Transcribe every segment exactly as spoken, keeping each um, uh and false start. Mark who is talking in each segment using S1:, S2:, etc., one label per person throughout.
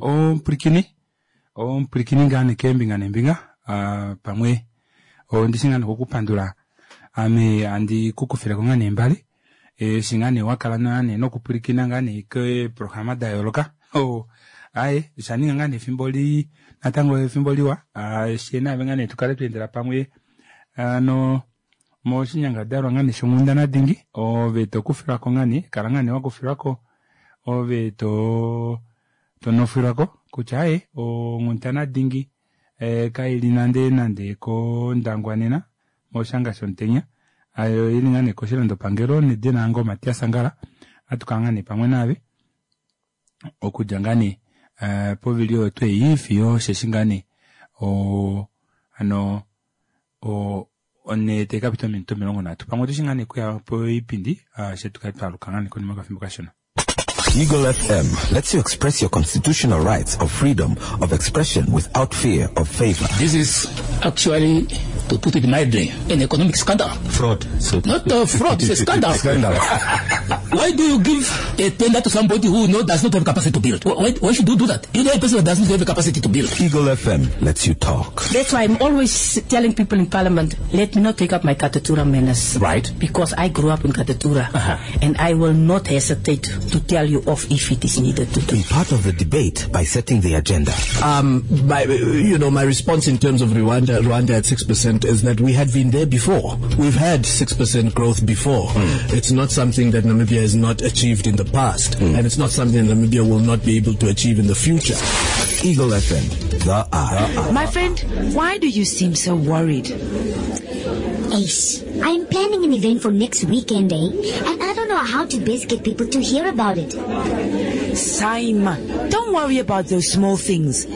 S1: Omupwilikini omupwilikini ngaa nee keembinga neembinga aa pamwe ondishi ngaa nee okukupandula ame handi kukufileko ngaa nee embale eshi ngaa nee wakala ngaa nee nokupwilikina ngaa nee keeprograma dayooloka oo aaye oshaninga ngaa nee efimbo lii natango efimbo liwa fyee naave ngaa nee tukale twaendela pamwe hano moshinyangadalwa ngaa nee shonghundana dingi ove tokufilwako ngaa nee kala ngaa nee wakufilwako ove too tonofilwako kutya aaye onghundana dingi kaili nande nande kOndangwa nena moshanga shomutenya oili ngaa nee koshilandopangelo nedina lange o Matias Angala ohatukala ngaa nee pamwe naave okudja ngaa nee povili oyo tuu ei fiyo osheshi ngaa nee oo hano o onhe taikapita ominute omilongo nhatu pamwe otushi ngaa nee okuya poipindi fyee tukale twaaluka ngaa nee konima yokafimbo kashona.
S2: Eagle F M lets you express your constitutional rights of freedom of expression without fear of favor.
S3: This is actually, to put it mildly, an economic scandal.
S2: Fraud. So
S3: Not a fraud, it's a scandal.
S2: Scandal.
S3: Why do you give a tender to somebody who no, does not have capacity to build? Why, why should you do that? You know a person that does not have the capacity to build.
S2: Eagle F M lets you talk.
S4: That's why I'm always telling people in Parliament, let me not take up my Katutura manners.
S3: Right.
S4: Because I grew up in Katutura.
S3: Uh-huh.
S4: And I will not hesitate to tell you off if it is needed to do.
S2: Be part of the debate by setting the agenda.
S5: Um, my, you know, my response in terms of Rwanda, Rwanda at six percent is that we had been there before. We've had six percent growth before.
S2: Mm.
S5: It's not something that Namibia has not achieved in the past,
S2: mm.
S5: and it's not something that Namibia will not be able to achieve in the future.
S2: Eagle F M, the eye.
S6: My friend, why do you seem so worried?
S7: Ace, I'm planning an event for next weekend, eh? And I don't know how to best get people to hear about it.
S6: Saima, don't worry about those small things.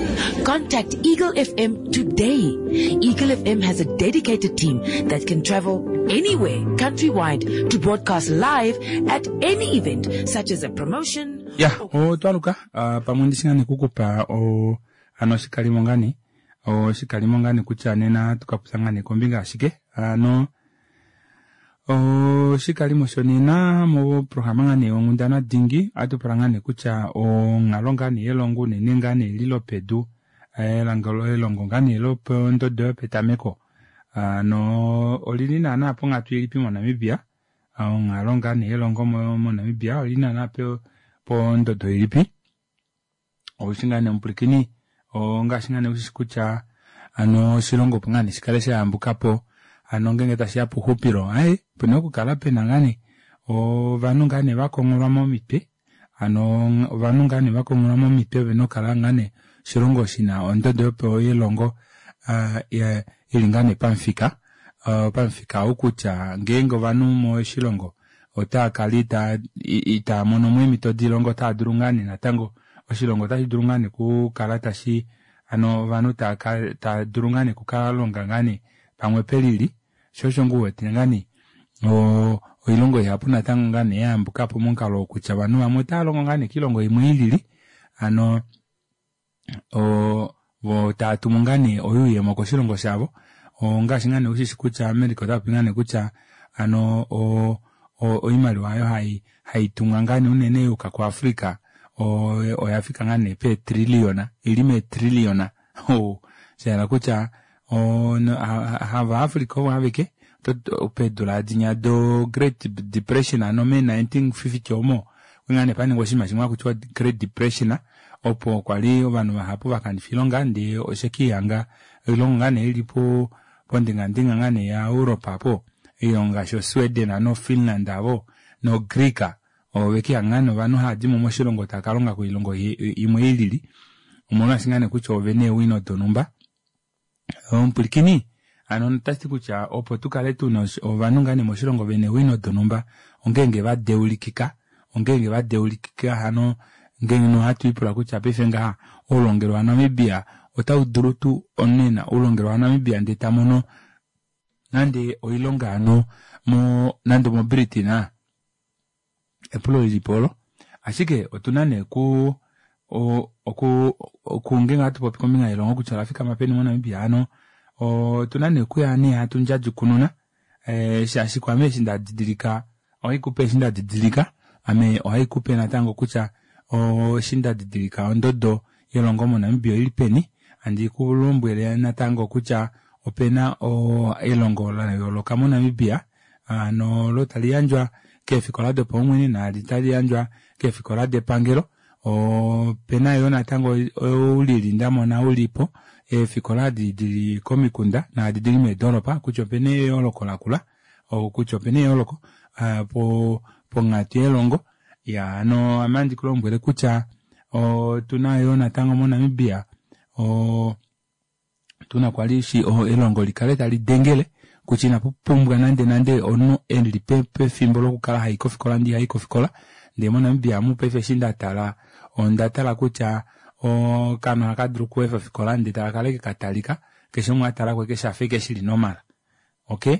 S6: Contact Eagle F M today. Eagle F M has a dedicated team that can travel anywhere, countrywide, to broadcast live at any event, such as a promotion.
S1: Yeah, otwaluka, uh, pamwe ndishingani kukupa o ano shikalimo ngani, o shikalimo ngani kutya nena tukaputsa ngani kombinga ashike, ano o shikalimo shonena mo programa ngani onghundana dingi atupula ngani kutya onghalo ngani yelongo unene ngani lilopedu elangalo elongo ngani lopondodo yopetameko ano olili naana ponghatu ilipi moNamibia, onghalo ngani yelongo moNamibia olili naana pondodo ilipi oushi ngani omupwilikini ongaashi ngani ushishi kutya ano oshilongo opo ngani shikale shayambukapo ano ngenge tashiya puxupilo aye pena okukala pena ngani ovanhu ngani vakongolwa momitwe ano ovanhu ngani vakongolwa momitwe vena okukala ngani oshilongo shina ondodo yopo yelongo ili ngani pamufika pamufika okutya ngeenge ovanhu moshilongo otaakala itaa mono mo eemhito dilongo otaa dulu ngani natango oshilongo otashi dulu ngani okukala tashi ano ovanhu taa dulu ngani okukalonga ngani pamwe pelili sho osho ngu wete ngani oilongo ihapu natango ngani yayambukapo momukalo wokutya ovanhu vamwe otava longo ngani kiilongo imwe ilili ano vo tava tumu ngani oyuuyemo koshilongo shavo ongaashi ngani ushishi kutya America otapopi ngani kutya ano oimaliwa ayo haitumwa ngani unene yuka kuAfrica oyafika ngani peetrilliona ili meetrilliona shahala kutya hava Africa ovo aveke peedula dinya do Great Depression ano me nineteen fifty omo ngane paningwa oshinima shimwe hakutiwa Great Depression opo kwali ovanhu vahapu vakanifa oilonga ndee oshekihanga oilongo ngane ili po pondingandinga ngane ya Europe apo oilongo ngaashi oSweden ano Finland avo no Greek ovekihanga ngane ovanhu haadimo moshilongo takalonga koilongo imwe ilili omolwaashi ngane kutya ovene eewino donhumba omupwilikini ano otashiti kutya opo tukale tuna ovanhu ngane moshilongo vene eewino donhumba ongeenge vadeulikika ongeenge vadeulikika hano ngeenge nohatu ipula kutya paife ngaha oulongelwe waNamibia otaudulu tuu onena oulongelwe waNamibia ndee tamono nande oilonga hano mo nande moBritain epulo lilipo olo ashike otuna nee ku oku oku ngeenge hatu popi kombinga yelongo kutya olafikama peni moNamibia hano otuna nee okuya nee hatu ndjadjukununa shaashi kwaame eshi ndadidilika ohaikupe eshi ndadidilika ame ohaikupe natango kutya eshi ndadidilika ondodo yelongo moNamibia oili peni, handi kulombwele natango kutya opena elongo layooloka moNamibia hano olo tali yandjwa keefikola dopaumwene naali tali yandjwa keefikola depangelo. Opena yoo natango oulili ndamona ulipo eefikola edi dili komikunda naadi dili meedoropa kutya opena eyooloko lakula kutya opena eyooloko ponghatu yelongo. Iyaa hano ame ohandi kulombwele kutya otuna yoo natango moNamibia oo tuna kwali elongo likale talidengele kutya inapupumbwa nande nande omunhu eli pefimbo lokukala hayi kofikola ndee ihayi kofikola ndee moNamibia omu paife eshi ndatala ondatala kutya okaana ohakadulu okweefa ofikola ndee takakala ashike katalika keshe umwe atalako ashike shafa ashike shili normal. Okey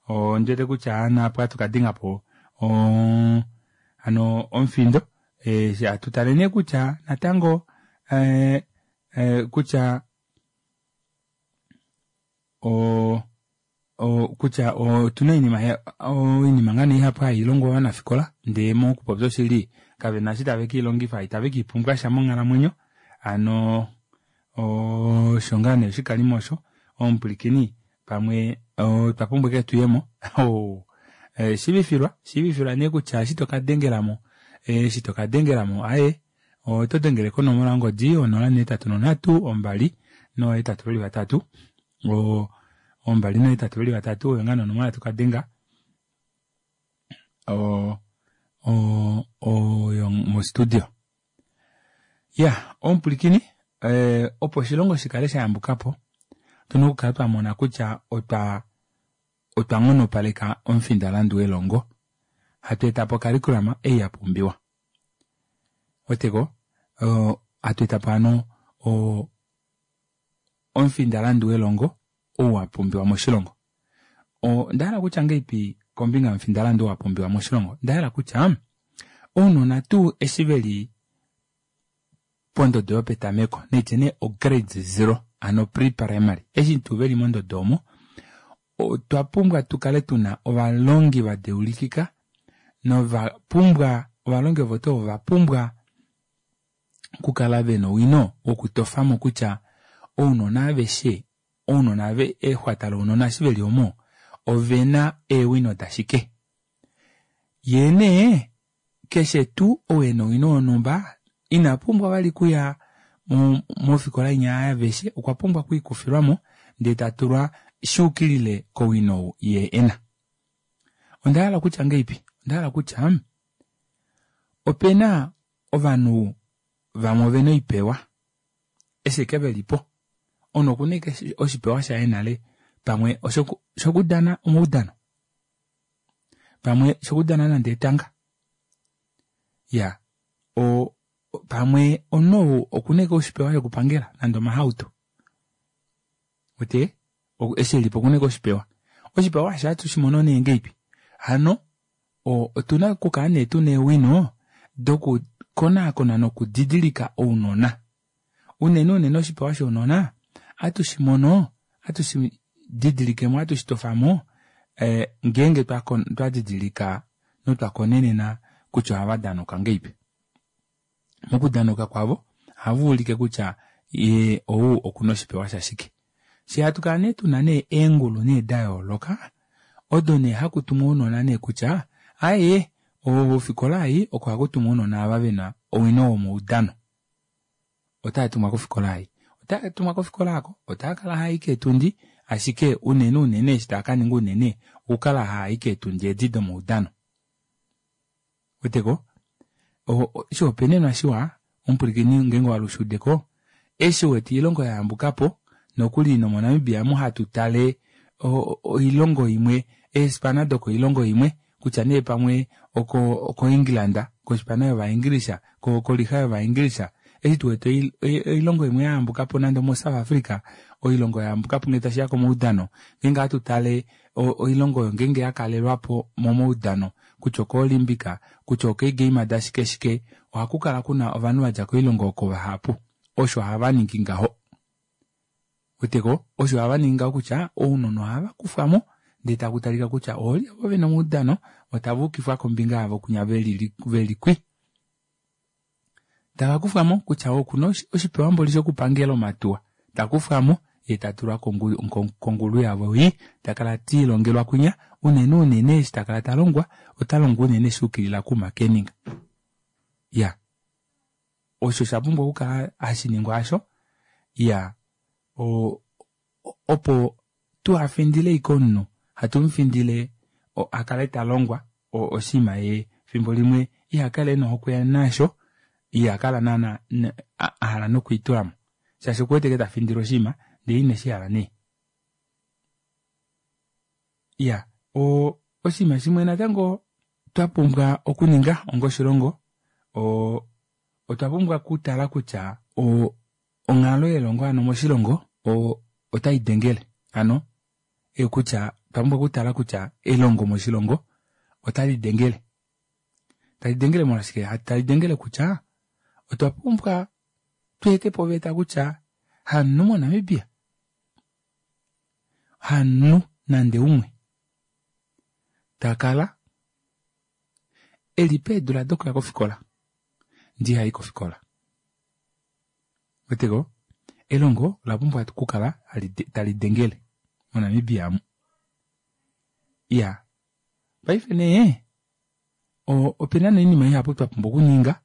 S1: ondiwete kutya hano apa ohatu kadengapo hano omufindo hatu tale nee kutya natango ee kutya oo kutya otuna oinima oinima ngoo nee ihapu hailongwa ovanafikola ndee mokupopya oshili kavena eshi tave keilongifa itave keipumbwasha monghalamwenyo hano osho ngoo nee oshikalimo osho omupwilikini pamwe otwa pumbwa ashike tuyemo shiivifilwa shiivifilwa nee kutya eshi tokadengelamo eshi tokadengelamo aaye otodengele konomola yongodi onola nohetatu nonhatu ombali noohetatu veli vatatu ombali noohetatu veli vatatu oyo ngoo nee onomola tokadenga oo oyo mo studio. Iyaa omupwilikini opo oshilongo shikale shayambukapo otuna okukala twamona kutya otwa otwa nghonopaleka omufindalandu welongo hatu etapo ocurriculum ei yapumbiwa ouweteko hatu etapo hano omufindalandu welongo ou wapumbiwa moshilongo. Ondahala okutya ngahelipi kombinga yomufindalandu oo wapumbiwa moshilongo? Ondahala kutya ounona tuu eshi veli pondodo yopetameko naitye nee ograde zero hano pre-primary eshi tuu veli mondodo omo otwa pumbwa tukale tuna ovalongi vadeulikika novapumbwa ovalongi ovo tuu ovo ovapumbwa okukala vena owino wokutofamo kutya ounona aveshe ounona exwata lounona eshi veli omo ovena eewino dashike yee nee keshe tuu ou ena owino wonhumba ina pumbwa vali okuya mofikola inya yaaveshe okwa pumbwa okwiikufilwamo ndee tatulwa shuukilile kowino ou yee ena. Ondahala okutya ngahelipi? Ondahala kutya opena ovanhu vamwe ovena oipewa eshi ashike velipo omunhu okuna ashike oshipewa shaye nale pamwe oshokudana omaudano pamwe oshokudana nande etanga iyaa pamwe omunhu ou okuna ashike oshipewa shokupangela nande omahauto uwete eshi elipo okuna ashike oshipewa. Oshipewa aasho ohatu shimono nee ngahelipi? Hano otuna okukala nee tuna eewino doku konaakona nokudidilika ounona unene unene oshipewa shounona ohatu shimono ohatu shididilikemo ohatu shitofamo ngeenge twadidilika notwa konenena kutya ohava danauka ngahelipi. Mokudanauka kwavo ohavaulike kutya yee ou okuna oshipewa shashike. Fyee hatukala nee tuna nee eengulu nee dayooloka odo nee hakutumwa ounona nee kutya aaye ofikola ei oko hakutumwa ounona ava vena owino womaudano otaatumwa kofikola ei otaatumwa kofikola aako otaakala haai keetundi ashike unene unene eshi taakaninga unene okukala haai keetundi edi domaudano. Ouweteko oshihopaenenwa shiwa omupwilikini ngeenge owahala ushuudeko eshi uwete oilongo yayambukapo nokuli nomoNamibia omu hatu tale oilongo imwe eespana dokoilongo imwe kutya nee pamwe oko England kospana yova english kolixa yova english eshi tuwete oilongo imwe yayambukapo nande omo South Africa oilongo yayambukapo ngee tashiya komaudano ngeenge ohatu tale oilongo oyo ngeenge yakalelwapo momaudano kutya oko olympic kutya okeegame dashike shike ohakukala kuna ovanhu vadja koilongo oko vahapu osho havaningi ngaho. Ouweteko osho havaningi ngaho kutya ounona ohava kufwamo ndee takutalika kutya oolye ovo vena omaudano otava ukifwa kombinga yavo kunya veli kwi. Takakufwamo kutya okuna oshipewa mboli shokupangela omatuwa takufwamo yee tatulwa kongulu yavo ei takala tiilongelwa kwinya unene unene eshi takala talongwa otalongwa unene shuukilila kumakeninga. Ya osho shapumbwa okukala hashiningwa asho iya o opo tuhafindile ashike omunhu hatumufindile akale talongwa oshinima yee fimbo limwe ihakala ena ohokwe nasho ihakala naana ahala nokwiitulamo shaashi okuwete ashike tafindilwa oshinima ndee ineshihala nee. Iya oo oshinima shimwe natango twapumbwa okuninga onga oshilongo oo otwa pumbwa okutala kutya o onghalo yelongo hano moshilongo o otaidengele hano kutya otwa pumbwa okutala kutya elongo moshilongo otalidengele talidengele molwashike talidengele kutya otwa pumbwa tweetepo oveta kutya hamunhu moNamibia hamunhu nande umwe takala eli peedula dokuya kofikola ndee ihayi kofikola. Ouweteko elongo olapumbwa okukala talidengele moNamibia amu. Iyaa paife nee opena nee oinima ihapu twapumbwa okuninga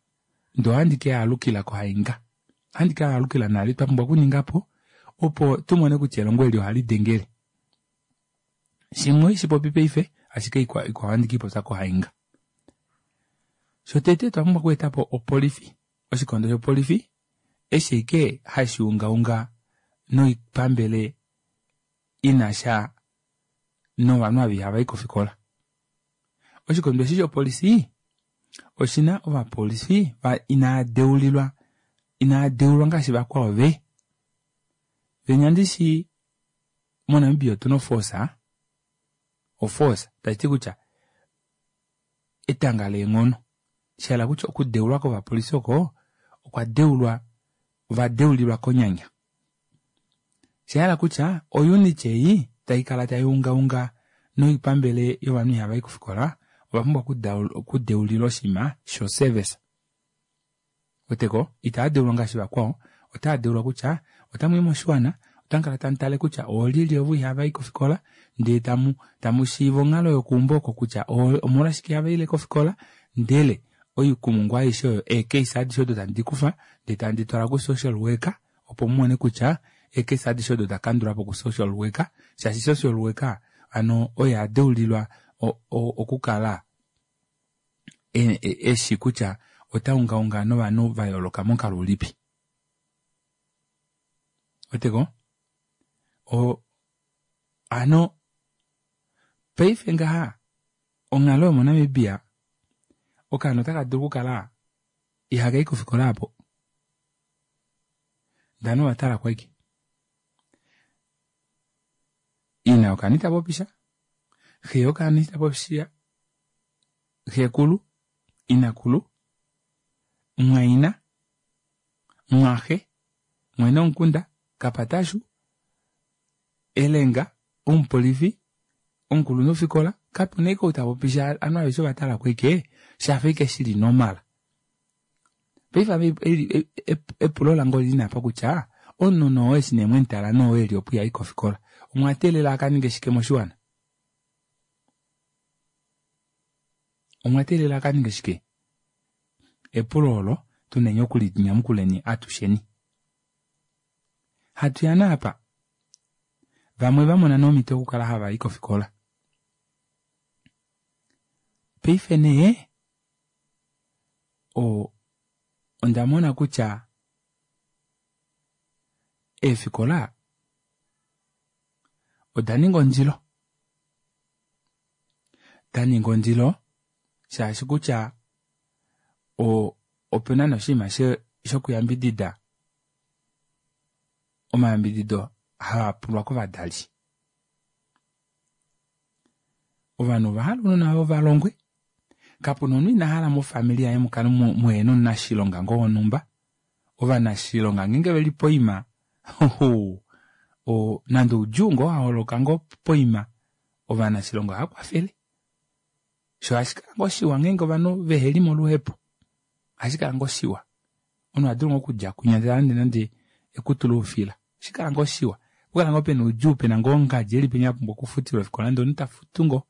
S1: ndee ohandi keyaalukila kohainga ohandi kaalukila nale twapumbwa okuningapo opo tumone kutya elongo eli ohalidengele. Shimwe ohaishipopi paife ashike ikwao ohandi keipopya kohainga. Shotete otwa pumbwa okweetapo opolifi oshikondo shopolifi eshi ashike hashuungaunga noipambele inasha novanhu ava ihavai kofikola. Oshikondo eshi shopolifi oshina ovapolifi inaadeulilwa inaadeulwa ngaashi vakwao ve venya ndishi moNamibia otuna oforce oforce tashiti kutya etanga leenghono shahala kutya okudeulwa kovapolifi oko okwa deulwa ovadeulilwa konyanya. Oshahala kutya ounit ei taikala tayuungaunga noipambele yovanhu ihavai kofikola ovapumbwa okudeulilwa oshinima sho service. Ouweteko itaadeulwa ngaashi vakwao otaadeulwa kutya otamwii moshiwana otamukala tamutale kutya oolyelye ovo ihavai kofikola ndee tamu tamushiiva onghalo yokeumbo oko kutya omolwashike ihavaile kofikola ndele oikumungu aishe oyo eecase adishe odo tamu dikufa ndee tamu ditwala ku social worker opo mumone kutya eecase adishe odo dakandulwapo ku social worker shaashi social worker hano oye adeulilwa okukala eshi kutya otaungaunga novanhu vayooloka momukalo ulipi. Ouweteko o hano paife ngaha onghalo yomoNamibia okaana otakadulu okukala ihakai kofikola aapo ndee ovanhu ovatalako ashike ina yokaana itapopisha xe yokaana itapopisha xekulu inakulu mumwaina mumwaxe mwene womukunda kapatashu elenga omupolifi omukulunhufikola kapena ashike ou tapopisha ovanhu aveshe ovatalako ashike shafa ashike shili normal. Paife ame epulo lange olili nee apa kutya omunhu nee oo eshi nee mwemutala nee oo eli opo ihayi kofikola omwateelela akaninge shike moshiwana? Omwateelela akaninge shike? Epulo olo tuneni okulinyamukuleni atusheni. Hatuya naapa vamwe vamona nee omhito yokukala havai kofikola. Paife nee o ondamona kutya eefikola odaninga ondilo. Daninga ondilo shaashi kutya o opena nee oshinima shokuyambidida omayambidido haapulwa kovadali. Ovanhu ovahala ounona vavo valongwe kapuna omunhu ina hala mofamili yaye mukale muhena omunashilonga ngoo wonhumba. Ovanashilonga ngeenge veli poima o nande oudjuu ngoo waholoka ngoo poima ovanashilonga ohaakwafele. Shoo ohashikala ngoo shiwa ngeenge ovanhu veheli moluhepo ohashikala ngoo shiwa Omunhu oha dulu ngoo okudja kwinya ndele alande nande ekutu loufila. Oshikala ngoo shiwa. Okukala ngoo pena oudjuu pena ngoo ongadji eli penya apumbwa okufutilwa ofikola ndee omunhu tafutu ngoo.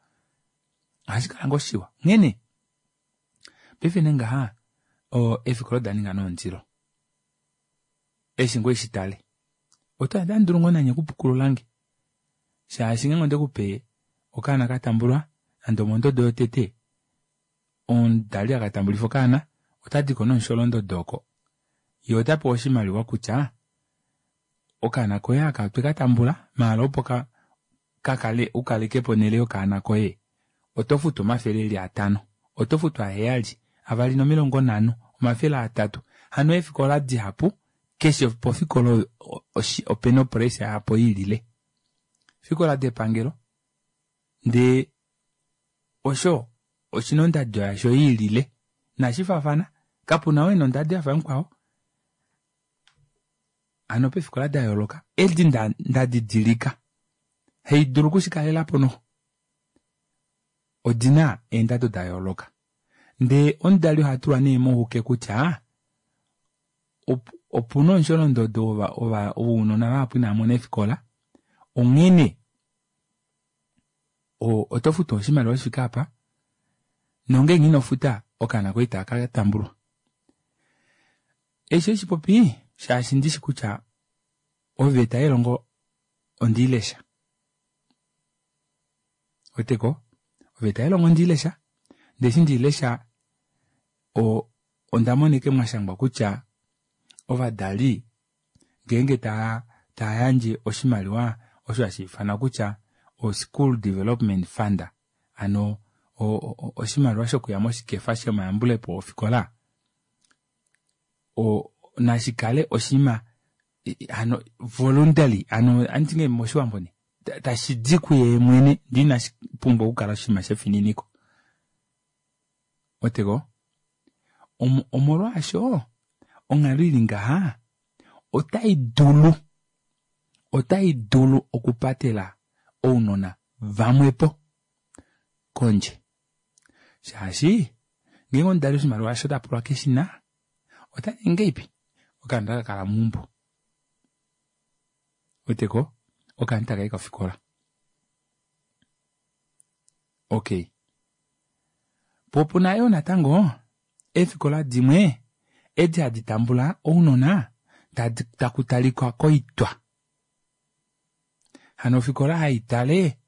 S1: Ohashi kala ngoo shiwa. Onghene paife nee ngaha eefikola oda ninga nee ondilo. Eshi ngoo ishitale. Otamudulu ngoo nanye okupukululange shaashi ngeenge ondekupe okaana katambulwa nande omondodo yotete, omudali akatambulifa okaana otadiko nomusholondodo oko yee otapewa oshimaliwa kutya okaana koye aka otwekatambula maala opo kakale ukalekepo onele yokaana koye oto futu omafele eli atano, oto futu aheyali, avali nomilongo nhano, omafele atatu. Hano eefikola dihapu keshe pofikola opena opressa yapo iilile. Efikola depangelo ndee osho oshina ondado yasho iilile inashifaafana kapuna ou ena ondado yafa yamukwao. Hano peefikola dayooloka edi ndadidilika haidulu okushikalelapo noxo odina eendado dayooloka ndee omudali ohatulwa nee mohuke kutya opuna omusholondodo wounona vahapu inavamona eefikola onghene oto futu oshimaliwa shifike apa nongeenge inofuta okaana koye itakatambulwa. Eshi ohaishipopi shaashi ndishi kutya oveta yelongo ondiilesha. Ouweteko oveta yelongo ondiilesha ndee eshi ndeilesha ondamona ashike mwashangwa kutya ovadali ngeenge tayandje oshimaliwa osho hashiifanwa kutya o school development fund hano oshimaliwa shokuya moshikefa shomayambulepo ofikola nashikale oshinima hano voluntary hano ohanditi ngahelipi moshiwambo nee tashidi kuye mwene ndee inashipumbwa okukala oshinima shefininiko. Ouweteko omolwaasho onghalo ili ngaha otai dulu otai dulu okupatela ounona vamwepo kondje shaashi ngeenge omudali oshimaliwa osho tapulwa keshina otaningi ngahelipi okaana otakakala meumbo. Ouweteko okaana itakayi kofikola. Okey poo opuna yoo natango eefikola dimwe edi hadi tambula ounona taku talika koitwa. Hano ofikola haitale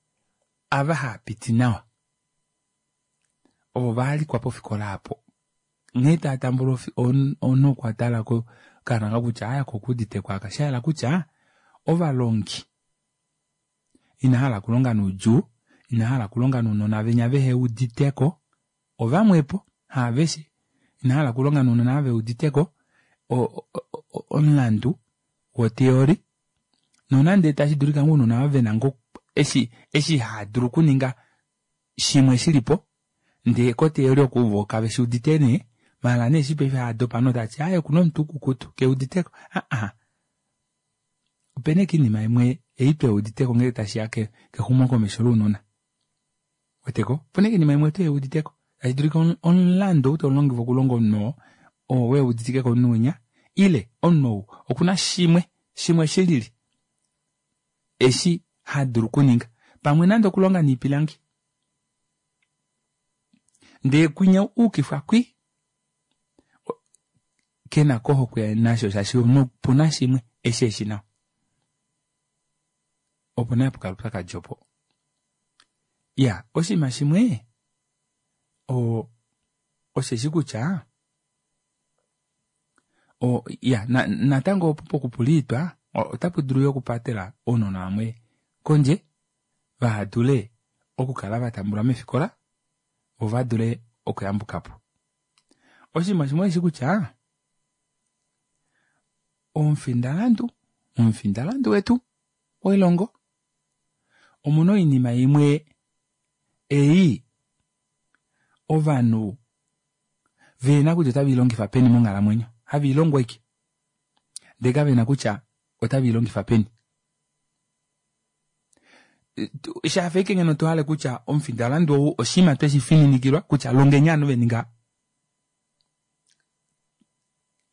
S1: ava haapiti nawa ovo vahalikwa pofikola aapo. Nghee taatambula omunhu okwatala okaana kutya aaye aka okuuditeko aka shahala kutya ovalongi inahala okulonga noudjuu, inahala okulonga nounona venya veheuditeko ovamwepo haaveshe inahala okulonga nounona ava veuditeko omulandu wo theory nonande tashidulika ngoo ounona ava vena ngoo eshi eshi haadulu okuninga shimwe shilipo ndee ko theory oku voo kaveshuudite nee maala nee eshi paife haadopa ovanhu otavati aaye okuna omutwe ukukutu keuditeko aa opena ashike oinima imwe ei tuheuditeko ngee tashiya kexumokomesho lounona. Ouweteko opena ashike oinima imwe tuheuditeko tashidulika omulandu ou taulongifwa okulonga omunhu oo oo weuditike komunhu winya ile omunhu ou okuna shimwe shimwe shilili eshi hadulu okuninga pamwe nande okulonga noipilangi ndee kwinya ayukifwa kwii kenako ohokwe nasho shaashi opuna shimwe eshi eshi nawa. Opo nee hapukala oupyakadi opo. Iyaa oshinima shimwe osheshi kutya iya natango opo pokupula oitwa otapu dulu yoo okupatela ounona vamwe kondje vahadule okukala vatambulwa meefikola voo vadule okuyambukapo. Oshinima shimwe osheshi kutya omufindalandu momufindalandu wetu welongo omuna oinima imwe ei ovanhu vehena kutya otaveilongifa peni monghalamwenyo haveilongo ashike ndee kavena kutya otaveilongifa peni. Shafa ashike ngeno tohale kutya omufindalandu ou oshinima tweshifininikilwa kutya longeni ovanhu veninga.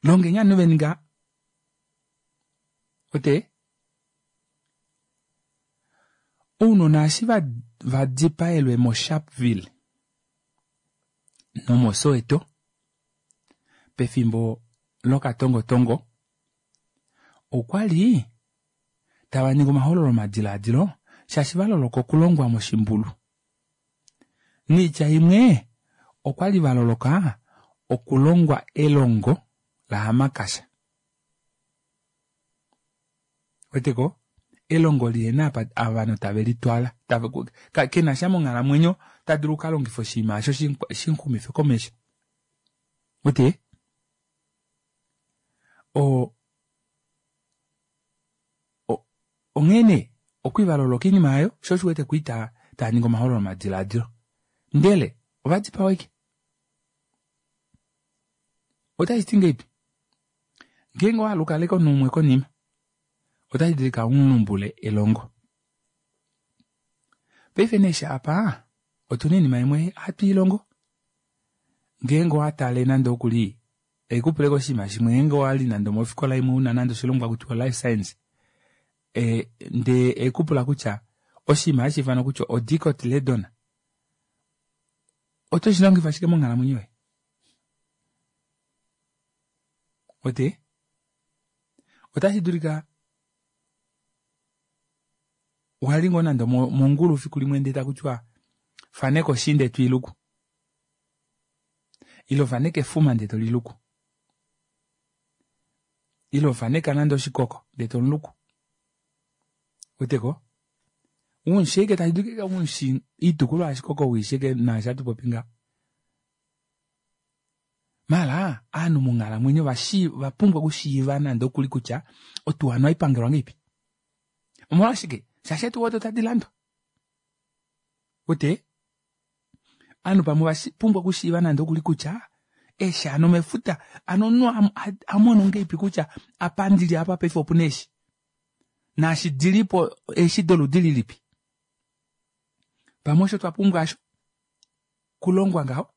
S1: Longeni ovanhu veni ngaha. Ote? Ounona eshi vadipaelwe moSharpeville nomoSoweto pefimbo lokatongotongo okwali tava ningi omahololo omadilaadilo shaashi valoloka okulongwa moshimbulu. Niitya imwe okwali valoloka okulongwa elongo lahamakasha. Weteko? Elongo lihena apa ovanhu tave litwala kenasha monghalamwenyo ta dulu okalongifa oshinima osho shixumife komesho. Wete? O onghene okwivaloloka oinima ayo sho osho wete kwii taa ningi omahololo omadilaadilo. Ndele ovadipawa ashike. Otashi ti ngeipi? Ngeenge owahala ukaleke omunhu umwe konima otashi dulika umulumbule elongo. Paife nee shaapa otuna oinima imwe hatu ilongo. Ngeenge owatale nande okuli haikupuleko oshinima shimwe ngeenge owali nande omofikola imwe una nande oshilongwa kutiwa life science e, ndee ekupula kutya oshinima hashi ifanwa kutya odicotyledon oto shi longifa shike monghalamwenyo yoye? Ote? Otashi dulika wali ngoo nande mongulu fiku limwe ndee takutiwa faneka oshinde twiiluku ile faneka efuma ndee toliluku ile faneka nande oshikoko ndee tomuluku. Weteko? Umushike tashi dulika umushi oitukulwa yashikoko uishike naashi hatu popi ngaho. Mala aanhu monghalamwenyo vapumbwa okushiiva nande okuli kutya otuwa oipangelwa ngeipi. Omolwashike? Shaashi eetuwa odo tadi landwa. Wete? Aanhu pamwe vapumbwa okushiiva nande okuli kutya eeshi hano mefuta ano omunhu amono ngeipi kutya apa ndili apa paife opuna eeshi. Naashi dilipo eeshi doludi lilipi. Pamwe osho twapumbwa asho kulongwa ngaho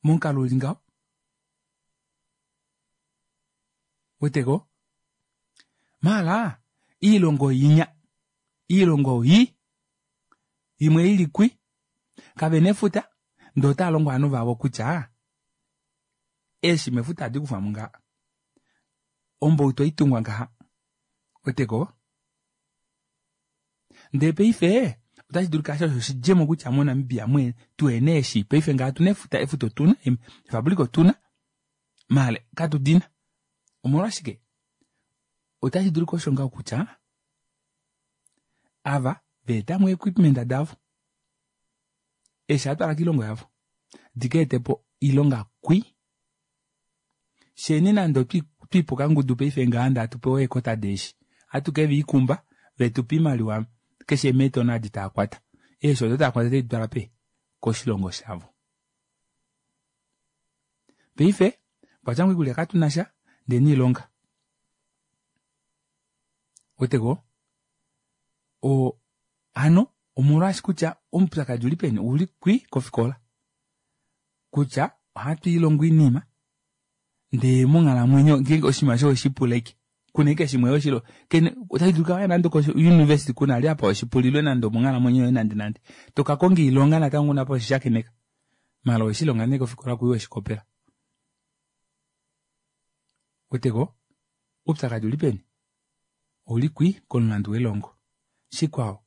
S1: momukalo uli ngaho. Weteko? Mala iilongo inya iilongo yi imwe ili kwi kavena efuta ndee otava longo ovanhu vavo kutya eeshi mefuta ohadi kufwamo ngaha. Ombautu ohaitungwa ngaha. Weteko? Ndee paife otashi dulika osho oshidjemo kutya moNamibia mwe tuhena eeshi paife ngaha otuna efuta efuta otuna efabrika otuna maala katudina. Omolwashike? Otashi dulika osho ngaho kutya ava veetamo equipment davo eeshi atwala koilongo yavo dika etepo oilonga kwi sheni nande otwiipo kangudu paife ngaha ndee hatu pewa eekota deeshi ohatu keviikumba vetupa oimaliwa keshe meetona adi taakwata eeshi odo taakwata otadi twala pe koshilongo shavo. Paife okwatya oikulya katunasha ndee niilonga. Weteko? O hano omolwaashi kutya omupyakadi uli peni uli kwi kofikola. Kutya ohatu ilongo oinima ndee monghalamwenyo ngeenge oshinima osho weshipuleke kuna ashike shimwe weshilo kene otashi dulika waya nande ko-university kuna ali apa weshipulilwe nande omonghalamwenyo yoye nande nande tokakonga oilonga natango una apa weshishakeneka maala oweshilonga nee kofikola kuyi weshikopela. Weteko? Oupyakadi uli peni? Ouli kwi komulandu welongo. Shikwao,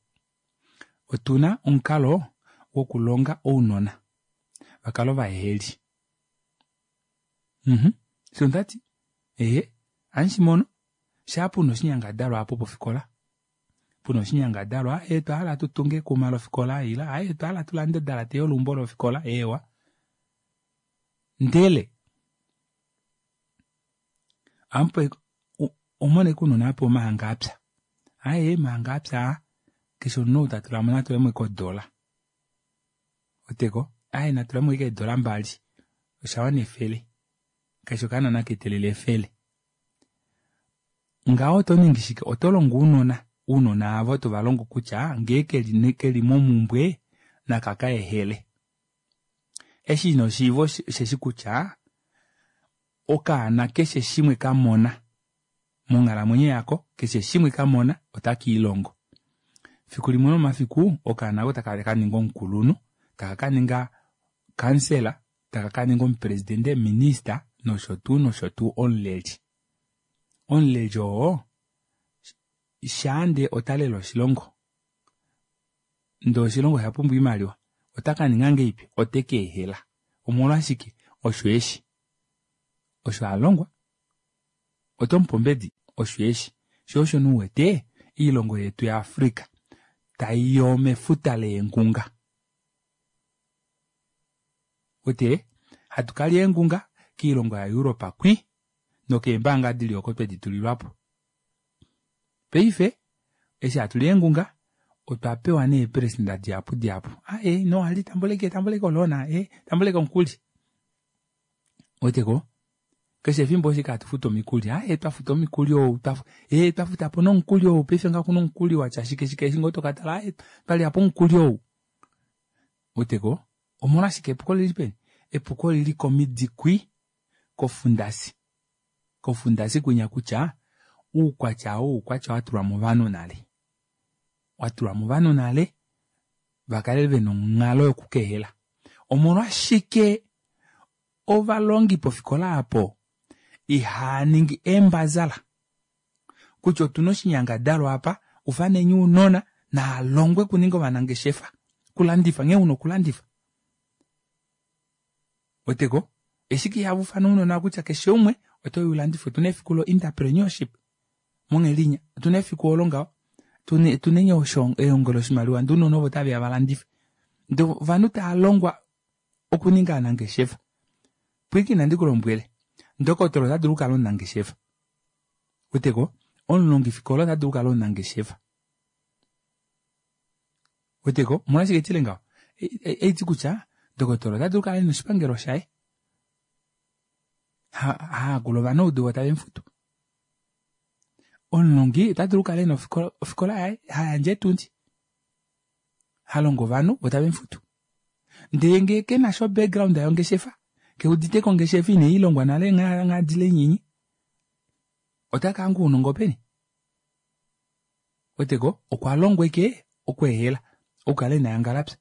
S1: otuna omukalo wokulonga ounona vakale ovaheheli. Mhm. Osho ndati? Ehe, hamushimono shaa puna oshinyangadalwa apo pofikola puna oshinyangadalwa ee twahala tutunge ekuma lofikola ile aye twahala tulande odalate yolumbo lofikola eewa. Ndele amupe omone kunona apo omahanga apya. Aye mahanga apya keshe omunhu ou tatulamo natulemo ashike odola. Weteko? Aye natulemo ashike eedola mbali oshawana efele. Keshe okaana nakeetelele efele. Ngaho oto ningi shike? Oto longo ounona. Ounona avo tovalongo kutya ngee keli, keli momumbwe naka ehele. Eshi inoshiiva osheshi kutya Okaana keshe shimwe kamona monghalamwenyo yako, keshe shimwe kamona otaka ilongo. Fiku limwe lomomafiku okaana oko taka kaninga omukulunhu, taka kaninga kansela, taka kaninga omupresidente, minister nosho tuu nosho tuu omuleli. Omuleli oo shaande otalele oshilongo ndee oshilongo osha pumbwa oimaliwa, ota kaninga ngahelipi? Oteka ehela. Omolwashike? Osho eshi osho alongwa. Otomupe ombedi? Osho eshi. Sho osho nee uwete oilongo yetu ya Africa taiyo mefuta leengunga. Wete hatu kali eengunga koilongo ya Europe kwi nokeembanga dili oko twedi tulilwapo. Paife eshi hatuli eengunga otwa pewa nee eeperesenda dihapu dihapu. Aaye no ali tambuleke tambuleke oloona e tambuleke omukuli. Weteko keshe efimbo oshike hatu futu omikuli, aaye twafuta omukuli ou ee twafutapo nomukuli ou paife ngaha okuna omukuli watya shike shike eshi ngoo tokatala aaye twalyapo omukuli ou. Weteko omolwashike epuko olili peni? Epuko olili komidi kwi kofundasi. Kofundasi kwinya kutya oukwatya ou oukwatya watulwa movanhu nale. Watulwa movanhu nale vakale vena onghalo yokukehela. Omolwashike ovalongi pofikola apo ihaaningi eembazala kutya otuna oshinyangadalwa apa ufaneni ounona naalongwe okuninga ovanangeshefa okulandifa nghee una okulandifa. Weteko eshike ihava ufana ounona kutya keshe umwe otoyi ulandife. Otuna efiku lo entrepreneurship monghelinya, otuna efiku olo ngaho tuneni ehongo loshimaliwa ndee ounona ovo otaveya valandife ndee ovanhu taalongwa okuninga ovanangeshefa. Pwiiki nandi kulombwele, ndokotola ota dulu okukala omunangeshefa. Weteko omulongifikola ota dulu okukala omunangeshefa. Weteko omolwashike tile ngaho? Eiti kutya ndokotola ota dulu okukala ena oshipangelo shaye haakula ovanaudu vo tave mufutu. Omulongi ota dulu okukala ena ofikola yaye hayandje eetundi halongo ovanhu vo tave mufutu. Ndee ngee kenasha background yongeshefa keuditeko ongeshefa ine ilongwa nale nghadile inini ota kahanga ounongo peni? Weteko okwa longwa eke okweehela okukala ena yangalapya.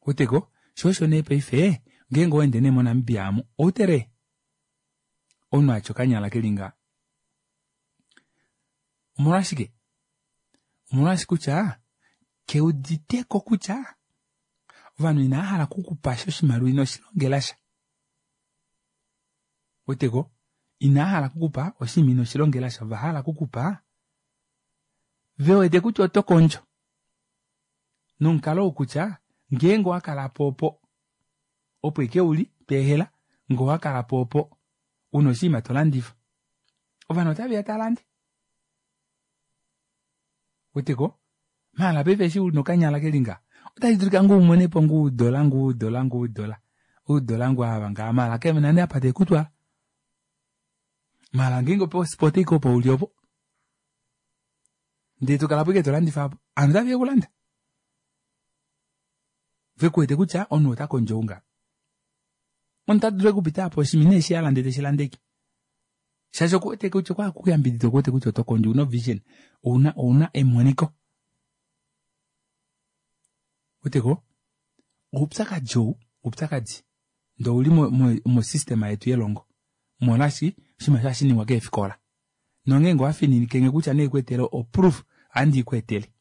S1: Weteko sho osho nee paife ngeenge owaende nee moNamibia amu outere omunhu atya okanyala kelinga. Omolwashike? Omolwashi kutya keuditeko kutya ovanhu inava hala okukupasha oshimaliwa ino shilongelasha. Weteko inava hala okukupa oshinima ino shilongelasha, ovahala okukupa vewete kutya oto kondjo nomukalo ou kutya ngeenge owakalapo opo opo ike uli tweehela ngee owakalapo opo una oshinima tolandifa ovanhu otaveya talande. Weteko maala paife eshi una okanyala kelinga otashi dulika ngoo umonepo ngoo udola ngoo udola ngoo udola udola ngoo ava ngaha maala kevena nee apa tekutwala. Maala ngeenge opo ike opo uli opo ndee tokalapo ike tolandifa apo ovanhu otaveya okulanda. Vekuwete kutya omunhu ota kondjo unga. Omunhu ota dulu okupita apo oshinima ineshi hala ndee teshilandeke. Shaashi okuwete kutya okwa kuyambidida okuwete kutya oto kondjo ouna vision, ouna ouna emoniko. Weteko oupyakadi ou oupyakadi ndee ouli mo system yetu yelongo molwaashi oshinima hashi ningwa keefikola. Nongeenge owafininike kutya neekweetele oproof ohandi ikweetele.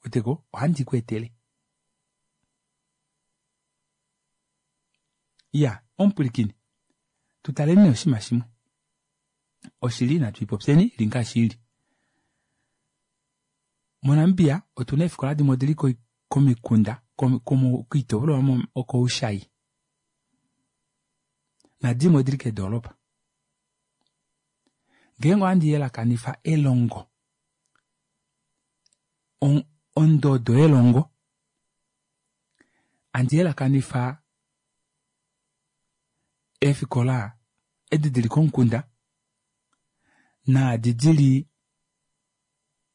S1: Weteko ohandi ikweetele. Iya omupwilikini tutaleni nee oshinima shimwe. Oshili natu ipopyeni ili ngaashi ili. MoNamibia otuna eefikola dimwe odili komikunda koitopolwa okoushai nadimwe odili keedoropa. Ngeenge ohandi yelakanifa elongo ondodo yelongo handi yelakanifa eefikola edi dili komukunda naadi dili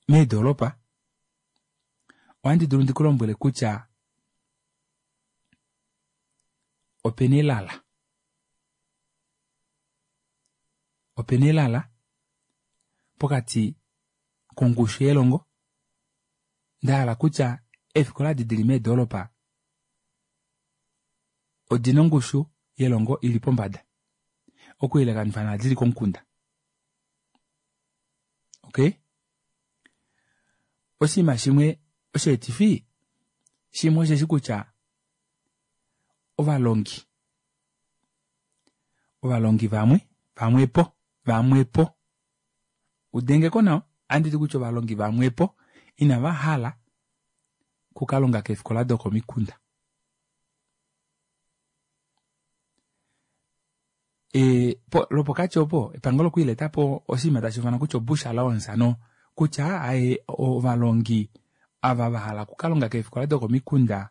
S1: meedoropa, ohandi dulu ndikulombwele kutya Opena elala. Opena elala pokati kongushu yelongo ndahala kutya eefikola edi dili meedoropa odina ongushu yelongo ili pombada okuyelekanifa naadi dili komukunda. Okay, oshinima shimwe osheetifi shimwe osheshi kutya ovalongi ovalongi vamwe vamwepo vamwepo udengeko nawa anditi kutya ovalongi vamwepo inava hala kukalonga keefikola dokomikunda. E, po, lopokati opo epangelo okwiiletapo oshinima tashi ufanwa kutya obush allowance ano kutya aye ovalongi ava vahala okukalonga keefikola dokomikunda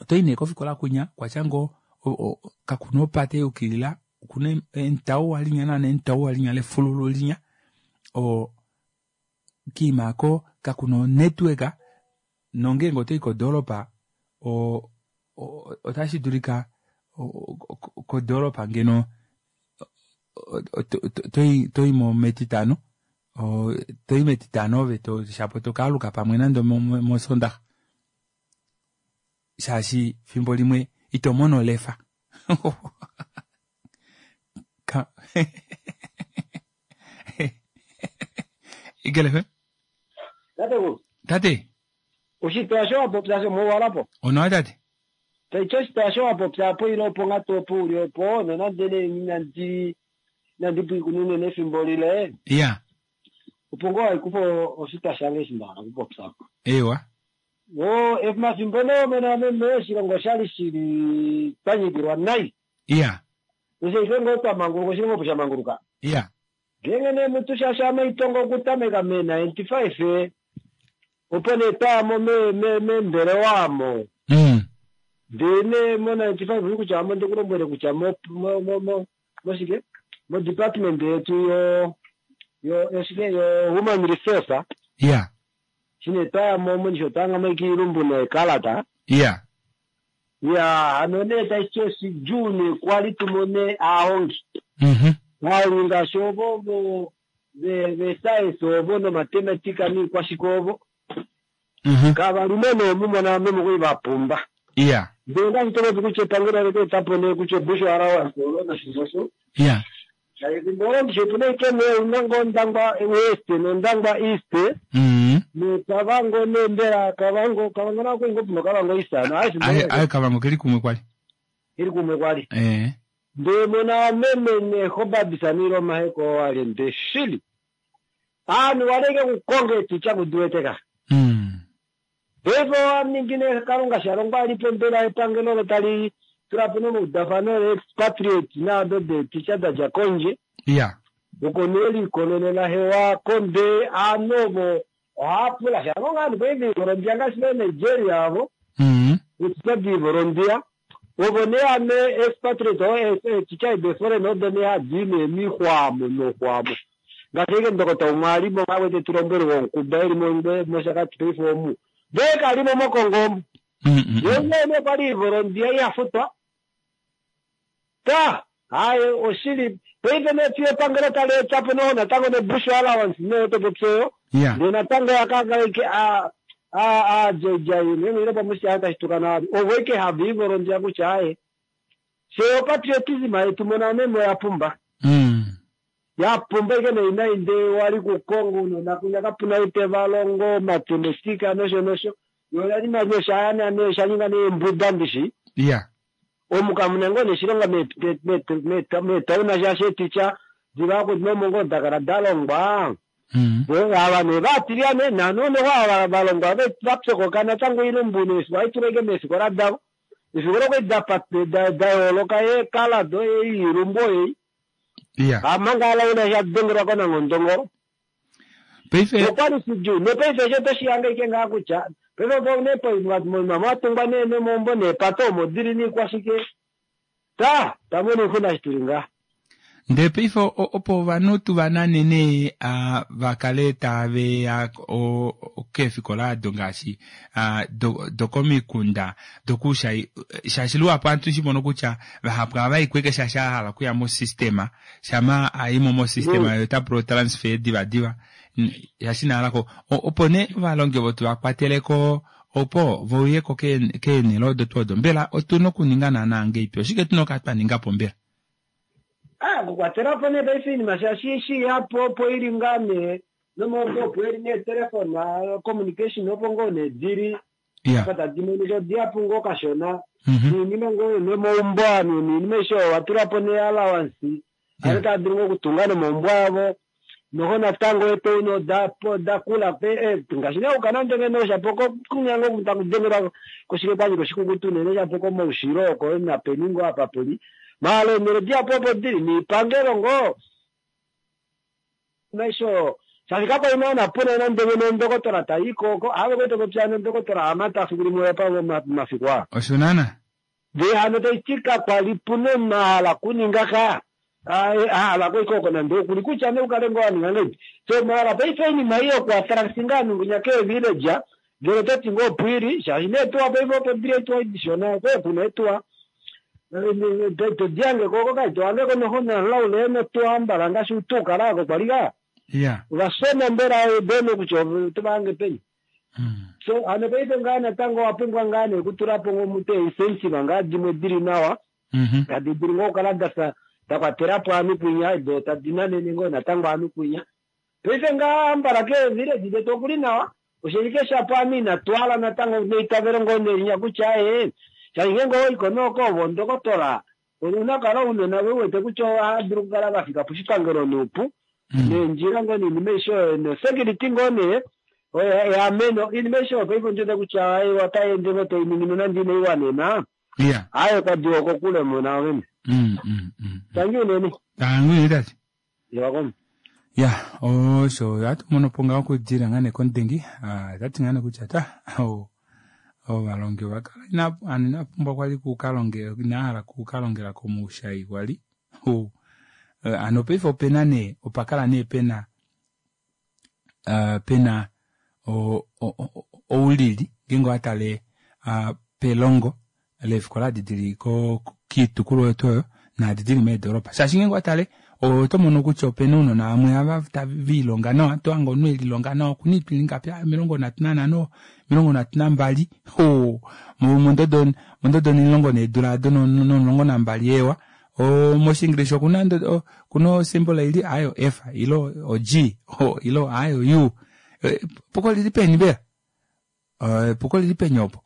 S1: otoyi nee kofikola kunya kwatya ngoo kakuna opate yukilila okuna entauwa linya naana entauwa linya lefululu linya o kiimako kakuna onetwork nongeenge otoyi kodoropa o otashi dulika kodoropa ngeno toyimo metitano toyi metitano ove shapo tokaaluka pamwe nande mosondaxa shaashi fimbo limwe ito mono olefa. Eagle F M?
S8: Tate.
S1: Tate.
S8: Oshitwa sho wapopya sho mowalapo.
S1: Onawa tate.
S8: Taiti oshitwa sho wapopya po ile opo ngatu opo uli opo nonande nee inandi inandi pwiikunine nefimbo lile.
S1: Iya.
S8: Opo ngoo waikufa oshitwa shange eshi nda hala okupopya.
S1: Ewa.
S8: O efimbo nee omene meme oshilongo oshali shili twanyikilwa nai.
S1: Iya.
S8: Osho ihe ngoo twamanguluka oshilongo opo shamanguluka.
S1: Iya.
S8: Ngeenge nee mutu shasha maitongo okutameka me ninety-five opo nee twayamo meembelewa amo.
S1: Mm.
S8: Ndee nee mo ninety-five kutya amo ndikulombwele kutya mo mo mo moshike mo department yetu yo yo yoshike yo human resource.
S1: Iya.
S8: Shine twayamo monisho twangamo ikiilumbu neekalata.
S1: Iya.
S8: Iya hano nee tashi oshidjuu nee kwali tumone aahongi.
S1: Mhm.
S8: Vali ngaashi ovo vo ve science ovo nomathematica niikwashike ovo.
S1: Mhm.
S8: Kavalimo nee mumona meme kuli vapumba.
S1: Iya.
S8: Ndee ngaashi topopi kutya epangelo ole keetapo nee kutya obush allowance olo nosho
S1: Iya.
S8: Efimbo olo ndishi opuna ike nee una ngoo Ondangwa West nOndangwa East.
S1: Mhm.
S8: NoKavango nee mbela Kavango Kavango nako kwali ngoo puna Kavango East ano aye efimbo
S1: Aye
S8: olo
S1: aye Kavango keli kumwe kwali.
S8: Keli kumwe kwali.
S1: Eh.
S8: Ndee mona meme nehobabisa niilomaheko wale nde shili. Aanhu waleke kukonga etitya kudiweteka.
S1: Mm.
S8: Paife owaningi nee Kalunga shalongwa alipo mbela epangelo olo tali tulapo nomaudafano le-expatriate naado deetitya dadja kondje.
S1: Iya.
S8: Oko nee likololela hewa konde aanhu ovo ohaapula sha ngoo ovanhu paife ivolondia ngaashi ve Nigeria avo.
S1: Mm.
S8: Etitya diivolondia. Ovo nee ame expatriate oo etitya de foreign odo nee hadi nee mixwaamo noxwaamo. Ngaashi ashike ndokota umwe alimo awete tulombwele wonkuba eli mOshakati paife omu. Ndee kalimo mOkongo omu. Yene nee kwali ivolondia ihafutwa. Ta haye oshili paife nee fiyo epangelo tali etapo noho natango nebush allowance nee topopyeyo.
S1: Iya.
S8: Ndee natango yakakala a a a jejayi ile pamusi tashi tukana ovo ike hava ivolondia kutya aye. Se patriotism yetu mona memo ya pumba.
S1: Mm.
S8: Ya pumba ike nei nai ndee wali kukongo nona kunya kapuna ute valongo mathematica nosho nosho. Yo yali manyosha aya ne shaninga ne mbuda ndishi.
S1: Iya.
S8: Omukamuna ngoo neshilonga metauna shashe ticha diva nomongo dakala dalongwa.
S1: Mm.
S8: Ava ne vatiliane nanono ava valongwa vapyokoka natango ilumbu nesu vaituleke meefikola davo. Efikola okwali da yooloka eekalado eiilumbu ei.
S1: Iya.
S8: Amanga alauna shadengelwa konangondongolo.
S1: Paife
S8: okwali shidjuu nopaife eshi otoshiyanga ike ngaa kutya paife opo nee poima mwatungwa nee nomaumbo neepato omo dili niikwashike ta tamona oixuna shi tuli ngaa.
S1: Ndele paife opo ovanhu tuvanane nee vakale taveya keefikola ado ngaashi dokomikunda dokuushayi shaashi luhapu ohatu shimono kutya vahapu ohavayi ashike shaashi ahala okuya mo system shama ayimo mo system ye otapula otransfer diva diva shaashi inahalako opo nee ovalongi ovo tuvakwateleko opo veuyeko keenele odo tuu odo mbela otuna okuninga naana ngahelipi oshike tuna okukala twaningapo mbela?
S8: Ah, okukwatelapo nee paife oinima shaashi eshi yapo opo ili ngaa nee nomaumbo opo eli neetelefona communication opo ngoo nee dili apa tadi monika odihapu ngoo kashona noinima ngoo nomaumbo ovanhu noinima aishe oyo watulapo nee allowance ovanhu otava dulu ngoo okutunga nomaumbo avo noho natango eetown odakula ngaashi nee okuka nande ngeno shapo kunya ngoo taku dengelwa koshike kwanyika oshikukutu unene shapo komaushilo oko napeni ngoo apa puli maala eenhele dihapu opo dili niipangelo ngoo maisho shaashi kakwali naana puna nande ngeno ndokotola tayiko oko ave kwete popya nondokotola Hamata fiku limwe apa momafiku aa
S1: osho naana
S8: ndee hano taiti kakwali puna omahala kuninga ka ahala koika oko nande okuli kutya nee ukale ngoo waninga ngahelipi so maala paife oinima ei yokuattract ngaa ovanhu nginya keevillage ngele ototi ngoo opwiili shaashi neetuwa paife opo dili eetuwa dishona kuna eetuwa todihange oko kai tohangeko noho nalaule notuwa mbala ngaashi utukala oko kwali ka ovasoma mbela bene kutya otovange peni so hano paife ngaa natango owapumbwa ngaa nee okutulapo ngoo mute incentive ngaa dimwe dili nawa tadi dulu ngoo okukala dafa dakwatelapo ovanhu kwinya do tadi nanene ngoo natango ovanhu kwinya paife ngaa ambala keevillage detu okuli nawa oshelike shapo ame inatwala natango neitavelo ngoo nelinya kutya ee shaashi ngeenge owaiko nooko ovo ndokotola ouna kala ounona uwete kutya ohava dulu okukala vafika poshipangelo noupu neendjila ngoo noinima aishe oyo nosecurity ngoo nee eameno oinima aishe oyo paife ondiwete kutya otai ende ngoo tainingi nonande inaiwanena aaye kwadiwa kokule mona ovene tangi unene
S1: tangi unene tate
S8: yewakomo
S1: ya osho ohatu mono po ngaho okudila ngaa nee komudengi otati ngaa nee kutya ta ovalongi ovakala ina inapumbwa kwali kukalongela inahala kukalongela komuushayi kwali hano paife opena nee opakala nee pena pena oulili ngeenge owatale pelongo leefikola adi dili kiitukulwa oyo tuu oyo naadi dili meedoropa shaashi ngeenge owatale oto mono kutya opena ounona vamwe ava viilonga nawa tohange omunhu elilonga nawa okuna oitwa ingapi omilongo nhatu nanhano omilongo nhatu nambali mondodo mondodo omulongo needula ado nomulongo nambali eewa moshinglish okuna okuna osymbol ili ayo F ile o G ile ayo U epuko lili peni mbela epuko lili peni opo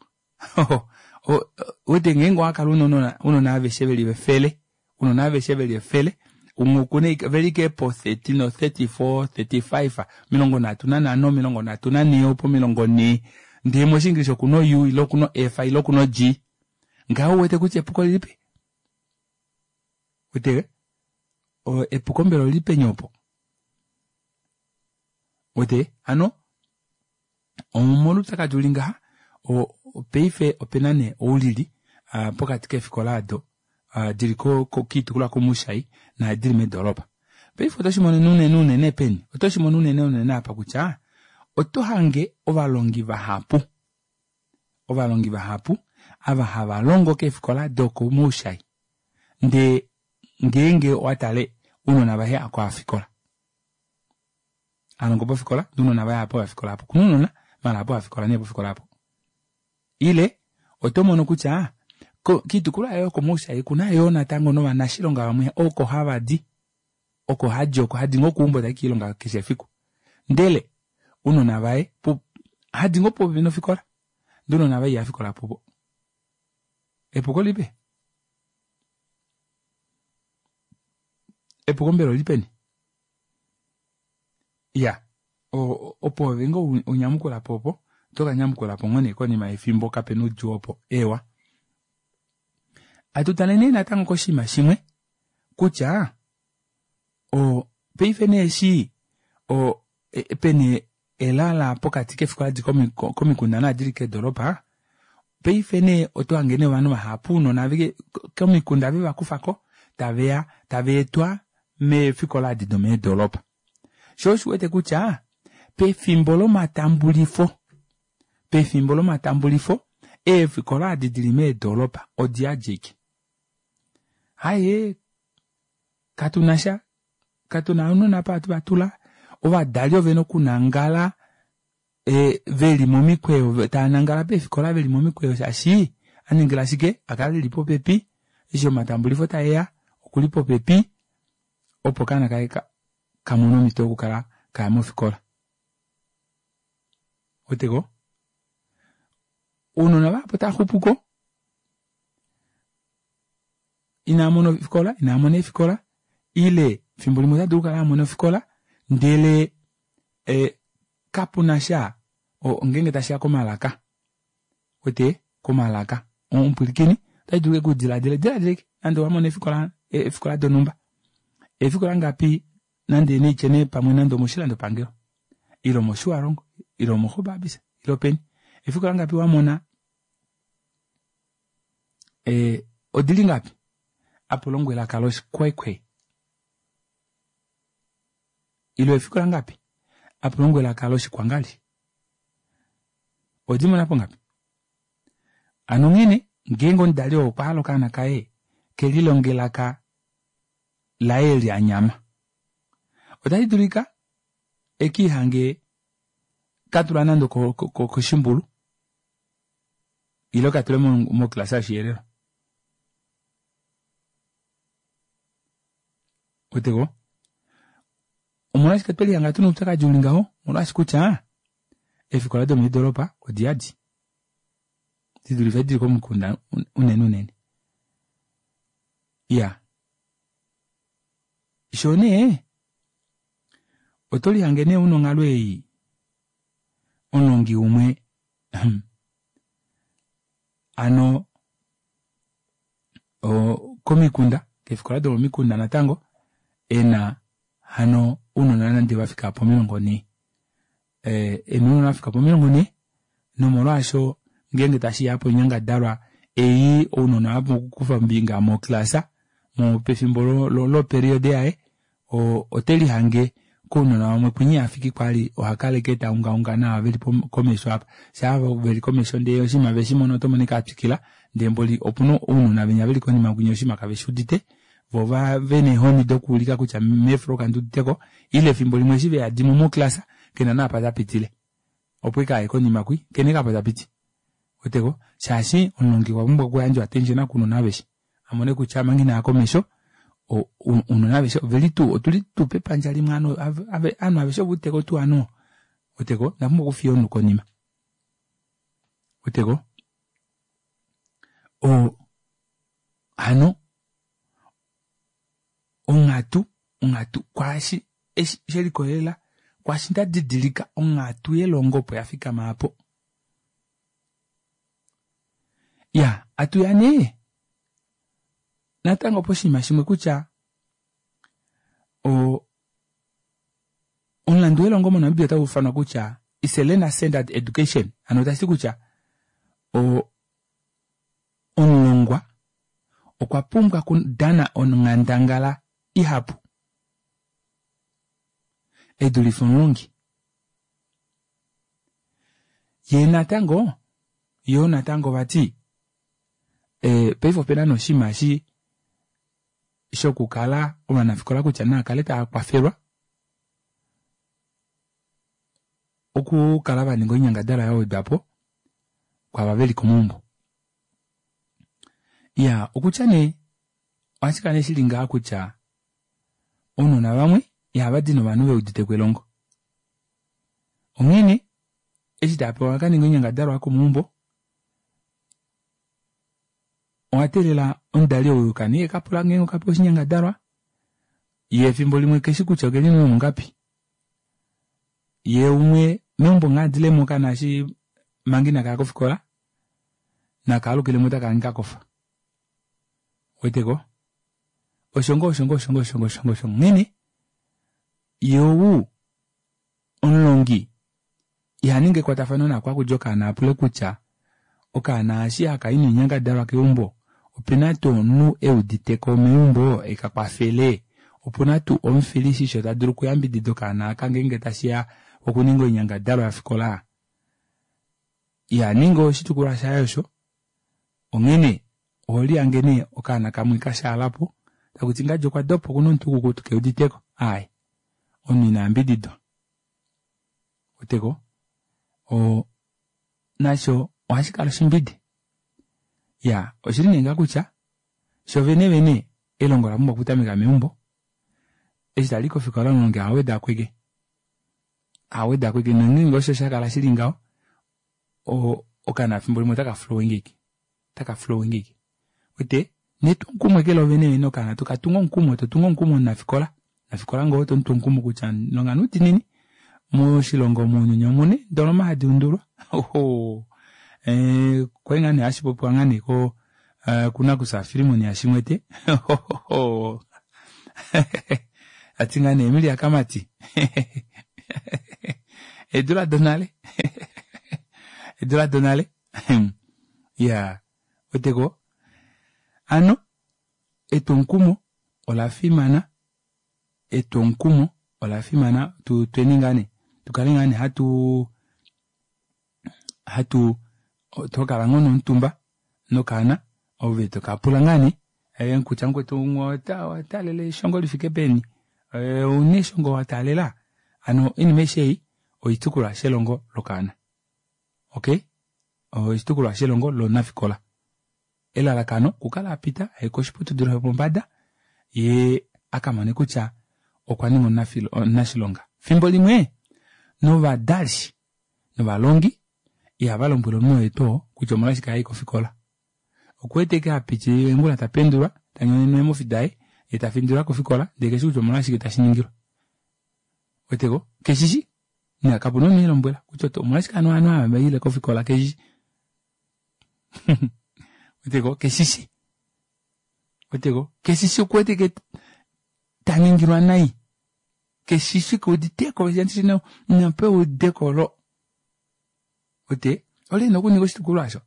S1: wete ngeenge owakala una ounona aveshe veli efele ounona aveshe veli efele umwe okuna veli ashike po thirty no thirty four thirty five omilongo nhatu nanhano omilongo nhatu nanhee opo omilongo nhee ndee moshinglish okuna o U ile okuna o F ile okuna o G ngaho uwete kutya epuko lilipi wete epuko mbela olili peni opo wete hano omolwoupyakadi uli ngaha paife opena nee oulili pokati keefikola ado dili kiitukulwa komuushayi naadi dili meedoropa paife oto shimono unene unene peni oto shimono unene unene apa kutya oto hange ovalongi vahapu ovalongi vahapu ava hava longo keefikola dokomuushayi ndee ngeenge owatale ounona vaye ako hafikola alongo pofikola ndee ounona vaye apo hafikola apo okuna ounona maala apo hafikola nee pofikola apo ile oto mono kutya kiitukulwa yoye yokomaushayi okuna yoo natango novanashilonga vamwe oko havadi oko hadi oko hadi ngoo keumbo tai kiilonga keshe efiku ndele ounona vaye hadi ngoo popepi nofikola ndee ounona vaye ihafikola puvo epuko lilipi epuko mbela olili peni iya opo ove ngoo unyamukulapo opo otokanyamukulapo ngoo nee konima yefimbo kapena oudjuu opo eewa atu tale nee natango koshinima shimwe kutya paife nee eshi pena elala pokati keefikola adi komikunda naadi dili keedoropa paife nee otohange nee ovanhu vahapu ounona komikunda vevakufako taveya tavaetwa meefikola adi domeedoropa. Shoo oshiwete kutya pefimbo lomatambulifo pefimbo lomatambulifo eefikola adi dili meedoropa odiyadi ashike. Aaye katunasha katuna ounona apa hatu vatula ovadali ovena okunangala ee veli momikweyo taanangala peefikola veli momikweyo shaashi aningila shike akale eli popepi eshi omatambulifo taeya okuli popepi opo okaana kaye kamone omito yokukala kaya mofikola. Ouweteko ounona vahapu otavaxupuko inaamona ofikola inaamona eefikola ile efimbo limwe otadulu okukala amona ofikola ndele ee kapunasha ngeenge tashiya komalaka ouwete komalaka omupwilikini otashidulu ashike udilaadile dilaadila ashike nande owamona eefikola eefikola donumba eefikola ngapi nande naitye nee pamwe nande omoshilandopangelo ile omoshiwarongo ile omo gobabis ile openi eefikola ngapi wamona ee odili ngapi apa ulongwa elaka loshi khoekhoe ile eefikola ngapi apa ulongwa elaka loshikwangali owedimonapo ngapi hano onghene ngeenge omudali oo okwahala okaana kaye kelilonge elaka laye eli anyama otashidulika ekiihange katula nande okoshimbulu ile katule moclass yoshiherero. Ouweteko omolwashike twelihanga tuna oupyakadi uli ngaho omolwaashi kutya eefikola domeedoropa odiyadi didulife edi dili komikunda unene unene. Iyaa shoo nee otolihange nee una onghalo ei omulongi umwe hano komikunda keefikola domomikunda natango ena hano ounona nande vafika pomilongo nhee ena ounona vafika pomilongo nhee nomolwaasho ngeenge tashiya poinyangadalwa ei ounona vapumbwa okukufa ombinga moclass pefimbo loperiod yaye otelihange kounona vamwe kwinya ihafiki kwali ohakala ashike taungaunga naava veli komesho aapa shaa veli komesho ndee oshinima veshimona otomono ashike atwikila ndee mboli opuna ounona venya veli konima kwinya oshinima kaveshuudite voo vena eehoni dokuulika kutya meeflo kanduuditeko ile efimbo limwe eshi veyadimo moclass kena naapa tapitile opo ashike aye konima kwii kena ashike apa tapiti ouweteko shaashi omulongi okwapumbwa okuyandja attention kounona aveshe amone kutya omanga inaya komesho ounona aveshe oveli tuu otuli tuu pepandja limwe ovanhu aveshe oveuditeko tuu ovanhu ouweteko inapumbwa okufiya omunhu konima ouweteko oo hano onghatu onghatu kwaashi eshi shelikolelela kwaashi ndadidilika onghatu yelongo opo yafikama aapo. Iyaa atuya nee natango poshinima shimwe kutya oo omulandu welongo mo Namibia otauufanwa kutya is a learner centered education hano tashiti kutya oo omulongwa okwa pumbwa okudana onghandangala ihapu edulife omulongi yee natango yoo natango vati ee paife opena nee oshinima eshi shokukala ovanafikola kutya naakale taakwafelwa okukala vaninga oinyangadalwa yawedwapo kwaava veli komaumbo. Iyaa okutya nee ohashikala nee shili ngaha kutya ounona vamwe ihavadi novanhu veuditeko elongo onghene eshi taapewa vakaninge oinyangadalwa yokomaumbo owateelela omudali ou kaninge ekapula ngeenge okapewa oshinyangadalwa yee efimbo limwe keshi kutya okeli mongapi yee umwe meumbo nghee adilemo okaana eshi manga inakaya kofikola nakaalukilemo otakahange kakofa ouweteko osho ngoo osho ngoo osho ngoo osho ngoo osho onghene yee ou omulongi ihaningi ekwatafano naaku hakudi okaana apule kutya okaana eshi hakayi noinyangadalwa keumbo opena tuu omunhu euditeko meumbo ekakwafele Opuna tuu omufilishisho ta dulu okuyambidida okaana aka ngeenge tashiya okuninga oinyangadalwa yofikola. Ya ninga oshitukulwa shaye osho onghene oholihange nee okaana kamwe kashaalapo takuti ngadi okwa dopa okuna omutwe ukukutu keuditeko aaye omunhu ina yambididwa weteko oo nasho ohashi kala oshimbide ya oshili nee ngaa kutya sho vene vene elongo ola pumbwa okutameka meumbo eshi tali kofikola omulongi ohaweda kweke haweda kweke nongeenge osho shakala shili ngaho okaana fimbo limwe otaka flowingike taka flowingike wete netwomukumo eke lovene vene okaana tokatunga omukumo totunga omukumo omunafikola nafikola ngoo tomutu omukumo kutya longa noudiinini moshilongo mounyuni omuna eendoloma hadi undulwa oho kwali ngaa nee hashi popiwa ngaa nee ko kunakufya Filimon yaShimwete tati ngaa nee Emilia Kamati eedula donale eedula donale iya weteko hano etwomukumo ola fimana etwomukumo ola fimana tweni ngaa nee tukale ngaa nee hatu hatu tokala ngoo nomutumba nokaana ove tokapula ngaa nee kutya mukwetu owataalela eshongo lifike peni ouna eshongo wataalela hano oinima aishe ei oshitukulwa shelongo lokaana okey oshitukulwa shelongo lomunafikola elalakano okukala apita aye koshiputudilo shopombada yee akamone kutya okwa ninga omunashilonga fimbo limwe novadali novalongi ihava lombwele omunhu oye tuu kutya omolwashike hayi kofikola okuwete eke hapitilile ongula tapendulwa tanyonenwa eemofi daye yee tafindilwa kofikola ndee keshi kutya omolwashike tashiningilwa weteko keshishi na kapuna omunhu emulombwela kutya omolwashike hano ovanhu ava vaile kofikola keshishi weteko keshishi weteko keshishi okuwete ike taningilwa nai keshishi keuditeko inapewa eudeko olo wete ole ena okuninga oshitukulwa osho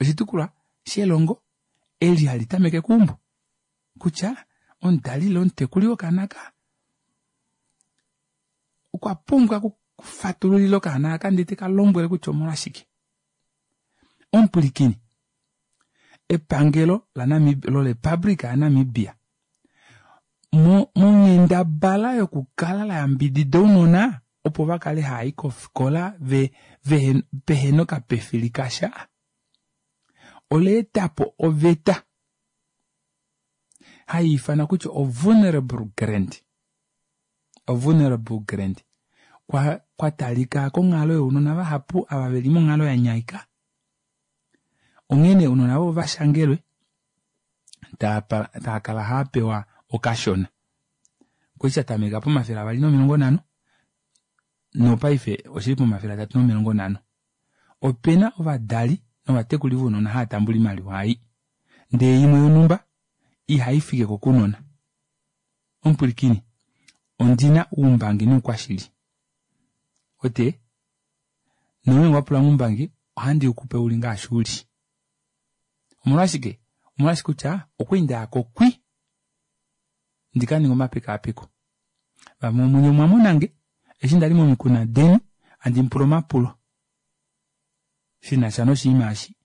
S1: oshitukulwa shelongo eli hali tameke keumbo kutya omudali ile omutekuli wokaana aka okwa pumbwa okufatululila okaana aka ndee tekalombwele kutya omolwashike omupwilikini epangelo laNamibia lorepublica yaNamibia monghendabala yokukala layambidida ounona opo vakale haayi kofikola ve pehena okapefili kasha ola etapo oveta hayiifanwa kutya o vulnerable grant o vulnerable grant kwatalika konghalo younona vahapu ava veli monghalo yanyaika onghene ounona ovo vashangelwe taakala haapewa okashona kwali shatameka pomafele avali nomilongo nhano nopaife oshili pomafele atatu nomilongo nhano opena ovadali novatekuli vounona hava tambula oimaliwa ei ndee imwe yonhumba ihaifikeko kounona omupwilikini ondina oumbangi noukwashili wete nongeenge owapulange oumbangi ohandi ukupe uli ngaashi uli omolwashike omolwashi kutya okwali ndayako kwi ndikaninge omapekaapeko vamwe vomunye omwamonange eshi ndali momikunda deni handi mupula omapulo shinasha noshinima eshi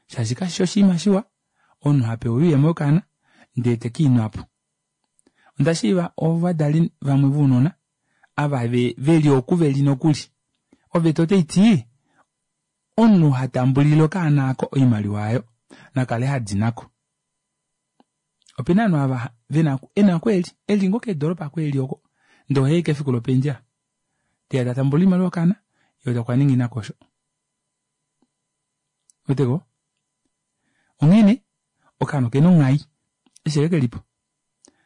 S1: shaashi kashishi oshinima shiwa omunhu hapewa oyuuyemo yokaana ndee tekiinwapo onda shiiva ovadali vamwe vounona ava veli oku veli nokuli oveta otaiti omunhu hatambulile okaana aako oimaliwa aayo nakale hadi nako opena ovanhu ava vena ena oku eli eli ngoo keedoropa oko eli oko ndee ohayi ashike efiku lopendjela teya tatambula oimaliwa yokaana yee okwaninga inakosho ouweteko onghene okaana okena onghai eshi ashike kelipo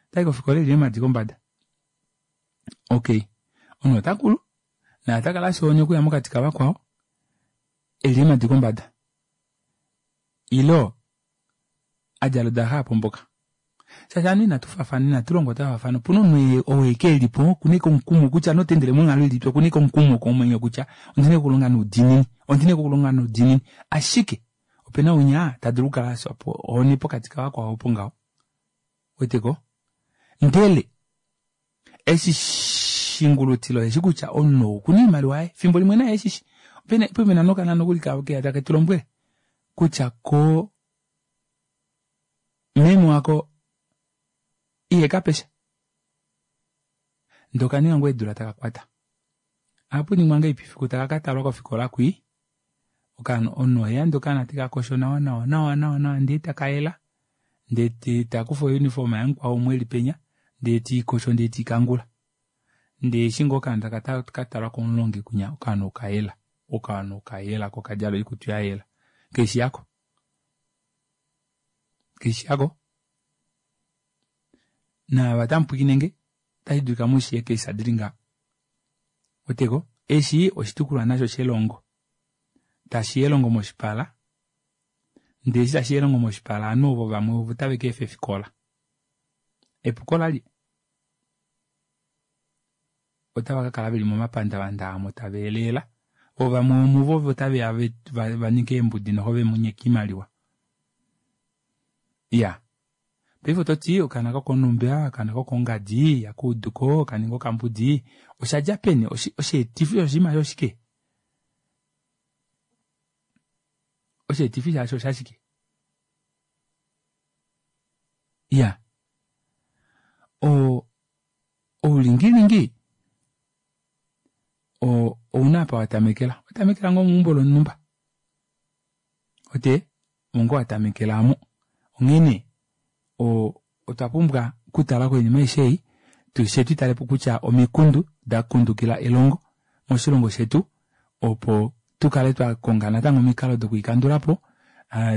S1: otayi kofikola eli eemadi kombada okey omunhu otakulu naye otakala afya ohoni okuya mokati kavakwao eli eemadi kombada ilo adjala odalaxa yapomboka shaashi ovanhu inatufaafana inatulongwa twafaafana opuna omunhu oo ashike elipo okuna ashike omukumo kutya noteendele monghalo ilipi okuna ashike omukumo komwenyo kutya ondina okulonga noudiinini ondina okulonga noudiinini ashike opena winya tadulu okukala afya ohoni pokati kavakwao opo ngaho ouweteko Ndele eshi shingulutilo eshi kutya omunhu okuna oimaliwa yaye fimbo limwe naye eshishi pena pena nokanona nokuli keya take tu lombwele kutya ko meme wako ihekapesha ndee okaninga ngoo eedula taka kwata ohapuningwa ngahelipi fiku taka katalwa kofikola kwii okaana omunhu oheya ndee okaana tekakosho nawa nawa nawa nawa nawa ndee takayela ndee takufa ouniform yamukwao umwe eli penya ndee tiikosho ndee tiikangula ndee eshi ngoo okaana taka katalwa komulongi kwinya okaana okayela okaana okayela ko okadjala oikutu yayela keshi yako keshi yako naava tamupwiikinenge otashi dulika mushiye keisa dili ngaha weteko eshi oshitukulwa nasho shelongo tashi elongo moshipala ndee eshi tashi elongo moshipala ovanhu ovo vamwe ovo tave keefa efikola epuko lali otava kakala veli momapandavanda aamo tava eleela vo vamwe vomuvo ovo taveya vaninge eembudi noxo vemunyeke oimaliwa iya paife ototi okaana kokomulumbu okaana kokongadi ihakuuduko okaninga okambudi oshadja peni osheetifi shoshinima eshi oshike osheetifi shasho oshashike iya oo oulingilingi oo ouna apa watamekela owatamekela ngoo meumbo lonhumba ote omo ngoo watamekela aamo onghene otwa pumbwa okutala koinima aishe ei fyee tutale kutya omikundu dakundukila elongo moshilongo shetu opo tukale twakonga natango omikalo dokuikandulapo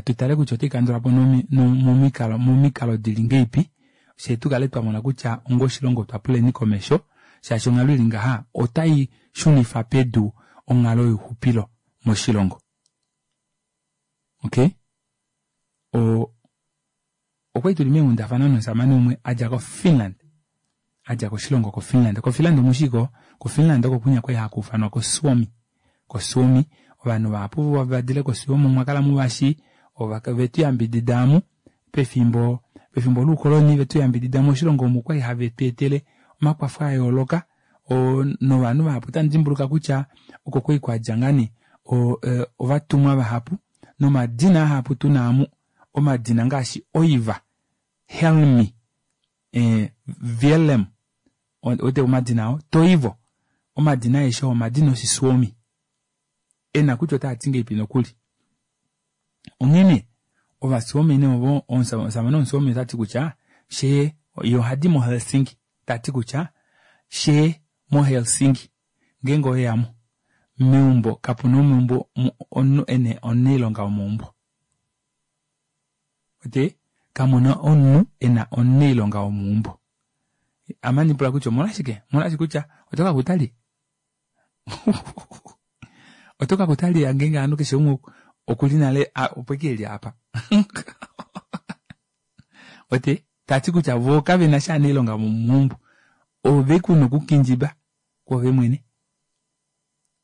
S1: tutale kutya otweikandulapo momikalo momikalo dili ngahelipi fyee tukale twamona kutya onga oshilongo otwa puleni komesho shaashi onghalo ili ngaha otai shunifa pedu onghalo youxupilo moshilongo. Okay o okwali tuli meenghundafana nomushamane umwe adja ko Finland adja koshilongo ko Finland. Ko Finland omushiko ko Finland oko kunya kwali hakuufanwa ko Suomi ko Suomi ovanhu vahapu vadile ko Suomi omwakala muvashi vetu yambidida amu pefimbo pefimbo loukoloni vetu yambidida moshilongo omu kwali have tweetele omakwafo ayooloka novanhu vahapu otamu dimbuluka kutya oko kwali kwadja ngaa nee ovatumwa vahapu nomadina ahapu tuna amu omadina ngaashi Oiva, Helmi, eh, Willem ote omadina ao Toivo omadina aeshe oo omadina Oshisuomi ena kutya otaati ngahelipi nokuli onghene Ovasuomi nee ovo omushamane womusuomi otati kutya fyee ye ohadi mo Helsinki tati kutya fyee mo Helsinki ngeenge oweyamo meumbo kapuna omeumbo omunhu ena omunailonga womeumbo ote kamuna omunhu ena omunailonga womeumbo ame andipula kutya omolwashike omolwashike kutya oto kakuta lye oto kakuta lye ngeenge ovanhu keshe umwe okuli nale opo ashike eli apa ote tati kutya voo kavena sha anailonga vomeumbo ove kuna okukindjiba kwoove mwene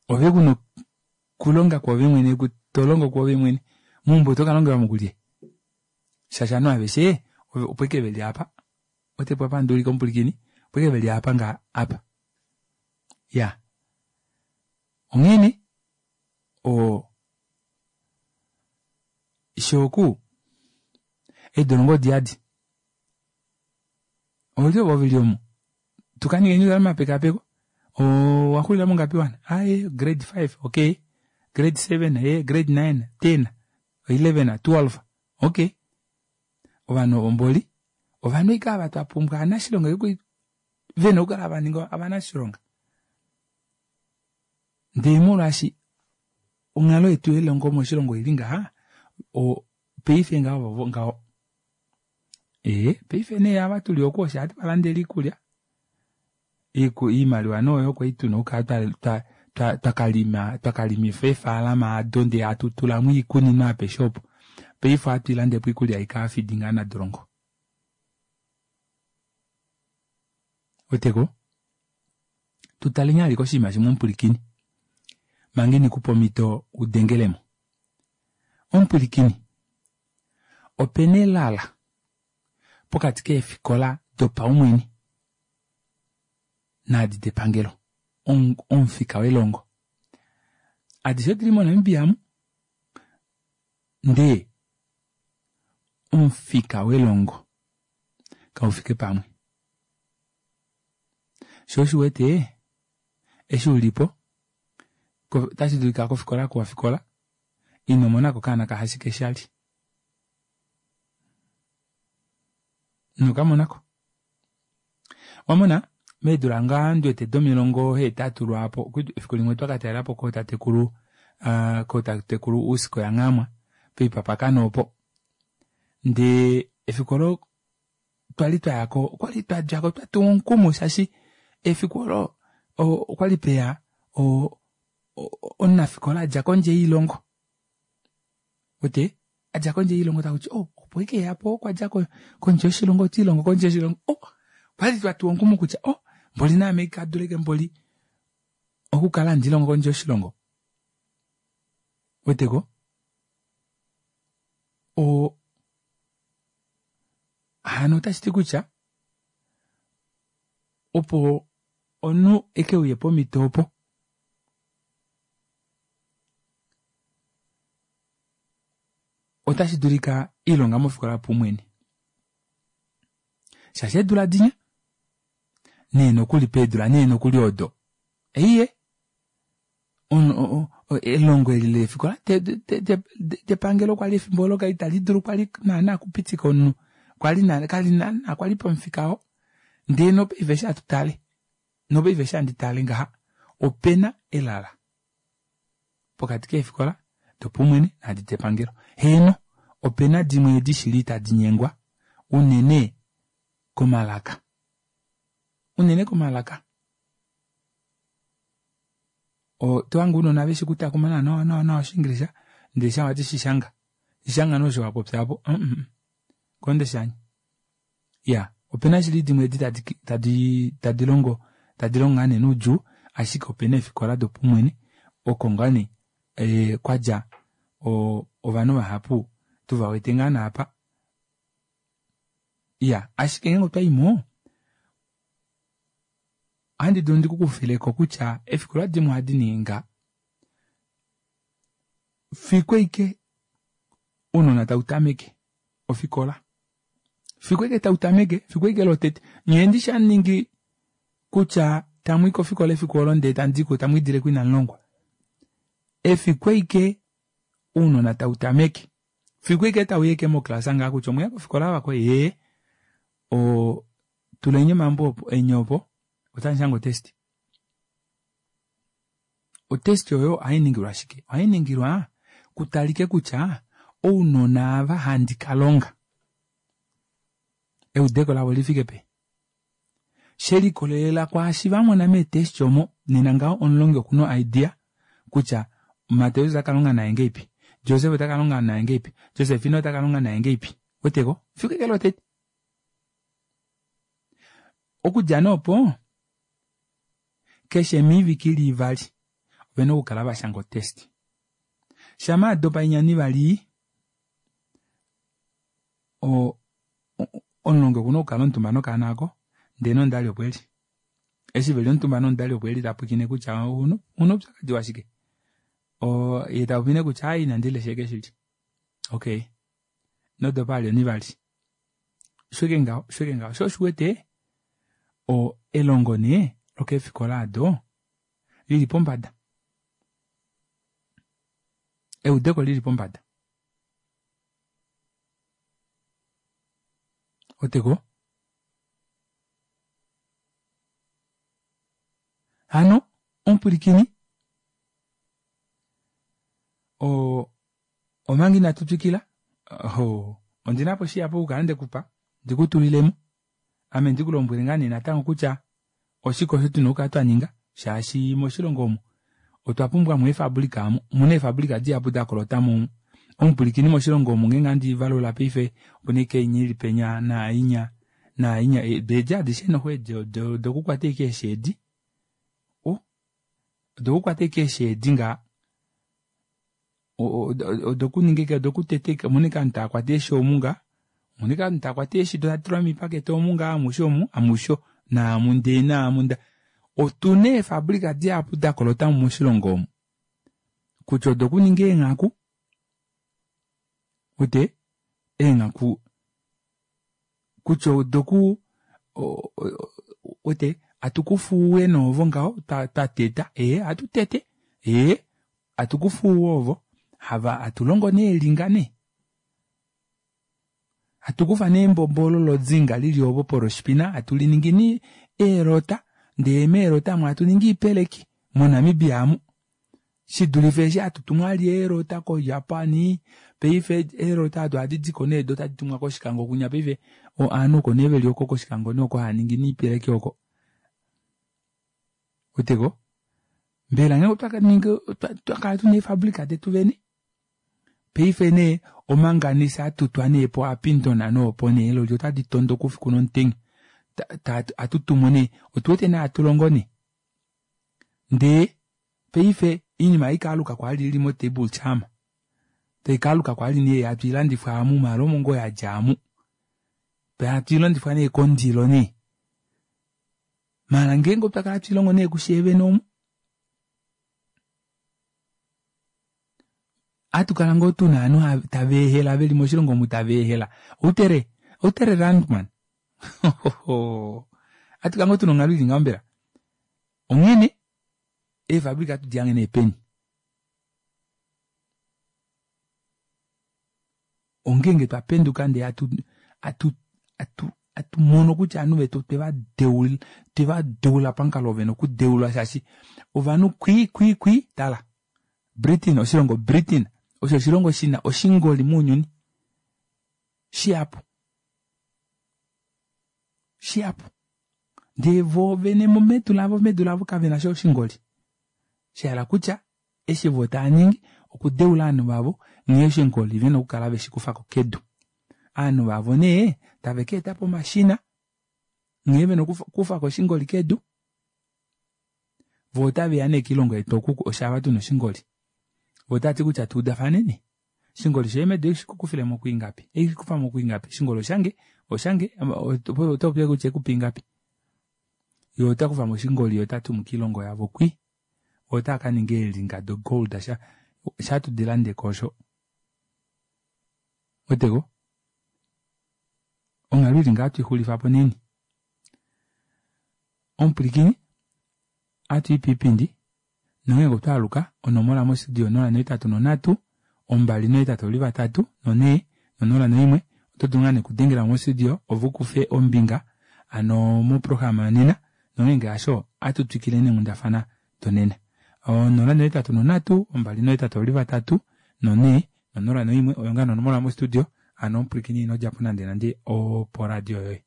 S1: ove kuna okulonga kwoove mwene tolongo kwoove mwene meumbo oto kalongelwamo kulye shaashi ovanhu aveshe opo ashike veli apa otepo apa handuulike omupulikini opo ashike veli apa nga apa iya onghene oo shooku eedolongo odiyadi olye ovo veli omo tukaningeni omapekapeko owaxulila mongapi wana aaye grade five okay grade seven ee grade nine ten eleven twelve okay ovanhu ovo mboli ovanhu ashike ava twapumbwa ovanashilonga vena okukala vaninga ovanashilonga ndee molwaashi onghalo yetu yelongo moshilongo oili ngaha paife ngaho vovo ngaho ee paife nee ava tuli oku osho hatu valandele iikulya oimaliwa nee oyo kwali tuna okukala twakalima twakalimifa eefalama ado ndee hatu tulamo oikunino apeshe opo paife ohatu ilandepo oikulya ikaafidi ngaa nadolongo weteko tutaleni ashike oshinima shimwe omupulikini manga inikupa omhito udengelemo omupulikini opena elala pokati keefikola dopaumwene naadi depangelo omufika welongo adishe odili moNamibia mu ndee omufika welongo kaufike pamwe shoo oshiwete eshi ulipo otashi dulika kofikola oku wafikola inomonako okaana kahashikeshalye inokamonako owamona meedula ngaa ndiwete domilongo hetatu lwaapo efiku limwe otwakatalelapo kootatekulu aa kootatekulu Usko ya Nghaamwa poipapakana opo ndee efiku olo twali twayako okwali twadjako twatuwa omukumo shaashi efiku olo okwali peya o- omunafikola adja kondje yoilongo uwete adja kondje yoilongo takuti oh opo ashike eyapo okwadja kondje yoshilongo otiilongo kondje yoshilongo oh okwali twatuwa omukumo kutya oh mboli naame kaduleke mboli okukala handilongo kondje yoshilongo uweteko oo hano otashiti kutya opo omunhu ekeuye pomito opo otashi dulika ilonga mofikola yopaumwene shaashi eedula dinya nee nokuli peedula nee nokuli odo eiye elongo eli leefikola depangelo kwali efimbo olo itali dulu kwali naana okupitika omunhu kwali kali naana kwali pamufika oo ndee nopaife eshi hatu tale nopaife eshi handi tale ngaha opena elala pokati keefikola dopaumwene naadi depangelo heeno opena dimwe edi shili tadi nyengwa unene komalaka unene komalaka otohange ounona veshi okutakuma nawa nawa nawa oshingilisha ndee shaa wati shishanga shishanga nee osho wapopya aapo mm kondeshanye iya opena shili dimwe edi tadi tadi tadi longo tadi longo ngaa nee noudjuu ashike opena eefikola dopaumwene oko ngaa nee ee kwadja ovanhu vahapu tuvawete ngaa naapa iya ashike ngeenge otwaimo ohandi dulu ndikukufileko kutya eefikola dimwe ohadi ningi ngaha fiku ashike ounona tautameke ofikola fiku ashike tautameke fiku ashike lotete nyee ndishi hamuningi kutya tamwii kofikola efiku olo ndee tamudiko tamwiidileko inamulongwa efiku ashike ounona tautameke fiku ashike tauya ashike moclass ngaha kutya omweya kofikola vakweni ee oo tuleni omambo eni opo otamushange otest otest oyo ohainingilwa shike ohainingilwa kutalike kutya ounona ava handi kalonga eudeko lavo lifike peni shelikolelela kwaashi vamona meetest omo nena ngaho omulongi okuna idea kutya Mateus otakalonga naye ngeipi Joseph otakalonga naye ngeipi Josephine otakalonga naye ngeipi weteko fiku eke lotete okudja nee opo keshe miivike ili ivali ovena okukala vashanga otest shama adopa inya onivali o omulongi okuna okukala omutumba nokaana aako ndee nomudali opo eli eshi veli omutumba nomudali opo eli tapwilikine kutya ouna oupyakadi washike oo yee tapopi nee kutya aaye inandi lesha ashike shili okay inodopa vali onivali osho ashike ngaho osho ashike ngaho shoo osho uwete o elongo nee lokeefikola aado lili pombada eudeko lili pombada oteko hano omupwilikini o omanga inatu twikila oh, ondinapo shihapu okukala ndekupa ndikutulilemo ame ndikulombwele ngaa nee natango kutya oshike osho tuna okukala twaninga shaashi moshilongo omu otwa pumbwa mo eefabulika omu omuna eefabulika dihapu dakolota mo omupwilikini moshilongo omu ngeenge handi valula paife opuna ashike inya ili penya naainya naainya eedi adishe noxo edi odokukwata ashike eeshi edi oh odokukwata ashike eeshi edi ngaha odokuninga ashike odokuteta ashike omuna ashike ovanhu taakwata eeshi omu ngaha Monika takwata eeshi do taditulwa miipakete omu ngaa amushe omu amusho naamu ndee naamu nda otuna eefabrika dihapu dakolota moshilongo omu kutya odokuninga eenghaku ute eenghaku kutya odoku wete hatukufa ouwe nee ovo ngaho twateta ee ohatutete ee hatukufa ouwe ovo hava hatulongo nee eelinga nee hatukufa nee embombo olo lozinga lili opo poroshipina hatuliningi nee eelota ndee meelota amu hatuningi oipeleki moNamibia amu shidulife eshi hatutumu vali eelota ko Japan paife eelota odo ohadi diko nee doo tadi tumwa kOshikango kunya paife ovanhu oko nee veli oko kOshikango nee oko haaningi niipeleki oko ouweteko mbela ngenge otwakaningi otwakala tuna eefabrika detu vene paife nee omanganese atutwa nee po Upington nee opo nee eeloli otadi tondoka oufiku nomutenya ohatutumu nee otuwete nee hatulongo nee ndee paife oinima haikaaluka kwali ili mo table charm taikaaluka kwali nee hatuilandifwa aamu maala omo ngoo yadja aamu hatuilandifwa nee kondilo nee maala ngeenge otwakala hatuilongo nee kusheevene omu ohatukala ngoo tuna ovanhu taveehela veli moshilongo omu taveehela outere outere rand man ohatukala ngoo tuna onghalo ili ngaho mbela onghene eefabrika ohatu dihange nee peni ongenge twapenduka ndee hatu hatu hatu hatumono kutya ovanhu vetu otweva deula otweva deula pamukalo oo vena okudeulwa shaashi ovanhu kwii kwii kwii tala Britain oshilongo Britain osho oshilongo shina oshingoli mounyuni shihapu shihapu ndee voo vene medu lavo medu lavo kavenasha oshingoli shahala kutya eshi voo taaningi okudeula ovanhu vavo nghee oshingoli vena okukala veshikufako kedu ovanhu vavo nee tave kaetapo omashina nghee vena okukufako oshingoli kedu voo otaveya nee koilongo yetu oku oshaava tuna oshingoli voo otavati kutya tuudafaneni oshingoli shoye medu ohashi kwiingapi ohashikufamo kwiingapi oshingoli oshange oshange otopopi kutya haikupe ingapi yee otakufamo oshingoli yee otatumu koilongo yavo kwii voo otaakaninga eelinga do gold sha hatudilandeko osho ouweteko onghalo ili ngaha ohatuixulifapo naini omupwilikini ohatui poipindi nongenge otwaaluka onomola mo studio onola nohetatu nonhatu ombali nohetatu oli vatatu nonhee nonola noimwe oto dulu ngoo nee okudengelamo mo studio ove ukufe ombinga hano moprograma yonena nongenge hasho ohatu twikile neenghundafana donena onola nohetatu nonhatu ombali nohetatu oli vatatu nonhee nonola noimwe oyo ngoo nee onomola mo studio hano omupwilikini inodjapo nande nande opo radio yoye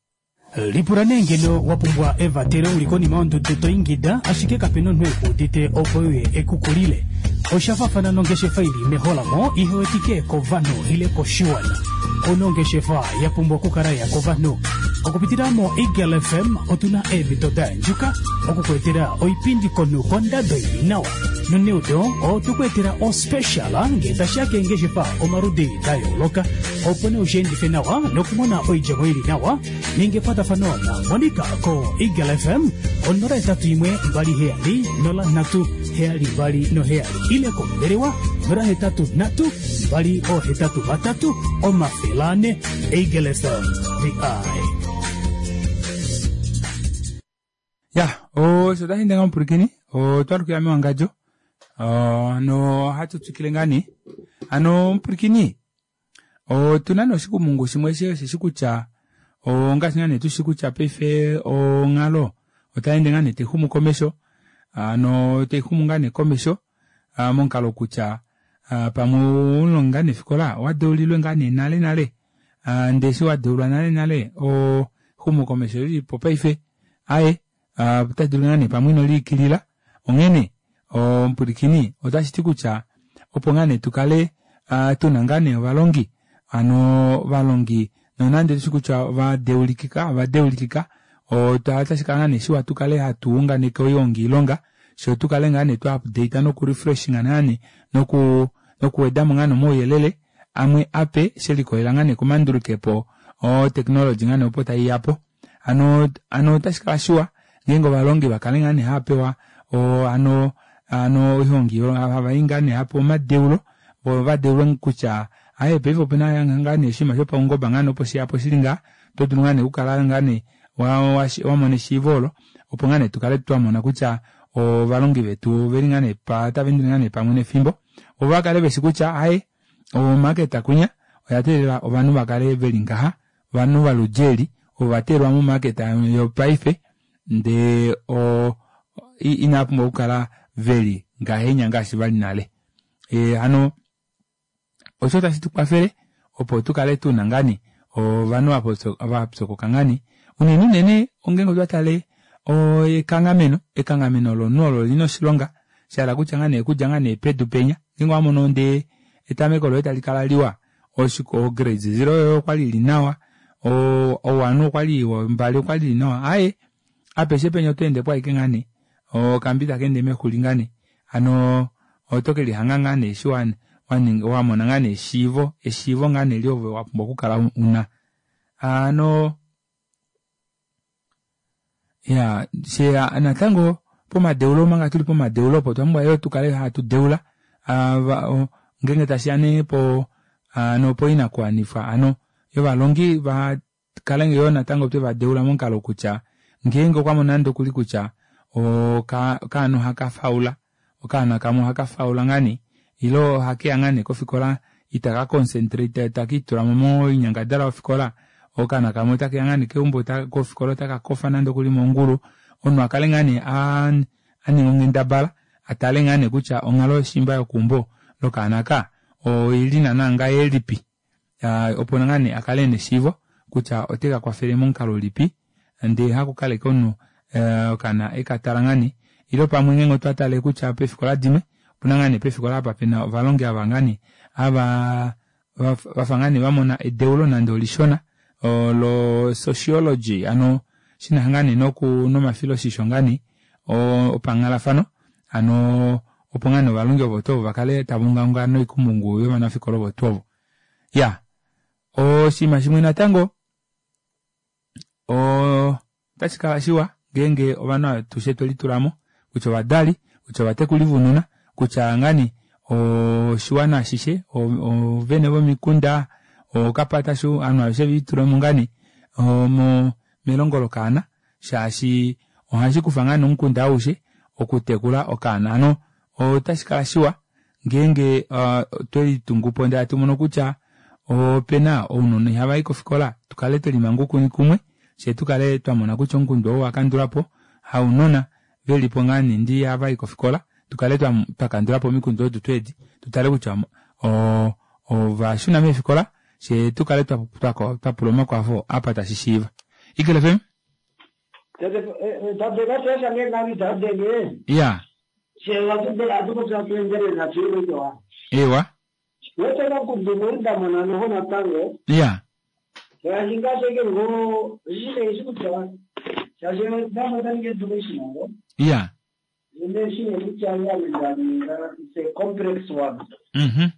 S9: Lipula nee ngeno wa pumbwa evatelo uli konima yondudu to ingida ashike kapena omunhu ekuudite opo uye ekukulile. Osha faafana nongeshefa ili meholamo ihewetike kovanhu ile koshiwana. Ouna ongeshefa ya pumbwa okukala ya kovanhu. Okupitila mo Eagle F M otuna eemhito da yandjuka okukuetela oipindi komunhu kondado ili nawa. Noneudo otukuetela ospecial ngee tashiya keengeshefa omaludi da yooloka opo nee ushiendife nawa nokumona oidjemo ili nawa ninga ekwatafano na Monica ko Eagle F M onola hetatu imwe mbali heyali nola nhatu heyali mbali noheyali ile kombelewa nola hetatu nhatu mbali oohetatu vatatu omafele ane. Eagle F M, the eye.
S1: Ya osho tashi ndenga omupwilikini otwalukila mewangadjo no ohatu twikile ngaa nee hano omupwilikini otuna nee oshikumungu shimwe osheshi kutya ongaashi ngaa nee tushi kutya paife onghalo otayeende ngaa nee taixumu komesho hano taixumu ngaa nee komesho momukalo kutya pamwe oumulongi ngaa nee fikola owadeulilwe ngaa nee nale nale ndee eshi wadeulwa nale nale exumo komesho lilipo paife aaye otadulu ngaa nee pamwe inoliikilila onghene omupwilikini otashiti kutya opo ngaa nee tukale tuna ngaa nee ovalongi hano ovalongi nonande tushi kutya ovadeulikika ovadeulikika otashikala ngaa nee shiwa tukale hatu unganeke oyoongiilonga fyee tukale ngaa nee twa update noku refreshing ngaa nee noku nokuwedamo ngaa nee omauyelele amwe ape shelikolela ngaa nee komandulukepo O technology ngaa nee opo taiyapo hano hano otashikala shiwa ngeenge ovalongi vakale ngaa nee haapewa oo hano hano oihongi havai ngaa nee hapewa omadeulo voo vadeulwe kutya aaye paife opena ngaane oshinima shopaungoba ngaane opo sheyapo shili ngaha oto dulu ngaane okukala ngaane wamona eshiivo olo opo ngoo nee tukale twamona kutya ovalongi vetu oveli ngaa nee otaveendele ngaa nee pamwe nefimbo voo vakale veshi kutya aaye omarket kwinya oyateelela ovanhu vakale veli ngaha ovanhu voludi eli ovo vateelelwa mo market yopaife ndee oo inaapumbwa okukala veli ngahenya ngaashi vali nale ee hano osho tashi tukwafele opo tukale tuna ngaa nee ovanhu vapyokoka ngaa nee unene unene ongenge otwa tale ekanghameno ekanghameno lomunhu olo lina oshilonga shahala kutya ngaa nee okudja ngaa nee pedu penya ngeenge owamono ndee etameko loye talikala liwa o grade zero yoye okwali ili nawa o one okwali ombali okwali ili nawa aaye apeshe penya otweendepo ashike ngaa nee okambi takeende mexuli ngaa nee hano oto kelihanga ngaa nee eshi wamona ngaa nee eshiivo eshiivo ngaa nee eli ove wapumbwa okukala una hano iyaa fyee natango pomadeulo omanga tuli pomadeulo opo otwa pumbwa yoo tukale hatu deula ngeenge tashiya nee po hano poinakuwanifwa hano yovalongi vakale yoo natango twevadeula momukalo kutya ngeenge okwamono nande okuli kutya okaana ohakafaula okaana kamwe ohakafaula ngaa nee ile ohakeya ngaa nee kofikola itaka concentrate itakiitulamo moinyangadalwa yofikola okaana kamwe otakeya ngaa nee keumbo kofikola otakakofa nande okuli mongulu omunhu akale ngaa nee aninga onghendabala atale ngaa nee kutya onghalo yoshimba yokeumbo lokaana aka oili naana ngahelipi opo ngaa nee akale ena eshiivo kutya otekakwafele momukalo ulipi ndee hakukala ashike omunhu okaana ekatala ngaa nee ile pamwe ngeenge otwa tale kutya peefikola dimwe opena ngaa nee peefikola apa pena ovalongi ava ngaa nee havaa vafa ngaa nee vamona edeulo nande olishona lo sociology hano shinasha ngaa nee nomafiloshisho ngaa nee opanghalafano hano opo ngaa nee ovalongi ovo tuu ovo vakale tavaungaunga noikumungu yovanafikola ovo tuu ovo iyaa oshinima shimwe natango oo otashikala shiwa ngeenge ovanhu atushe twelitulamo kutya ovadali kutya ovatekuli vounona kutya ngaa nee oshiwana ashishe oovene vomikunda ookapatashu ovanhu aveshe velitulemo ngaa nee melongo lokaana shaashi ohashikufa ngaa nee omukunda aushe okutekula okaana hano otashikala shiwa ngeenge otwelitungupo ndee hatumono kutya opena ounona ihavayi kofikola tukale twelimanga oukuni kumwe fyee tukale twamona kutya omukundu ou owakandulwapo haunona velipo ngaa nee ndee ihavayi kofikola tukale twakandulapo omikundu odo tuu edi tutale kutya oo ovashuna meefikola fyee tukale twapula omakwafo apa tashishiiva. Eagle F M iya ewa iya iya
S8: It's a complex one.
S1: Mhm.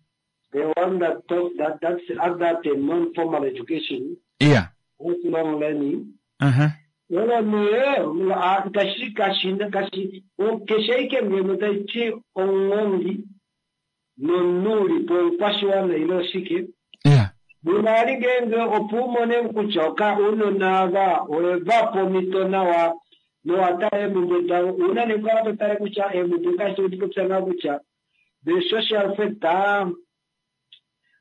S8: The one that taught that that's under the non-formal education,
S1: iya
S8: lifelong learning.
S1: Uh-huh.
S8: Wala nee, kashi kashi kashi keshe ngeno taichi ongongi nonuli po kwashiwana ile oshike.
S1: Iya.
S8: Munali ngenge opo umone kutya oka unona ava oeva pomito nawa nowatala eemhumbwe davo una nekukala totale kutya eemhumbwe ngaashi topopya nawa kutya the social factor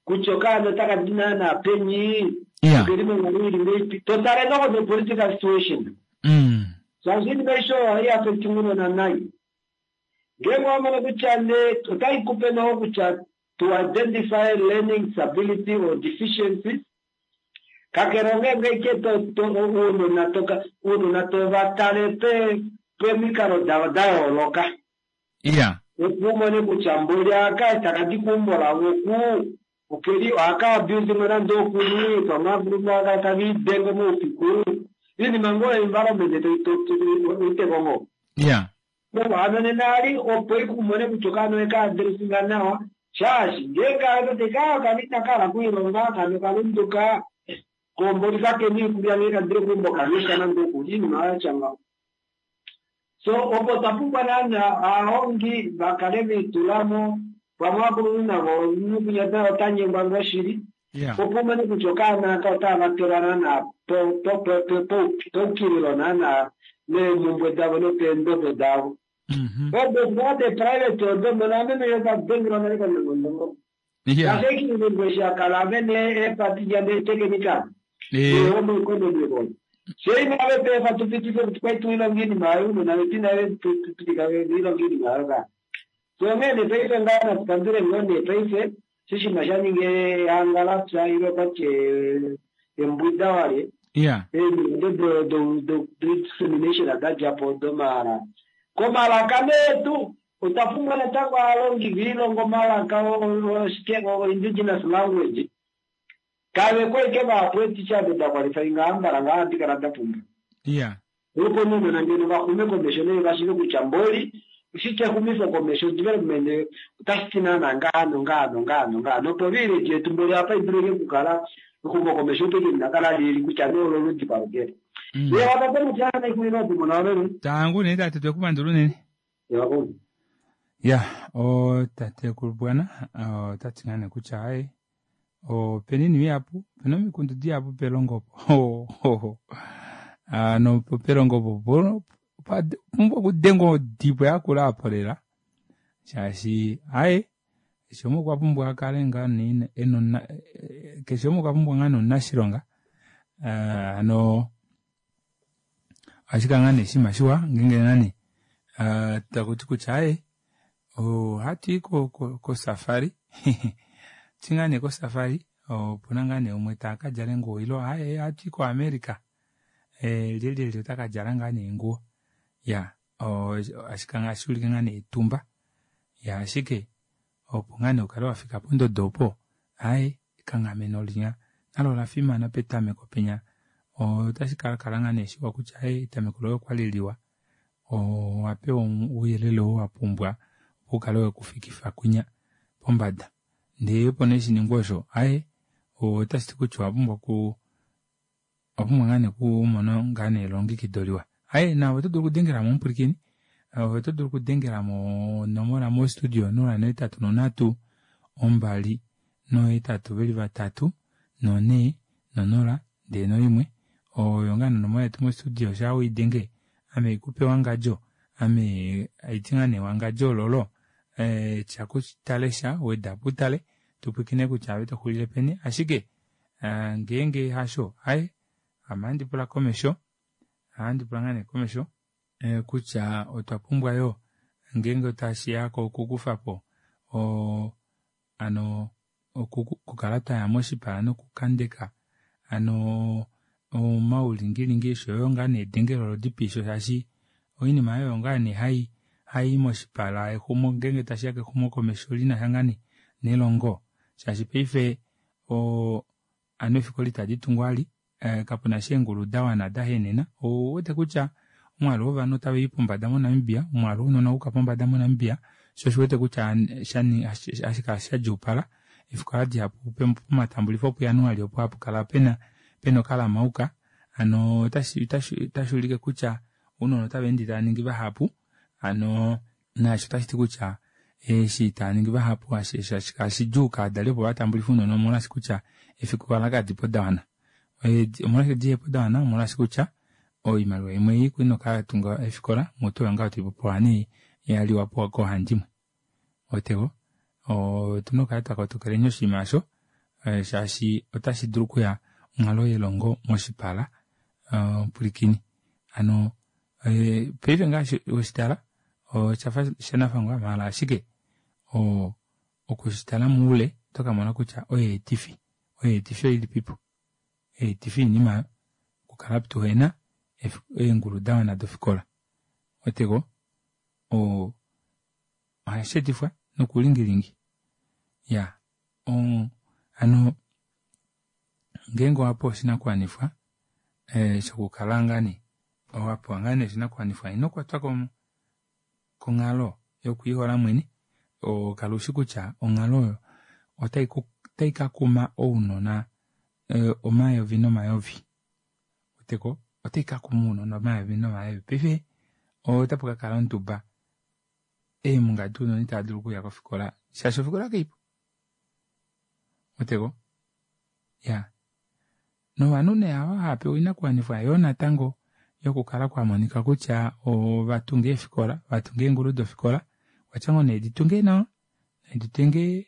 S8: kutya okaana otaka di naana peni
S1: iya
S8: okeli monghalo ili ngeipi totale noko the political situation
S1: mm.
S8: shaashi iinima aishe oyo ohai affect unona nai ngeenge wamono kutya ne otai kupe noho kutya to identify learning disability or deficiencies kakele ongeenge ike uunona toka uunona tovatale pe pemikalo davo dayooloka
S1: iya
S8: opo umone kutya mboli aka takadi keumbo lavo ku okeli ohaka abuse nande okuli pamwe avulu aka takiidenge moufiku iinima ngoo environment itekongo
S1: iya
S8: hano nena ali opo ikumone kutya okaana eka addressinga nawa shaashi ngeenge toti ka kali inakala kuilonga kano kalunduka Komboli kakena iikulya ngee kadile keumbo kalesha nande okulya iinima yatya ngaho. So opo twa pumbwa naana aahongi vakale viitulamo pamwe aakuluntu navo nukunyata ota nyengwa ngoo shili opo umone kutya okaana aka otava vatelwa naana peukililo naana meemhumbwe davo nopeendodo davo. Odo de private odo mona meme yokadengelwa nale konongonongo. Ngaashi eshi akala vene eepati netekenika omoeconomy olo. Fye inave pefa tupitife kuti kwai tuilonga iinima yayo uunona vetu inave tupitika ilonga iinima yayo ka. So onghee nee paife ngaa natupandule ngoo nee paife shoshinima sha ninga ehanga lapya ile okwati embwida walye. Eemido do dissemination dadjapo domahala. Komalaka nee tu otwa pumbwa natango aalongi viilonga omalaka o indigenous language. Kave kwai vahapu eeticha ado da qualifyinga ambala ngaa handi kala da pumbwa. Opo nounona ngeno vaxume komesho nee vashiive kutya mboli oshike exumifo komesho development otashi ti naana ngaha nongaha nongaha nongaha. Nopo village yetu mboli apa idulike okukala exumo komesho opo ike linakala lili kutya nee ololudi palukele. Ye watate mutya naikumina otumona wameme.
S1: Tangu nee tate twekupandula unene.
S8: Yakulu.
S1: Ya, otatekulu bwana otati ngaa nee kutya aye opena iinima ihapu, opena omikundu dihapu pelongo opo. Ano pelongo opo pumbwa okudengwa odibo yakula apo lela shaashi aye keshe umwe okwa pumbwa akale ngaa nee ena keshe umwe okwa pumbwa ngaa nee omunashilonga hano ohashi kala ngaa nee oshinima shiwa ngeenge nani takuti kutya aye ohatuyi kosafari hatuyi ngaa nee kosafari opuna ngaa nee umwe takadjala eenguwo ile aaye ohatuyi ko America lyelyelye otakadjala ngaa nee eenguwo iya ohashi ulike ngaa nee etumba ya ashike opo ngaa nee ukale wafika pondodo opo aaye ekanghameno linya nalo olafimana petameko penya otashi kakala ngaa nee shiwa kutya aaye etameko loye okwali liwa owapewa ouyelele oo wapumbwa opo ukale wekufikifa kwinya pombada ndee opo nee shiningwe osho aaye otashiti kutya owapumbwa oku owapumbwa ngaa nee okumona ngaa nee elongekido liwa. Aaye naave oto dulu okudengelamo omupwilikini oto dulu okudengelamo onomola mo studio nola nohetatu nonhatu ombali nohetatu veli vatatu nonhee nonola ndee noimwe oyo ngaa nee onomola yetu mo studio shaa weidenge ame haikupe wangadjo ame haiti ngaa nee wangadjo ololo tya kutalesha wedapo utale tupwilikine kutya ove toxulile peni ashike ngeenge hasho aaye ame ohandi pula komesho ohandi pula ngaa nee komesho kutya otwa pumbwa yoo ngeenge tashiya kokukufapo hano okukala twaya moshipala nokukandeka hano omaulingilingi oshoyo ngaa nee edengelo lodipiisho shaashi oinima oyo ngaa nee hai hayi moshipala exumo ngeenge tashiya kexumo komesho linasha ngaa nee nelongo shaashi paife hano eefikola itadi tungwa vali kapuna sha eengulu dawana dahenena ouwete kutya omwaalu wovanhu otawuyi pombada moNamibia omwaalu wounona owayuka pombada moNamibia shoo osho uwete kutya hashi kala shadjuupala eefikola dihapu pomatambulifo puJanuali opo hapukala pena pena okalamauka hano otashi ulike kutya ounona otava ende tava ningi vahapu hano naasho otashiti kutya eshi tava vahapu hashi kala shidjuu kovadali opo vatambulife ounona omolwaashi kutya eefikola kadipo dawana. Omolwashike dihepo dawana omolwaashi kutya oimaliwa imwe ei kwali ina okatunga eefikola mutu oyo ngaho toipopiwa nee yaliwapo koohandimwe. Otego otuna okukala twakotokeleni oshinima osho shaashi otashi dulu okuya onghalo yelongo moshipala omupwilikini. Hano paife ngaashi weshitala oshafa shanafangwa maala ashike okushitala moule otokamona kutya oyeetifi oyeetifi oilipipo oyeetifi yoinima okukala tuhena eengulu dawana dofikola. Otego ohashi etifwa nokulingilingi iya hano ngeenge owapewa oshinakuwanifwa shokukala ngaa nee owapewa ngaa nee oshinakuwanifwa ino kwatwa konghalo yokwiihola mwene kala ushi kutya onghalo oyo otai kakuma ounona omayovi nomayovi weteko otai kakuma ounona omayovi nomayovi paife otapu kakala onduba eemunga dounona itava dulu okuya kofikola shaashi ofikola kaipo weteko iyaa novanhu nee ava hava pewa oinakuwanifwa yoo natango yokukala kwamonika kutya ovatunga eefikola vatunga eengulu dofikola okwa ngoo nee ditunge nawa naditunge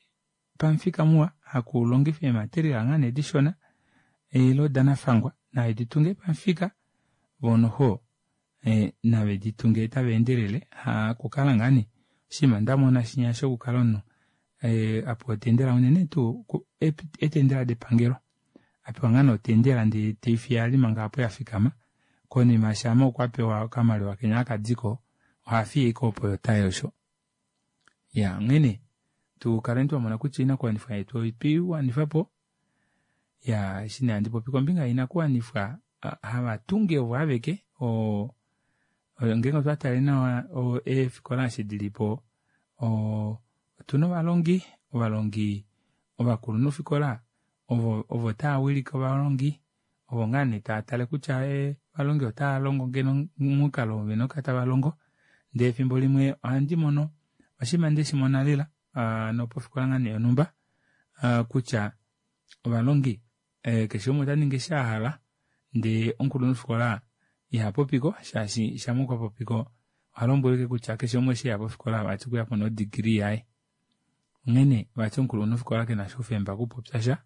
S1: pamufika muwa hakulongifa eematerial ngaa nee dishona ile danafangwa naveditunge pamufika voo noxo nave ditunge tava endelele hakukala ngaa nee oshinima ndamona shinya shokukala omunhu apewa otendela unene tuu eetendela depangelo apewa ngaa nee otendela ndee teifiye ali manga aapo yafikama konima shama okwa pewa okamaliwa kenya hakadiko ohafiye ashike opo tayi osho iya onghene tukaleni twamona kutya oinakuwanifwa yetu otweiwanifapo iya eshi nee handi popi kombinga yoinakuwanifwa havatungi ovo aveke oo ngeenge otwa tale nawa eefikola eshi dilipo otuna ovalongi ovalongi ovakulunhufikola ovo ovo tava wilike ovalongi ovo ngaa nee taatale kutya ovalongi otava ngeno momukalo oo vena okukala tavalongo ndee efimbo limwe ohandi mono oshinima ndeshimona lela hano pofikola ngaa nee yonhumba kutya ovalongi keshe umwe otaningi eshi ahala ndee omukulunhufikola ihapopiko shaashi shama okwa popiko ohalombwelwa ashike kutya keshe umwe eshi eya pofikola vati okweyapo no degree yaye onghene vati omukulunhufikola kenasha oufemba okupopyasha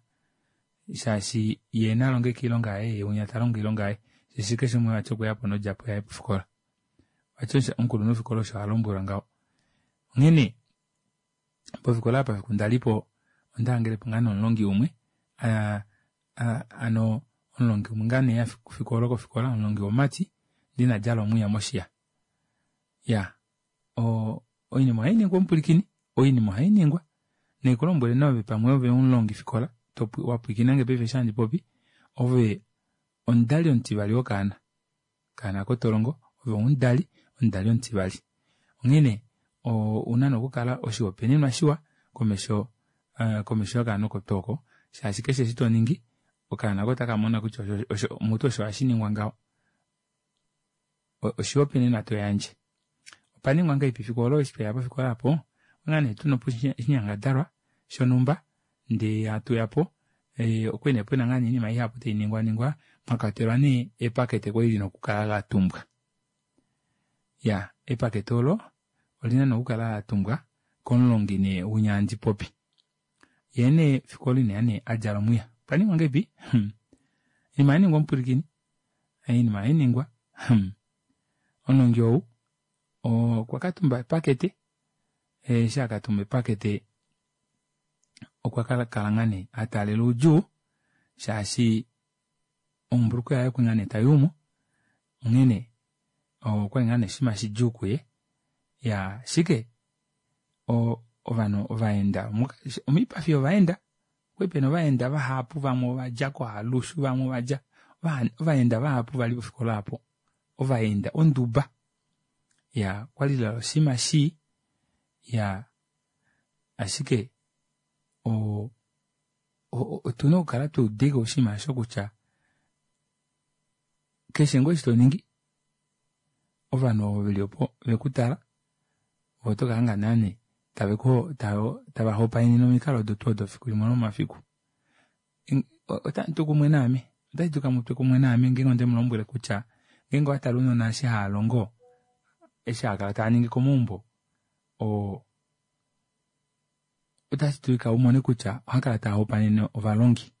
S1: shaashi yee nalonge ashike oilonga yaye yee winya talongo oilonga yaye shaashi keshe umwe vati okweyapo nodjapo yaye pofikola vati omukulunhufikola osho alombwelwa ngaho onghene pofikola apa fiku ndalipo ondahangelepo ngaa nee omulongi umwe hano omulongi umwe ngaa nee eya fiku olo kofikola omulongi womumati ndee inadjala omwiya moshiya iyaa oinima ohainingwa omupwilikini oinima ohainingwa naikulombwele nee ove pamwe ove omulongifikola wapwilikinange paife eshi handi popi ove omudali omutivali wokaana okaana aako tolongo ove omudali omudali omutivali onghene ouna nee okukala oshihopaenenwa shiwa komesho komesho yokaana oko tuu oko shaashi keshe eshi toningi okaana aako otakamona kutya mutu osho hashiningwa ngaho oshihopaenenwa toyandje opaningwa ngahelipi efiku olo eshi tweya pofikola aapo onga nee tuna oshinyangadalwa shonhumba ndee hatuyapo okwali nee pena ngaa nee oinima ihapu tainingwaningwa mwakwatelwa nee epakete kwali lina okukala latumbwa iya epakete olo olina nee okukala latumbwa komulongi nee winya handi popi yee nee efiku olo ineya nee adjala omwiya opaningwa ngahelipi oinima ohainingwa omupwilikini oinima ohainingwa omulongi ou okwa katumba epakete eshi akatumba epakete okwa kala ngaa nee ataalela oudjuu shaashi ombulukweya yaye okwali ngaa nee tayuumo onghene okwali ngaa nee oshinima shidjuu kuye iyaa ashike ovanhu ovaenda omoipafi yovaenda okwali pena ovaenda vahapu vamwe ovadja kohalushu vamwe ovadja ovaenda vahapu vali pofikola aapo ovaenda onduba iyaa okwali lela oshinima shii iyaa ashike oo otuna okukala twaudeko oshinima aasho kutya keshe ngoo eshi toningi ovanhu ovo veli opo vekutala ove oto kahanga naa nee tava hopaenene omikalo odo tuu odo fiku limwe lomomafiku otamutu kumwe naame otashi dulika mutwe kumwe naame ngeenge ondemulombwele kutya ngeenge owatale ounona eshi haalongo eshi haakala taaningi komaumbo oo otashi dulika umone kutya ohakala taahopaenene ovalongi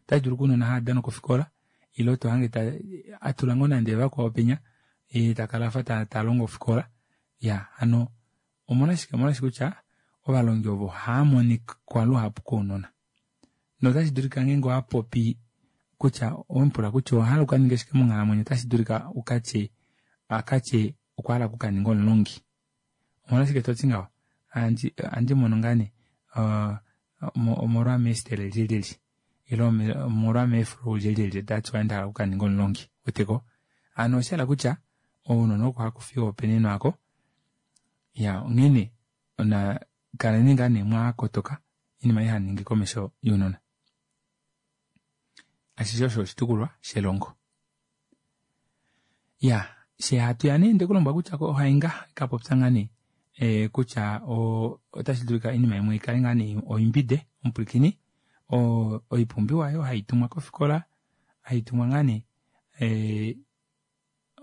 S1: otashi dulu ounona haadana kofikola ile tohange atula ngoo nande vakwao penya yee takala afa talongo ofikola iya hano omolwashike omolwaashi kutya ovalongi ovo ohaamonikwa luhapu kounona notashi dulika ngeenge owapopi kutya owemupula kutya owahala ukaninge shike monghalamwenyo otashi dulika ukatye akatye okwa hala okukaninga omulongi omolwashike toti ngaho ohandi mono ngaa nee omolwa meestele lyelyelye ile omolwa meeflow lyelyelye that's why ndahala okukaninga omulongi weteko hano oshahala kutya ounona oko hakufi ohopaenenwa aako iya onghene ona kaleni ngaa nee mwakotoka oinima ei hamuningi komesho younona Ashishe osho oshitukulwa shelongo. Ya, she hatu ya nee ndekulombwa kutya ohainga kapopya ngaa nee e, kutya otashi dulika oinima imwe ikale ngaa nee oimbide omupwilikini oipumbiwa oyo haitumwa kofikola haitumwa ngaa nee e,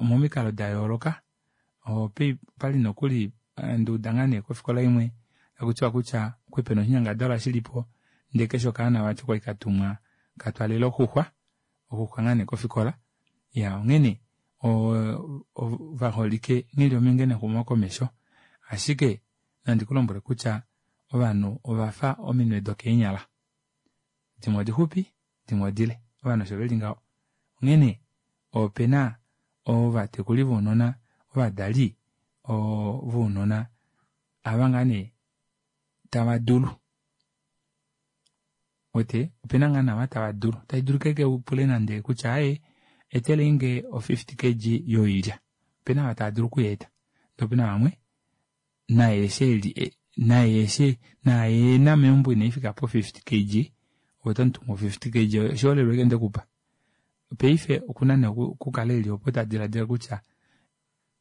S1: momikalo da yooloka opali nokuli nduuda ngaa nee kofikola imwe takutiwa kutya okwali pena oshinyangadalwa shilipo ndee keshe okaana vati okwali katumwa katwalele oxuxwa oxuxwa ngaa nee kofikola iya onghene ovaholike nghili ominge nexumokomesho ashike nandi kulombwele kutya ovanhu ovafa ominwe dokeenyala dimwe odixupi dimwe odile ovanhu osho veli ngaho onghene opena ovatekuli vounona ovadali vounona ava ngaa nee tava dulu uwete opena ngaa nee ava tava dulu tashi dulika ashike upule nande kutya aaye eteleinge o fifty kg yoilya opena ava tava dulu okuyeeta ndee opena vamwe naye eshi eli naye eshi naye ena meumbo inaifika po fifty kg ove otomutumu o fifty kg oshiholelwa ashike ndekupa paife okuna nee okukala eli opo tadilaadila kutya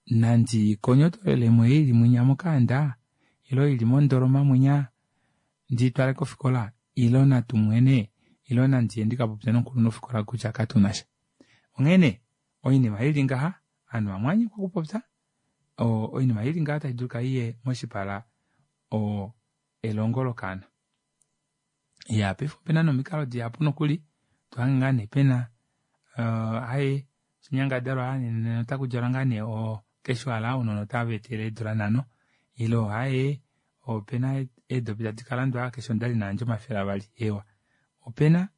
S1: nandi konyotolelemo ei ili mwinya mokaanda ile ili mondoloma mwinya ndiitwale kofikola ile natumwene ile nandiye ndikapopye nomukulunhufikola kutya katunasha. Onghene oinima ili ngaha ovanhu vamwe ovanyekwa okupopya oinima ili ngaha otashi dulika iye moshipala elongo lokaana. Iya paife opena nomikalo dihapu nokuli tohange ngaa nee pena aaye oshinyangadalwa nena otakudjalwa ngaa nee casual ounona otava etele eedula nhano ile aaye opena eedopi tadi kalandwa keshe omudali nayandje omafele avali eewa opena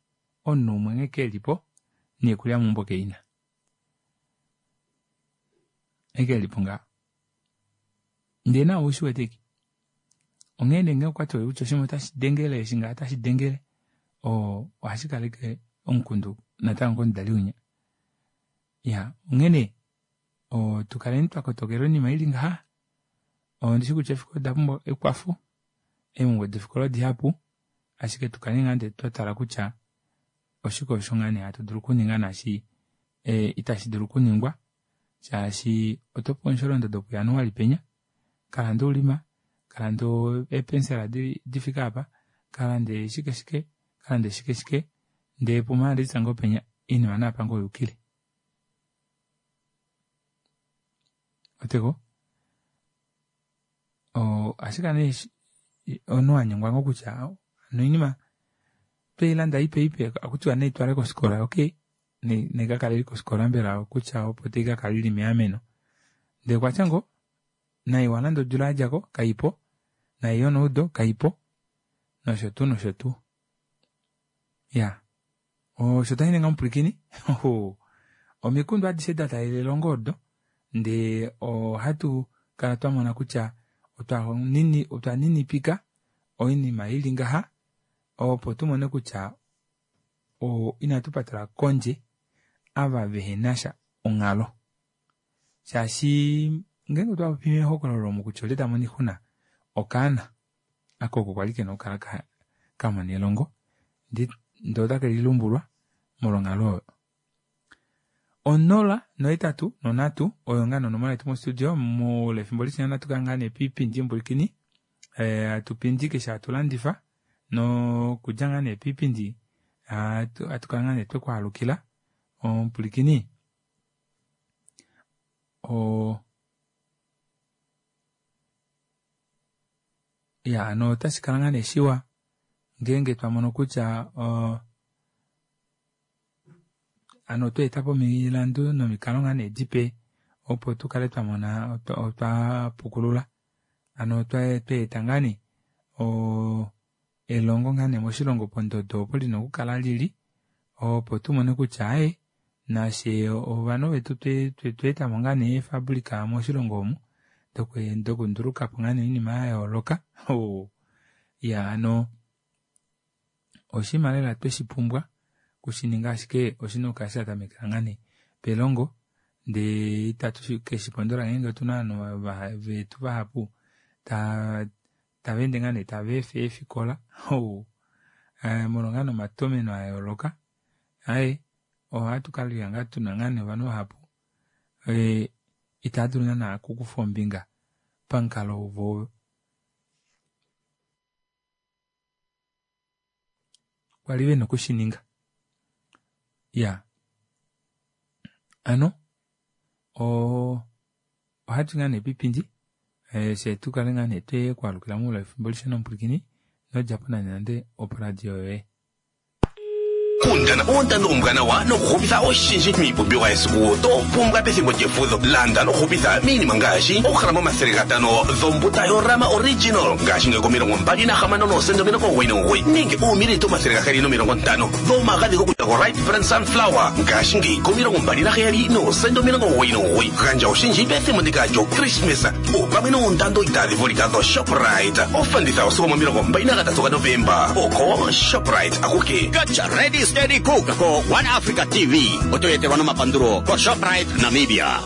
S1: omunhu umwe nghee kelipo noikulya meumbo keina nghee kelipo ngaho ndee nawe ushiwete ashike onghee nee ngee okwatiwa kutya oshinima otashi dengele eshi ngaha otashi dengele oo ohashi kaleke omukundu natango komudali winya iya onghene tukaleni twakotokela oinima ili ngaha ondishi kutya eefikola oda pumbwa ekwafo eemhumbwe dofikola odihapu ashike tukaleni ngaa nee twatala kutya oshike osho ngaa nee hatu dulu okuninga naashi itashi dulu okuningwa shaashi otopewa omusholondodo puJanuali penya kalande oulima kalande eepensela difike aapa kalande shike shike kalande shike shike ndee pumaalitsa ngoo penya oinima naapa ngoo oyukile ouweteko ohashi kala nee omunhu wanyengwa ngoo kutya hano oinima tweilanda ipe ipe ohakutiwa naitwalwe kofikola okey naikakale ili kofikola mbela kutya opo taikakala ili meameno ndee okwatya ngoo nai walanda odula yadjako kaipo nai yoneudo kaipo nosho tuu nosho tuu iyaa osho tashiningwa omupwilikini omikundu adishe dataalela elongo odo ndee ohatu kala twamona kutya otwa ninipika oinima ili ngaha opo tumone kutya inatu patela kondje ava vehenasha onghalo shaashi ngeenge otwapopi mehokololo omu kutya olye tamono oixuna okaana aka oko kwali kena okukala kamona elongo ndee otake lilumbulwa molwa onghalo oyo. Onola nohetatu nonhatu oyo ngaa nee onomola yetu mostudio moule wefimbo lishona natu kale ngaa nee poipindi omupwilikini hatupindi keshe hatu landifa nokudja ngaa nee poipindi ohatu kala ngaa nee twekwaalukila omupwilikini oo iya hano otashi kala ngaa nee shiwa ngeenge twamono kutya hano otweetapo omilandu nomikalo ngaa nee dipe opo tukale twamona otwapukulula hano tweeta ngaa nee elongo ngaa nee moshilongo pondodo opo lina okukala lili opo tumone kutya aaye nafye ovanhu vetu tweetamo ngaa nee eefabrika moshilongo omu dokundulukapo ngaa nee oinima yayooloka iya hano oshinima lela tweshipumbwa okushininga ashike oshina okukala shatamekela ngaa nee pelongo ndee itatu keshipondola ngeenge otuna ovanhu vetu vahapu tavaende ngaa nee tava efa eefikola molwa ngaa nee omatomeno ayooloka aaye Ohatu kala ngaa tuna ngaa nee ovanhu vahapu eh, itava dulu naana okukufa ombinga pamukalo vo kwali vena okushininga. Ya ano o ohatu ngaa nee piipindi eh, fye tukale ngaa nee twekwaalukila moule wefimbo lishona omupwilikini nodjapo nande nande oporadio yoye.
S10: Kundana oondando ombwanawa nokuhupitha oshindji miipumbiwa yesiku to pumbwa pethimbo lyefudho. Landa nokuhupitha miinima ngaashi oograma omathele gatano dhombuta yorama original ngaashi komilongo mbali nahamano noosenda omilongo omugoyi nomugoyi nenge uumililita omathele gaheyali nomilongo ntano dhomagadhi gokulya go-Right Brand Sunflower ngaashi komilongo mbali naheyali noosenda omilongo omugoyi nomugoyi. Gandja oshindji pethimbo ndika lyokrismesa opamwe noondando itaadhi vulika dhoShoprite. Ofanditha osigo momilongo mbali nagatatu gaNovemba oko Shoprite akuke.
S11: Gotcha Ready Steady Cook ko One Africa T V otoyetelwa nomapandulo ko Shoprite Namibia.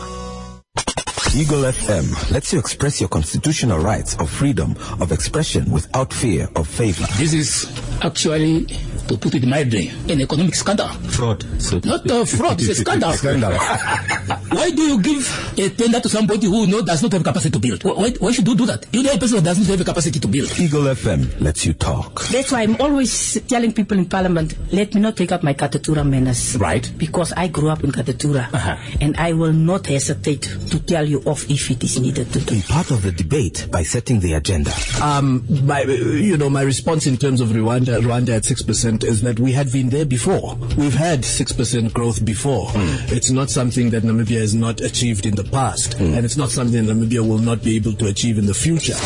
S2: Eagle F M lets you express your constitutional rights of freedom of expression without fear of favor.
S3: This is actually, to put it mildly, an economic scandal.
S2: Fraud. So
S3: Not a fraud, it's a scandal.
S2: Scandal.
S3: Why do you give a tender to somebody who know, does not have capacity to build? Why, why should you do that? You know a person that does not have the capacity to build.
S2: Eagle F M lets you talk.
S4: That's why I'm always telling people in Parliament, let me not take up my Katutura manners.
S3: Right.
S4: Because I grew up in Katutura.
S3: Uh-huh.
S4: And I will not hesitate to tell you off if it is needed to do.
S2: Be part of the debate by setting the agenda.
S5: Um, my, you know, my response in terms of Rwanda, Rwanda at six percent is that we had been there before. We've had six percent growth before. Mm. It's not something that Namibia has not achieved in the past, mm. and it's not something that Namibia will not be able to achieve in the future.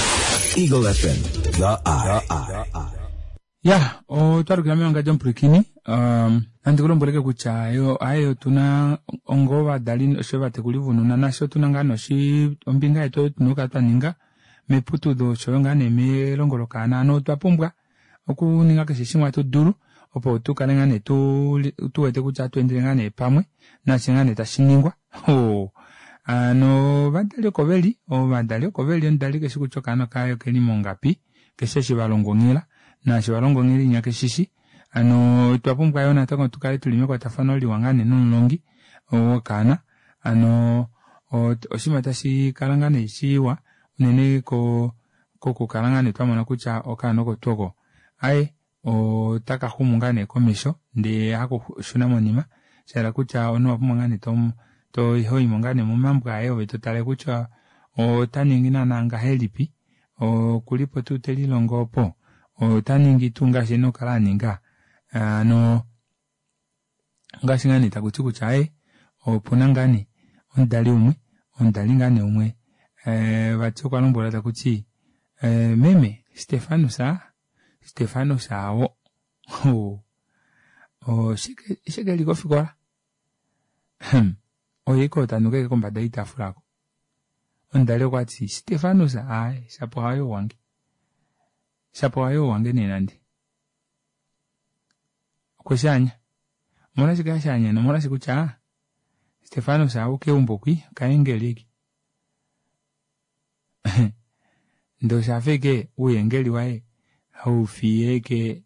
S2: Eagle F M, the eye. The eye.
S1: Ya otwalukila mewangandjo omupwilikini um, nandi kulombweleke kutya yo aye otuna ongo ovadali osho ovatekuli vounona nasho otuna ngaa noshi ombinga yetu tuna okukala twa ninga meputudho oshoyo ngaa nee melongo lokaana ano otwa pumbwa okuninga keshe shimwe hatu dulu opo tukale ngaa nee tu wete kutya atu endele ngaa nee pamwe nashe ngaa nee tashi ningwa. Ano ovadali oko veli ovadali oko veli omudali keshi kutya okaana kaye okeli mongapi keshe eshi valonga onghela naashi valonga onghela inya keshishi ano otwa pumbwa yoo natango tukale tuli mekwatafano liwa ngaa nee nomulongi wokaana ano oshinima tashi kala ngaa nee shiwa unene ko kokukala ngaa nee twamona kutya okaana oko tuu oko aye otaka xumu ngaa nee komesho ndee hakushuna monima shahala kutya omunhu owapumbwa ngaa nee hoyimo ngaa nee momambo aye ove totale kutya ota ningi naana ngahelipi okulipo tuu telilongo opo ota ningi tuu ngaashi ena okukala aninga ano ngaashi ngaa nee takuti kutya aye opuna ngaa nee omudali umwe omudali ngaa nee umwe vati okwa lombwelwa takuti meme Stefanus Stefanus awo oshike eli kofikola oye ike tanuka ashike kombada yoitafula ako omudali okwati Stefanus aaye shapo haye wange shapo haye wange nee nande okweshaanya omolwashike ashaanya omolwashi kutya Stefanus awo keumbo kwi okaengeli eke ndee oshafa ashike ouyengeli waye haufiye ashike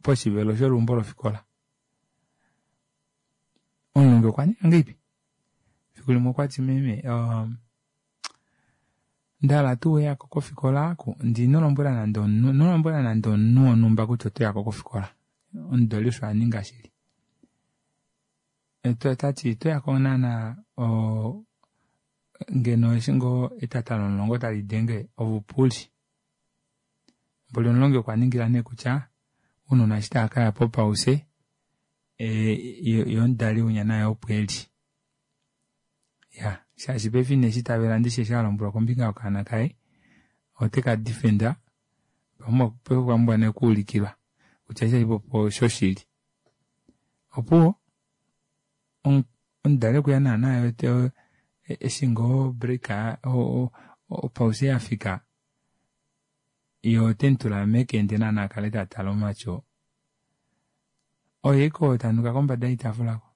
S1: poshivelo sholuumbo lofikola. Omulongi okwa ninga ngahelipi efiku limwe okwati meme ndahala tuu uyako kofikola aaku ndee inolombwela nande omunhu inolombwela nande omunhu wonhumba kutya otoyako kofikola. Omudali osho aninga shili tati otoyako naana ngeno eshi ngoo etata lomulongo tali denge ovupuli mboli omulongi okwa ningila nee kutya ounona eshi tavakaya popause yee omudali winya naye opo eli ya shaashi paife ineshi itavela ndishi eshi alombwelwa kombinga yokaana kaye oteka defenda paife okwa pumbwa nee okuulikilwa kutya eshi haipopi oshoshili. Opuwo omudali okweya naana eshi ngoo break opause yafika yee otemutula mekende naana akale tatale omatyo oye ashike oo tanuka kombada yoitafula aako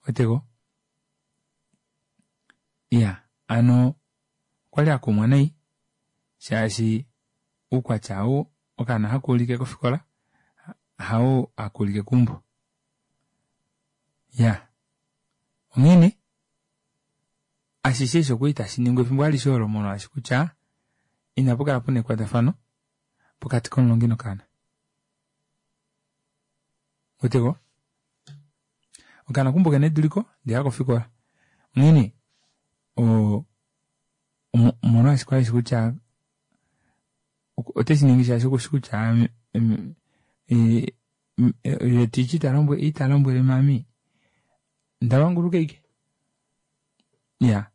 S1: ouweteko iya hano okwali akumwa nai shaashi oukwatya ou okaana hakuulike kofikola hawo hakuulike keumbo. Ya onghene ashishe eshi okwali tashiningwa efimbo alishe olo molwaashi kutya inapukala puna ekwatafano pokati komulongi nokaana. Weteko okaana kumbo kena eduliko ndee hakofikola onghene oo omolwaashi kwali eshi kutya oteshiningi shaashi okushi kutya yee teacher italombwele mami ndamanguluka ashike. Iya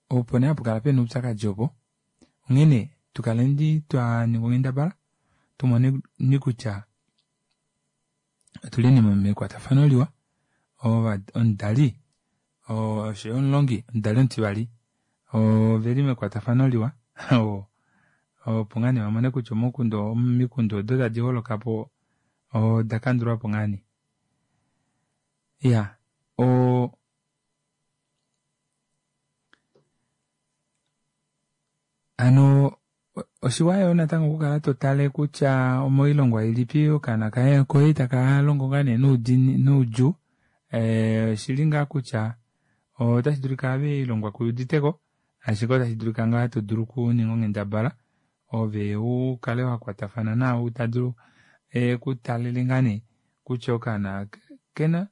S1: opo nee hapukala pena oupyakadi opo onghene tukaleni twaninga onghendabala tumone kutya otuli mekwatafano liwa omudali oshoyo omulongi omudali omutivali oveli mekwatafano liwa opo ngaa nee vamone kutya omikundu odo tadi holokapo oda kandulwapo ngaa nee. Iya oo hano oshiwa yoo natango okukala totale kutya omoilongwa ilipi okaana koye takalongo ngaa nee noudjuu oshili ngaa kutya otashi dulika ave oilongwa kuyuditeko ashike otashi dulika ngaa todulu okuninga onghendabala ove ukale wakwatafana naau tadulu ekutalele ngaa nee kutya okaana okena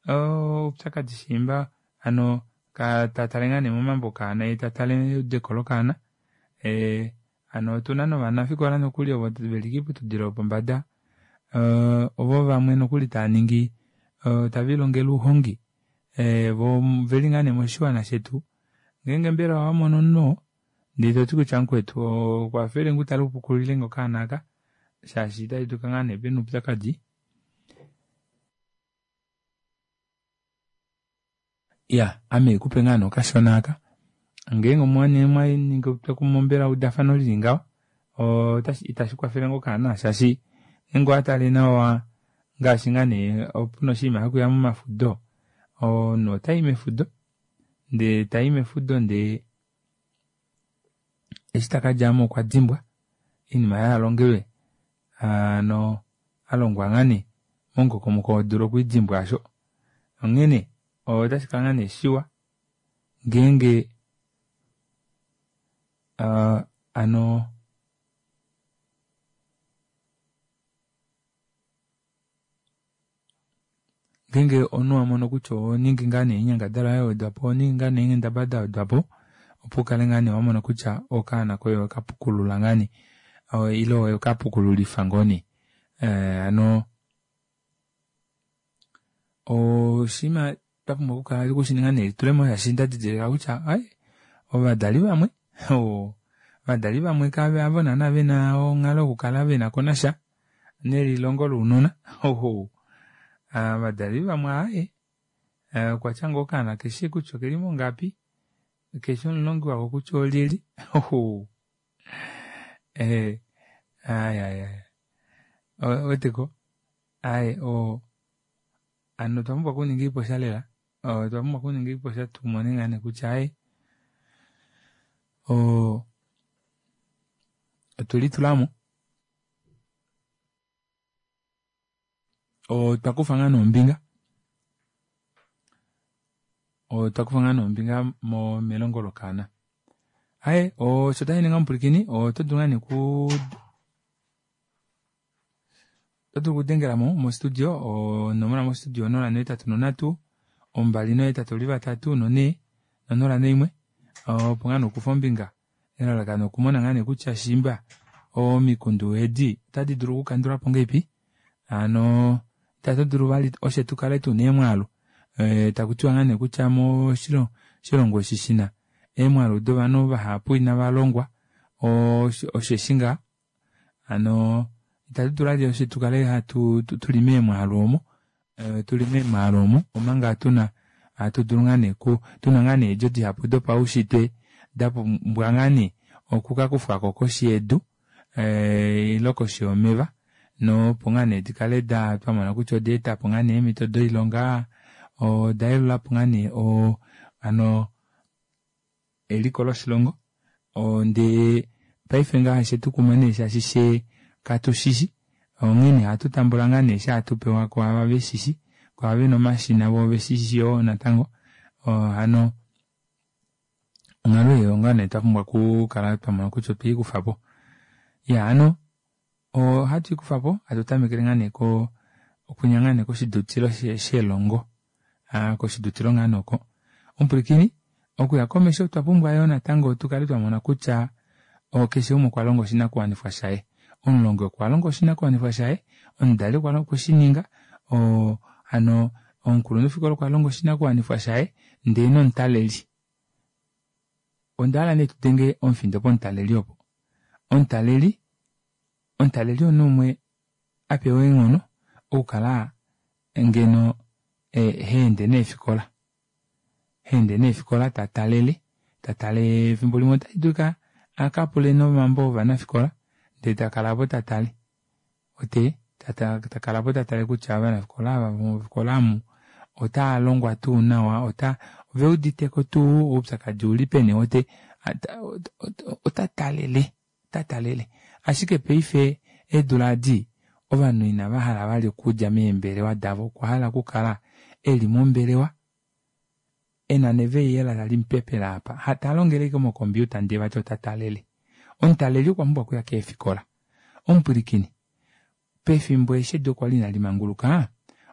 S1: oupyakadi shiimba hano tatale ngaa nee momambo okaana yee tatale eudeko lokaana hano otuna novanafikola nokuli ovo veli koiputudilo yopombada ovo vamwe nokuli taaningi tavelilongele ouhongi voo oveli ngaa nee moshiwana shetu ngeenge mbela owamono omunhu oo ndee toti kutya mukwetu kwafelenge utale upukululilenge okaana aka shaashi otashi dulika ngaa nee pena oupyakadi. Iya ame haikupe ngaa nee okashona aka ngeenge omwaningi etwokumwe mbela eudafano lili ngaho itashi kwafele ngoo okaana shaashi ngeenge owatale nawa ngaashi ngaa nee opuna oshinima shokuya momafudo omunhu otayi mefudo ndee tayi mefudo ndee eshi takadjamo okwa dimbwa oinima aayo alongelwe hano alongwa ngaa nee momukokomoko wodula okwiidimbwa aasho onghene otashikala ngaa nee shiwa ngeenge hano ngeenge omunhu wamono kutya ohoningi ngaa nee oinyangadalwa yawedwapo ohoningi ngaa nee eenghendabala dawedwapo opo ukale ngaa nee wamona kutya okaana koye owekapukulula ngaa nee ile owekapukululifa ngoo nee hano oshinima twapumbwa okukala okushininga nelitulemo shaashi ndadidilika kutya ai ovadali vamwe ovadali vamwe havo naana vena onghalo yokukala venakonasha nelilongo lounona ovadali vamwe aaye okwatya ngoo okaana keshi kutya okeli mongapi keshi omulongi wako kutya olyelye aaye ouweteko aaye hano otwa pumbwa okuninga oiposha lela otwa pumbwa okuninga oiposha tumone ngaa nee kutya aaye oo otwelitulamo otwakufa ngaa nee ombinga otwakufa ngaa nee ombinga melongo lokaana. Aaye osho tashiningi omupwilikini oto dulu ngaa nee kuu oto dulu okudengelamo mo studio onomola mo studio onola nohetatu nonhatu ombali nohetatu oli vatatu nonhee nonola noimwe opo ngaa nee ukufe ombinga elalakano okumona ngaa nee kutya shiimba omikundu edi otadi dulu okukandulwapo ngahelipi hano ita tudulu vali oshe tukale tuna eemwaalu takutiwa ngaa nee kutya moshilongo eshi shina eemwaalu dovanhu vahapu inavalongwa osheshi ngaa hano ita tudulu vali oshe tukale hatu tuli meemwaalu omo tuli meemwaalu omo omanga tuna hatu dulu ngaa nee tuna ngaa nee eedjo dihapu dopaushitwe dapumbwa ngaa nee okukakufwako koshi yedu ile koshi yomeva nopo ngaa nee dikale twamona kutya odaetapo ngaa nee eemito doilonga odayelulapo ngaa nee hano eliko loshilongo ndee paife ngaha oshetukuma nee shaashi fyee katushishi onghene ohatu tambula ngaa nee eshi hatu pewa kwaava veshishi Kwaava vena omashina voo oveshishi yoo natango hano onghalo ei onga nee twapumbwa okukala twamona kutya otweikufapo. Iyaa hano ohatu ikufapo hatu tamekele ngaa nee koo okunya ngaa nee koshidutilo shelongo aa koshidutilo ngaa nee oko. Omupwilikini okuya komesho otwa pumbwa yoo natango tukale twamona kutya keshe umwe okwalonga oshinakuwanifwa shaye. Omulongi okwalonga oshinakuwanifwa shaye, omudali okweshininga oo hano omukulunhufikola okwalonga oshinakuwanifwa shaye ndee nomutaleli. Ondahala nee tudenge omufindo pomutaleli opo. Omutaleli, omutaleli omunhu umwe apewa eenghono okukala ngeno haende neefikola haende neefikola tatalele tatale efimbo limwe otashidulika akapule nomambo ovanafikola ndee takala aapo tatale uwete takala aapo tatale kutya ovanafikola ava mofikola omu otaalongwa tuu nawa oveuditeko tuu oupyakadi oulipeni uwete otatalele otatalele ashike paife eedula edi ovanhu inavahala vali okudja meembelewa davo okwahala okukala eli mombelewa ena neveiyela talimupepele aapa talongele ashike mo computer ndee vati ota talele. Omutaleli okwa pumbwa okuya keefikola. Omupwilikini pefimbo eshi edu kwali ina limanguluka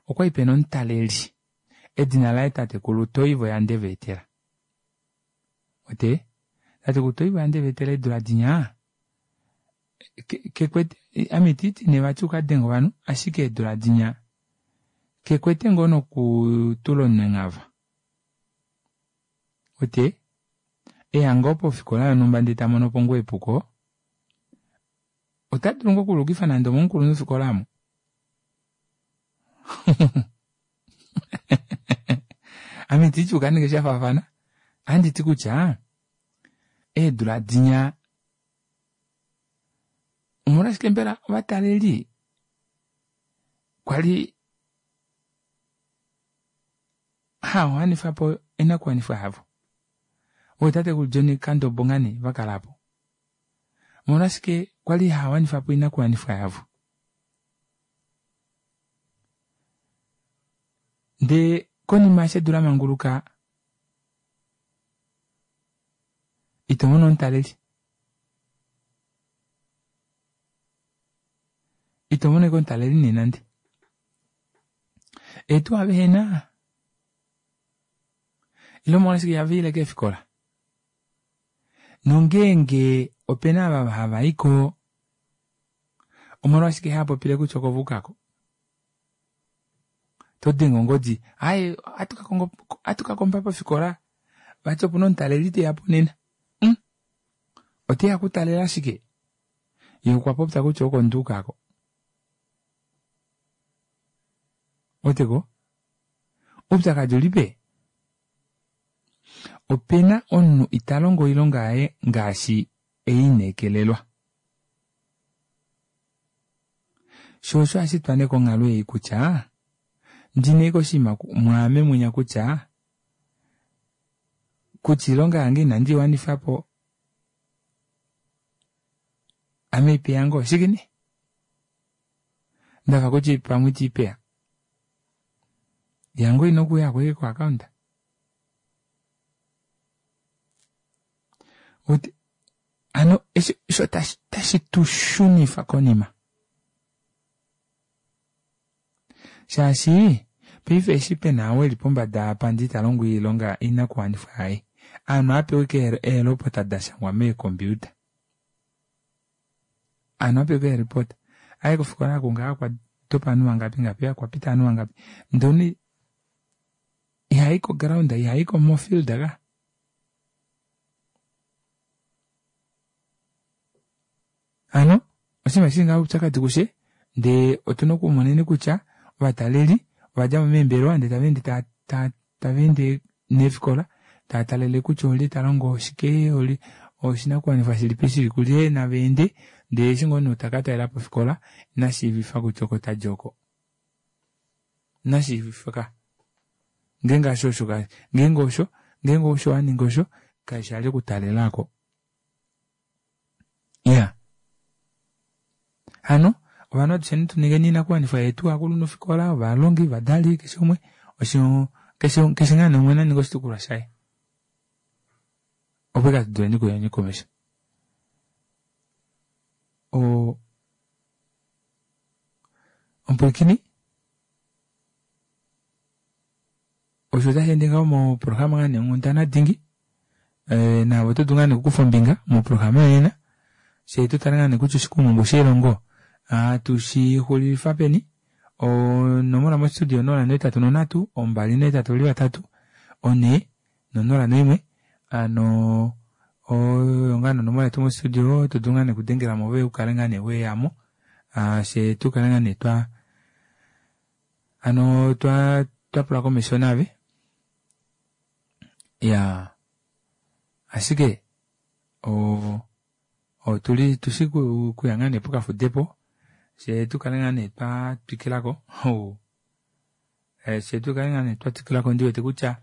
S1: okwali pena omutaleli edina laye tatekulu Toivo ya Ndeveetela. Uwete tatekulu Toivo ya Ndeveetela eedula dinya kekwete ame itiiti nee vati ukadenge ovanhu ashike eedula dinya kekwete ngoo nokutula omunhu enghava. Uwete eya ngoo pofikola yonhumba ndee tamonopo ngoo epuko otadulu ngoo okuluukifa nande omomukulunhufikola aamo. Ame itiiti ukaninge shafaafana ohanditi kutya eedula dinya omolwashike mbela ovataleli kwali haawanifapo oinakuwanifwa yavo ootatekulu John Kandombo ngaa nee vakala aapo omolwashike kwali haawanifapo oinakuwanifwa yavo ndee konima eshi edu lamanguluka itomono omutaleli itomono ashike omutaleli nee nande eetuwa vehena ile omolwashike ihavaile keefikola nongeenge opena ava havaiko omolwashike haapopile kutya oko vaukako todenge ongodi aaye ohatu kakomba pofikola vati opuna omutaleli teyapo nena mm oteya okutalela shike yee okwa popya kutya oko nduuka aako ouweteko oupyakadi ulipe opena omunhu italongo oilonga yaye ngaashi eineekelelwa shoo osho hashitwa nee konghalo ei kutya ndina ashike oshinima mwaame munya kutya kutya oilonga yange inandi iwanifapo ame ipeya ngoo shike nee ndafa kutya pamwe itiipeya yange oina okuuya ko ko account hano osho tashi tushunifa konima shaashi paife eshi pena ou eli pombada apa ndee italongo oilonga oinakuwanifwa yaye ovanhu ohapewa ashike eelopota dashangwa meecomputer ovanhu ohapewa ashike eelopota aaye kofikola oku ngaha okwa dopa ovanhu vangapi ngapi okwapita ovanhu vangapi ndee omunhu ihai ko ground ihaiko mofield ka hano oshinima shili ngaha oupyakadi kushe ndee otuna okumoneni kutya ovataleli ovadjamo meembelewa ndee tavaende tavaende neefikola taatalele kutya olye talongo shike olye oshinakuwanifwa shilipi shili kulye navaende ndee eshi ngoo omunhu taka talelapo ofikola inashiivifa kutya oko tadi oko inashiivifwa ka ngeenge hasho osho ngeenge osho ngeenge osho waninga osho kaishi vali okutalela aako iya hano Ovanhu atusheni tuningeni oinakuwanifwa yetu ovakulunhufikola, ovalongi, ovadali, keshe umwe osho keshe keshe ngaa nee umwe naninge oshitukulwa shaye opo ike atuduleni okuyeni komesho. O omupwilikini osho otashi ende ngaho moprograma ngaa nee onghundana dingi ee naave oto dulu ngaa nee okukufa ombinga moprograma yonena fyee tutale ngaa nee kutya oshikumungu shelongo atushixulifa peni. Onomola mostudio onola nohetatu nonhatu ombali nohetatu oli vatatu onhee nonola noimwe hano oyo ngaa nee onomola yetu mostudio oto dulu ngaa nee okudengelamo ove ukale ngaa nee weyamo fyee tukale ngaa nee twa hano twa twapula komesho naave. Iyaa ashike oo otuli tushi kuya ngaa nee pokafudepo fyee tukale ngaa nee twatwikilako fyee tukale ngaa nee twatwikilako ndiwete kutya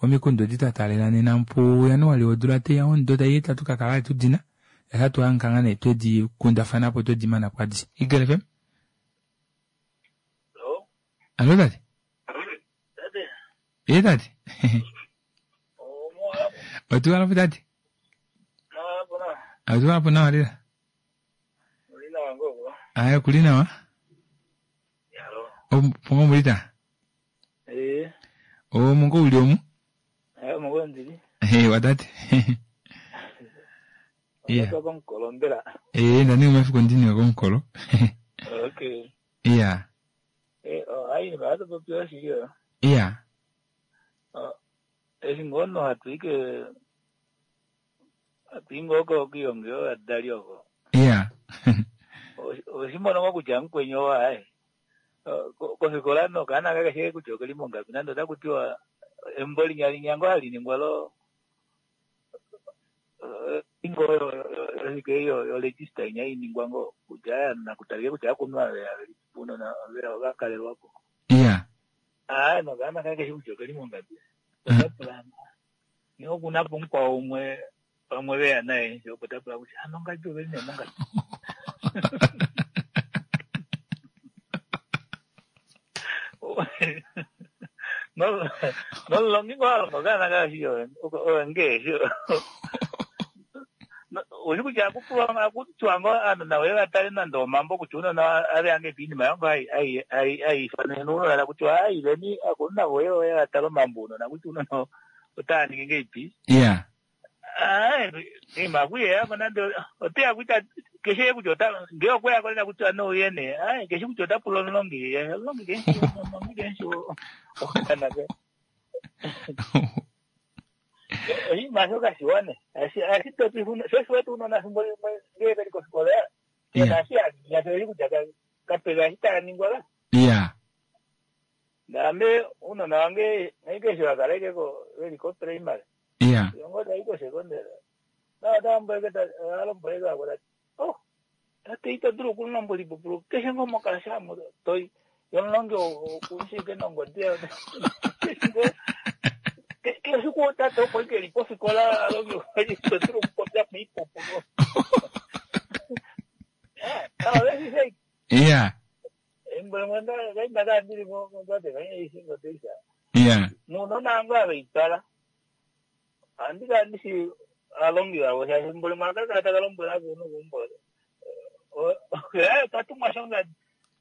S1: omikundu edi twataalela nena pu January wodula taiya womudo taiya ita tukakala vali tudina shaashi ohatuhangika ngaa nee twedi kundafanapo twedimanapo adishe. Eagle F M. Allo tate. Ee tate. Otuwalapo tate. Otuwalapo nawa lela. Aye okuli nawa. Pongo mulita.
S12: Eh.
S1: Omungo uli omu.
S12: Eh, mungo ndili.
S1: Eh, watate.
S12: Yeah. Komukolo mbela.
S1: Eh, ndani umafiku ndini komukolo.
S12: Okay.
S1: Yeah.
S12: Eh, oh, ayi ba to popyo shiyo.
S1: Yeah.
S12: Oh, eshi ngono hatuike hatuingoko kiyongyo adali oko.
S1: Yeah.
S12: Oshimono ngo kutya mukwenyo wae. Kofikola no kana kakashe kutya okeli mongapi nando otakutiwa embo linyalinya ngo haliningwa lo ingo yo yo register inya iningwa ngo kutya nakutalike kutya akunwa unona vakalelwako.
S1: Yeah.
S12: Ah, no kana kakashe kutya okeli mongapi. Otapula ni okunapo mukwao umwe pamwe veya naye opo tapula kutya ano ngapi oveli ne mongapi. No, no longi ngo alongo kana kashiyo onge oshi kutya akupulwa akutwa ngo anona we vatale nande omambo kutya unona ave ange piinima yango ayifanene unona kutya ayileni akununa voye oye vatale omambo unona kutya unona otaaningi ngeipi.
S1: Yeah.
S12: Ah, ima kuyeyako nande oteya kuita keshe kutya ota nge okweyako lena kutya no uyene ah keshe kutya otapula omulongi omulongi kenshi omulongi kenshi okanaka oshinima shoka shiwane ashitopi shoshiwete unona fimbo limwe ngee veli kofikola nashi kutya kapeka ashi taaningwa ka.
S1: Yeah.
S12: Naame unona wange keshe wakalaikeko veli ko primary.
S1: Yeah.
S12: Yongo taiko secondary. Na tamboeke alomboeka akola oh tate ito dulu okulombola ipupulu keshe ngo mokalasha mo toi yomulongi okushike nongodi keshe ku tate opo ike li pofikola alongi ito dulu okupopya miipupulu. Ah, ah,
S1: Yeah.
S12: Embo ndili mo tate kanye isingo teisha.
S1: Yeah.
S12: Nuno nango abeitala. Andika ndisi alongi wavo shaashi mboli mwakakala takalombwela kuno kumbo. Tatumwa shonga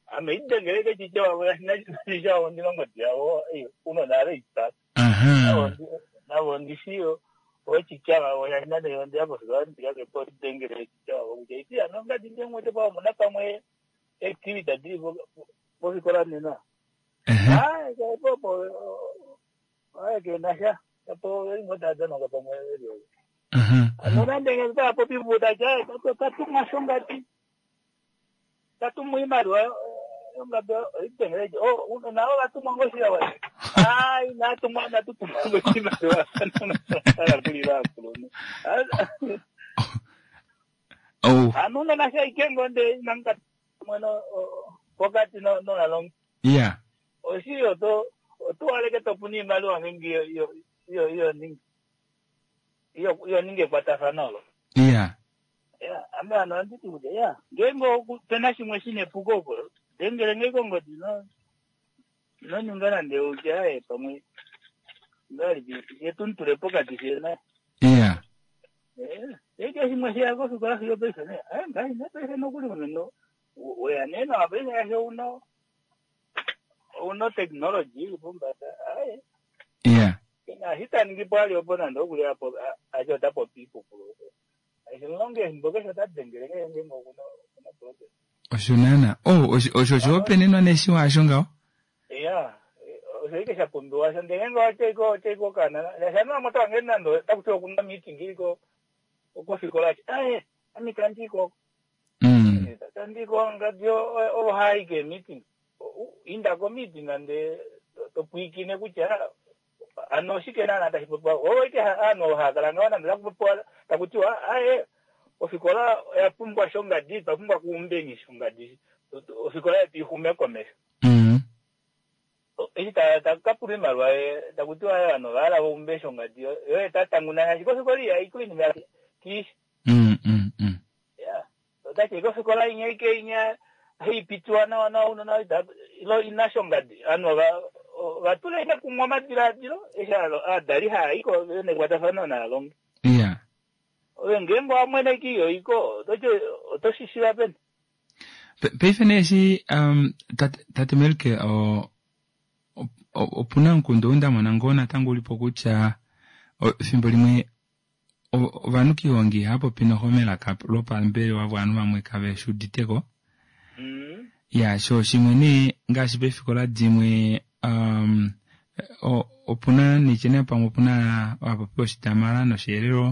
S12: ame idengeleke chiche wavo yasina ndilongo dyavo unona abeitala.
S1: Aha.
S12: Navo ndisiyo ochicha vavo yasina ndiapo ndikakepo idengele chiche wavo kutya iti anonga ndindemwete pavo muna pamwe activity diri pofikola nena. Ah, popo ah kenasha tapo ingodadza pamwe anonandenge tapo pivuta cha tatumwa shongati tatumwa imaliwa yongabe itengeleje oh navo vatumwa ngoshiya wa ai natumwa natutumwa ngoshimaliwa alakulira akuluno
S1: Oh.
S12: anuna nasha ikengo nde nanga mweno pokati no nonalongi.
S1: Yeah.
S12: Oshiyo to otuwaleke topuna iimaliwa ngingi iyo iyo iyo ningi iyo iyo ningi ekwatathano olo.
S1: Yeah.
S12: Yeah, Ame hano anditi kutya ya ngeenge opena shimwe shina epuko opo dengele nge kongodi ino ino ninga nande utya aye pamwe ngahelipi yetu pokati shena
S1: iya
S12: eke shimwe sheya kofikola fiyo paife ne aye ngahi ne paife nokuli uno weya nee nawa paife yasho uno uno technology ili pombada aye
S1: iya
S12: ashitaningi po ali opo nande okuli apo acho otapopi ipupulo ashilonge efimbo keshe otadengele nge ngeenge okuna okuna problem
S1: osho naana oh osho osho oshihopaenenwa neshiwa asho ngaho
S12: iya osho ike shapumbiwa sho ndele ngenge otaiko otaiko kana shana moto wange nando takuti okuna meeting iliko okofikola ati aye ami tandiko
S1: mm.
S12: tandiko ngadi ovo haike meeting inda ko meeting ande topwikine kutya ano oshike naana tashi popiwa ovo ike ovanhu haakala ngaho nande takupopiwa takutiwa aye ofikola oya pumbwa shongadi twapumbwa kuumbeni shongadi ofikola yetu ixume komesho
S1: mm.
S12: eshi takapulwa iimaliwa takutiwa aye ovanhu ovahala vaumbe shongadi yoye tatanguna shaashi kofikola ihaiko inima kiishi
S1: mm, mm, mm.
S12: ya otati kofikola inya ike inya haipitiwa nawa nawa unona ilo ina shongadi ovanhu vatula ine kumwe omadiladilo eshi aadali haayiko vena ekwatafano naalongi
S1: iya
S12: ove ngeenge wamwene iyo iko ototi otoshishiva peni
S1: paife nee eshi um, tate, tate Melke o opuna omukundu ou ndamona ngoo natango ulipo kutya efimbo limwe ovanhu kiihongi ihaapopi noho melaka lopambelewa ovanhu vamwe kave shi uditeko
S12: mm.
S1: ya sho shimwe nee ngaashi peefikola dimwe um, opuna nityene pamwe opuna vapopi oshitamala noshielelo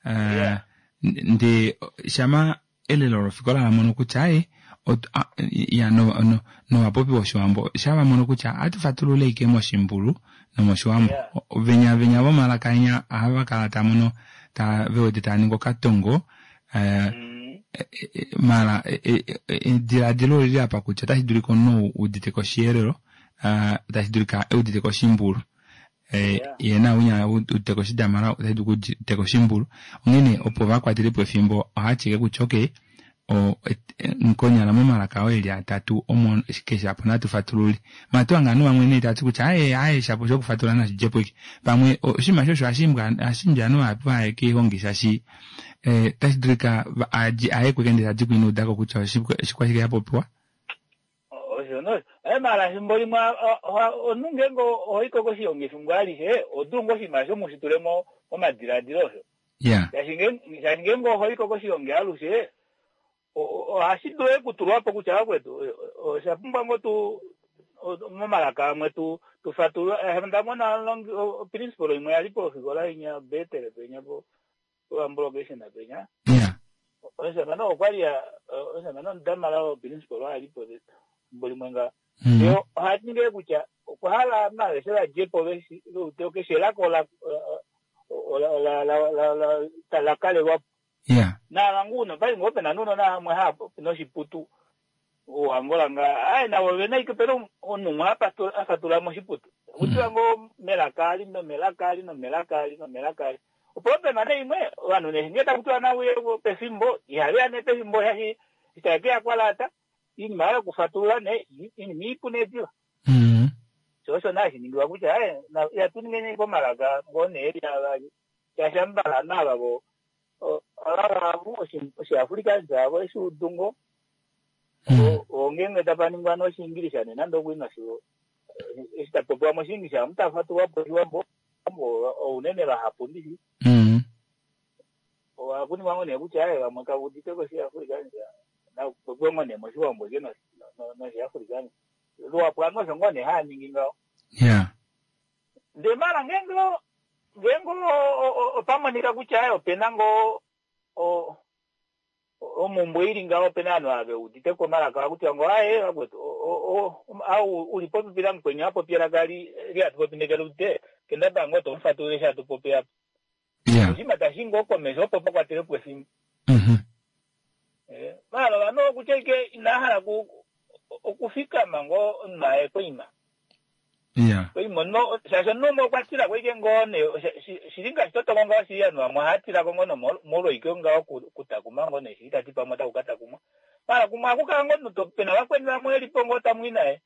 S1: uh,
S12: yeah.
S1: ndee shama elelo lofikola lamono kutya aye ya no no novapopi voshiwambo shavamono kutya atufatulule ike moshimbulu nomoshiwambo
S12: yeah.
S1: venya venya vomalaka enya ohava kala tamono ta vewete taaningi okatongo uh,
S12: mm.
S1: mala ediladilo olili apa kutya otashi dulika omunhu udite koshielelo uh, tashi dulika eudite koshimbulu
S12: yeah.
S1: ye na unya udite koshidamala otashi dulika udite koshimbulu onghene opo vakwatelepo efimbo ohatyike kutya okay o nkonyala momalaka oo eli atatu omo keshe apo natufatulule matuanga anu vamwe nee tati kutya aye aye shapo shokufatula nashidjepo ike pamwe oshinima shosho hashimbwa anu vahapu vaye kiihongi shashi eh, tashi dulika aye kwekende tadi kuinuudako kutya oshikwashike yapopiwa
S12: osho no aye mala efimbo limwe omunhu ngeenge ohoiko koshihongi efimbo alishe odulu ngoo oshinima osho mushitule momadiladilo osho
S1: ya
S12: shaashi ngeenge ohoiko koshihongi alushe ohashi dulu okutulwapo kutya vakwetu osha pumbwa ngo tu momalaka amwe tu tufatulula ndamona principal imwe yali pofikola inya betel penya po Owambo location penya
S1: ya
S12: omushamane okwali omushamane omudamala principal alipo efimbo limwe nga
S1: mm.
S12: yo ohaninge kutya okwa hala maveshe vadjepo keshe elaka ola kalelwapo
S1: ya
S12: navangu pali ngoo pena nuno naamwe hapopi noshiputu ouangola nga aye navo vena ike pena omunhu umwe afatula moshiputu kutiwa ngoo melaka ali nomelaka ali nomelaka ali nomelaka ali opo pena ne imwe ovanhu nge takutiwa nauye pefimbo ihaveya ne pefimbo shashi itakeya kwalata iinima yokufatulula ne iinima iipu neediva
S1: mm.
S12: sho osho naa shiningiwa kutya aye yatu ningeni komalaka ngoo neeli avali shaashi ambala naavavo avavavu oshiafrikaans avo eshiudungo ongenge tapaningwa noshiingilisha ne nande okuina sho eshi tapopiwa moshiingilisha amu tafatulwapo oshiwambo ounene vahapu ndishi
S1: mm.
S12: ohakuningwa ngo nee kutya aye vamwe kavudite koshiafrikaans napopiwa ngo nee moshiwambo ke noshiafrikaans luhapu anu osho ngoo nee haaningi ngaho
S1: ya
S12: ndee mala ngeenge ngeenge opamonika kutya aye opena ngoo omumbwe ili ngaho opena ovanhu ava veudite komalaka akutiwa ngo aye vakwetu au uli popipi lamukweni apopi elaka lihatupopi nekeludite kendaba ngoo tomufatulule eshi hatupopi apa
S1: ya
S12: oshinima tashi ngoo komesho opo pakwatelepo efimbo
S1: mm
S12: Eh, mala ovanhu okutya ike inahala okufikama ngoo omunhu aye koima
S1: Iya.
S12: Oimono shaashi omunhu umwe okwa tila ko ike ngoo nee shili ngaashi totongo ngaho shili ovanhu vamwe ohava tila ko ngoo nomolwoike ngaho kutakuma ngoo nee shili tati pamwe otaku ka takumwa. Maala kumwe ohaku kala ngoo omunhu pena vakweni vamwe velipo ngoo tamui naye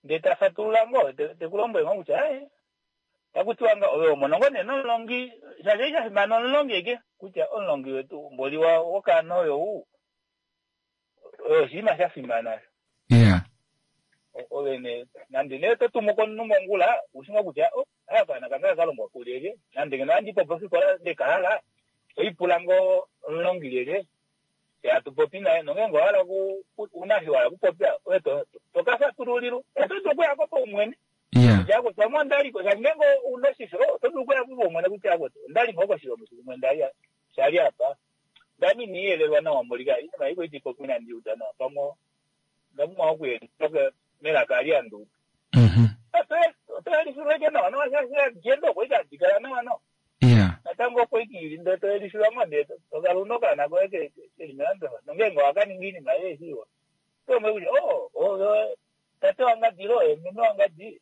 S12: ndee ta fatulula ngoo teku lombwele ngoo kutya aaye taku tiwa nga ove omona ngoo nee nomulongi shaashi sha fimana omulongi eke kutya omulongi wetu mboli wokaana oyo ou oyo oshinima sha fimana.
S1: Iya.
S12: Ove nee nande nee oto tumu komunhu mongula ushi ngoo kutya oh aya kaana kange aka longwa kulyelye nande ngeno ohandi popi ofikola ndekahala oipula ngoo omulongi lyelye hatu popi naye nongeenge owahala una eshi wahala okupopya ove toka fatululilwa oto dulu okuyako paumwene kutya akwetu pamwe ondaliko shaashi ngeenge una oshisho oto dulu okuyako paumwene kutya akwetu ondali ngoo koshilongo shimwe shali apa ndami iniiyelelwa nawa mbolika inima iko iti popi inandi uda nawa pamwe onda pumbwa okuyelifa melaka ali handuudu. Oto yelifilwa ike nawa nawa shaashi agenda oko ike hadi kala nawa nawa. Natango opo ike ili ndee to yelifilwa ngoo ndee tokala una okaana koye keli melandulafano nongeenge owakaninga oinima yeeshi iwa oto lombwele kutya oh oyo tate wangadi ile oye meme wangadi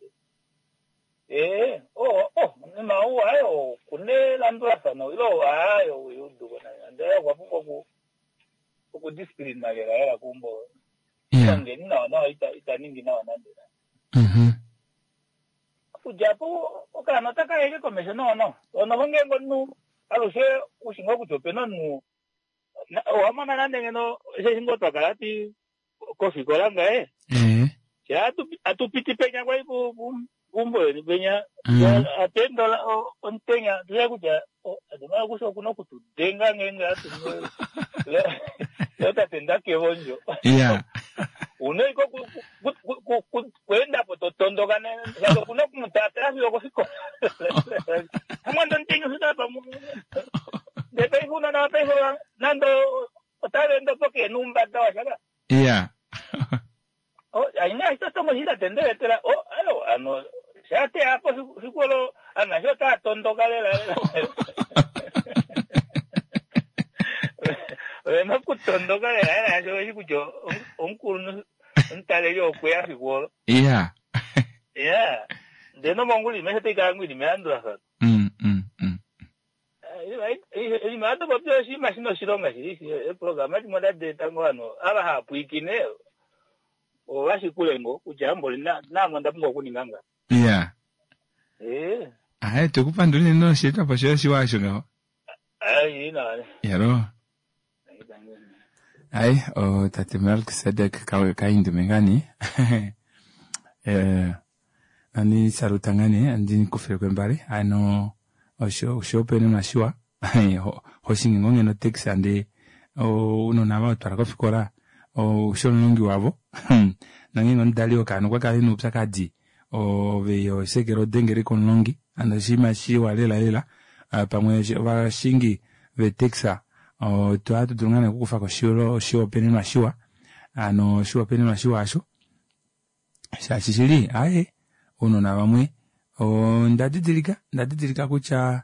S12: ee oh oh omunima ou aaye okuna elandulafano ile aaye uyuduko ndee okwa pumbwa oku okudiscipline lela lela keumbo ongeni nawa nawa ita ningi nawa nande nande. Okudja po okaana otaka yeke komesho nawa nawa. Onoho ngeenge omunhu alushe ushi ngoo kutya opena omunhu owamona nande ngeno osheshi ngoo twakala hati kofikola ngaye atu piti penya kwali puumbo yeni penya hatu ende omutenya tuya kutya adimala kusha okuna okutudenga ngeenge hatu tate ndakevondjo.
S1: Iya.
S12: Una iko kweendapo totondoka shaashi okuna okumutaatala fiyo okofikola. Amwanda omutenya ofika pamwe. Ndee paife unona paife nande otava ende opo keena oumbada washa.
S1: Iya.
S12: Aina ashike otongo shili tate ndeletela oh ayo ano shateya po fiku olo anasho otava tondoka lela lela. Ovena okutondoka lela lela shaashi oveshi kutya omukulunhu omutaleli okweya fiku olo.
S1: Iya.
S12: Iya. Ndee nomongula oinima aishe otai kala ngoo ili melandulafano.
S1: Mm mm mm.
S12: Oinima ohatu popi oshinima shina oshilonga shili eeprograma dimwe otadi eta ngoo ovanhu ava hava pwiikine ovashikule ngoo kutya mboli naame onda pumbwa okuninga nga.
S1: Iya.
S12: Ee.
S1: Aye tukupandula unene nosheetwapo shoye oshiwa osho ngaho.
S12: Ai nawa.
S1: Yalo. Ai o tate Melkisedek Kaindume ngani. Eh andi saluta ngani andi kufile kwembale ano osho osho pene mashiwa hoshingi ngoo ngeno taxi ande ounona ava otwala kofikola osho omulongi wavo nongeenge omudali wokaana okwa kala ena oupyakadi ove osekele odengele komulongi ano oshinima shiwa lela lela pamwe ovashingi vetaxi ohatu dulu ngaa nee okukufako oshihopaenenwa shiwa ano oshihopaenenwa shiwa asho shaashi shili aaye ounona vamwe onda didilika onda didilika kutya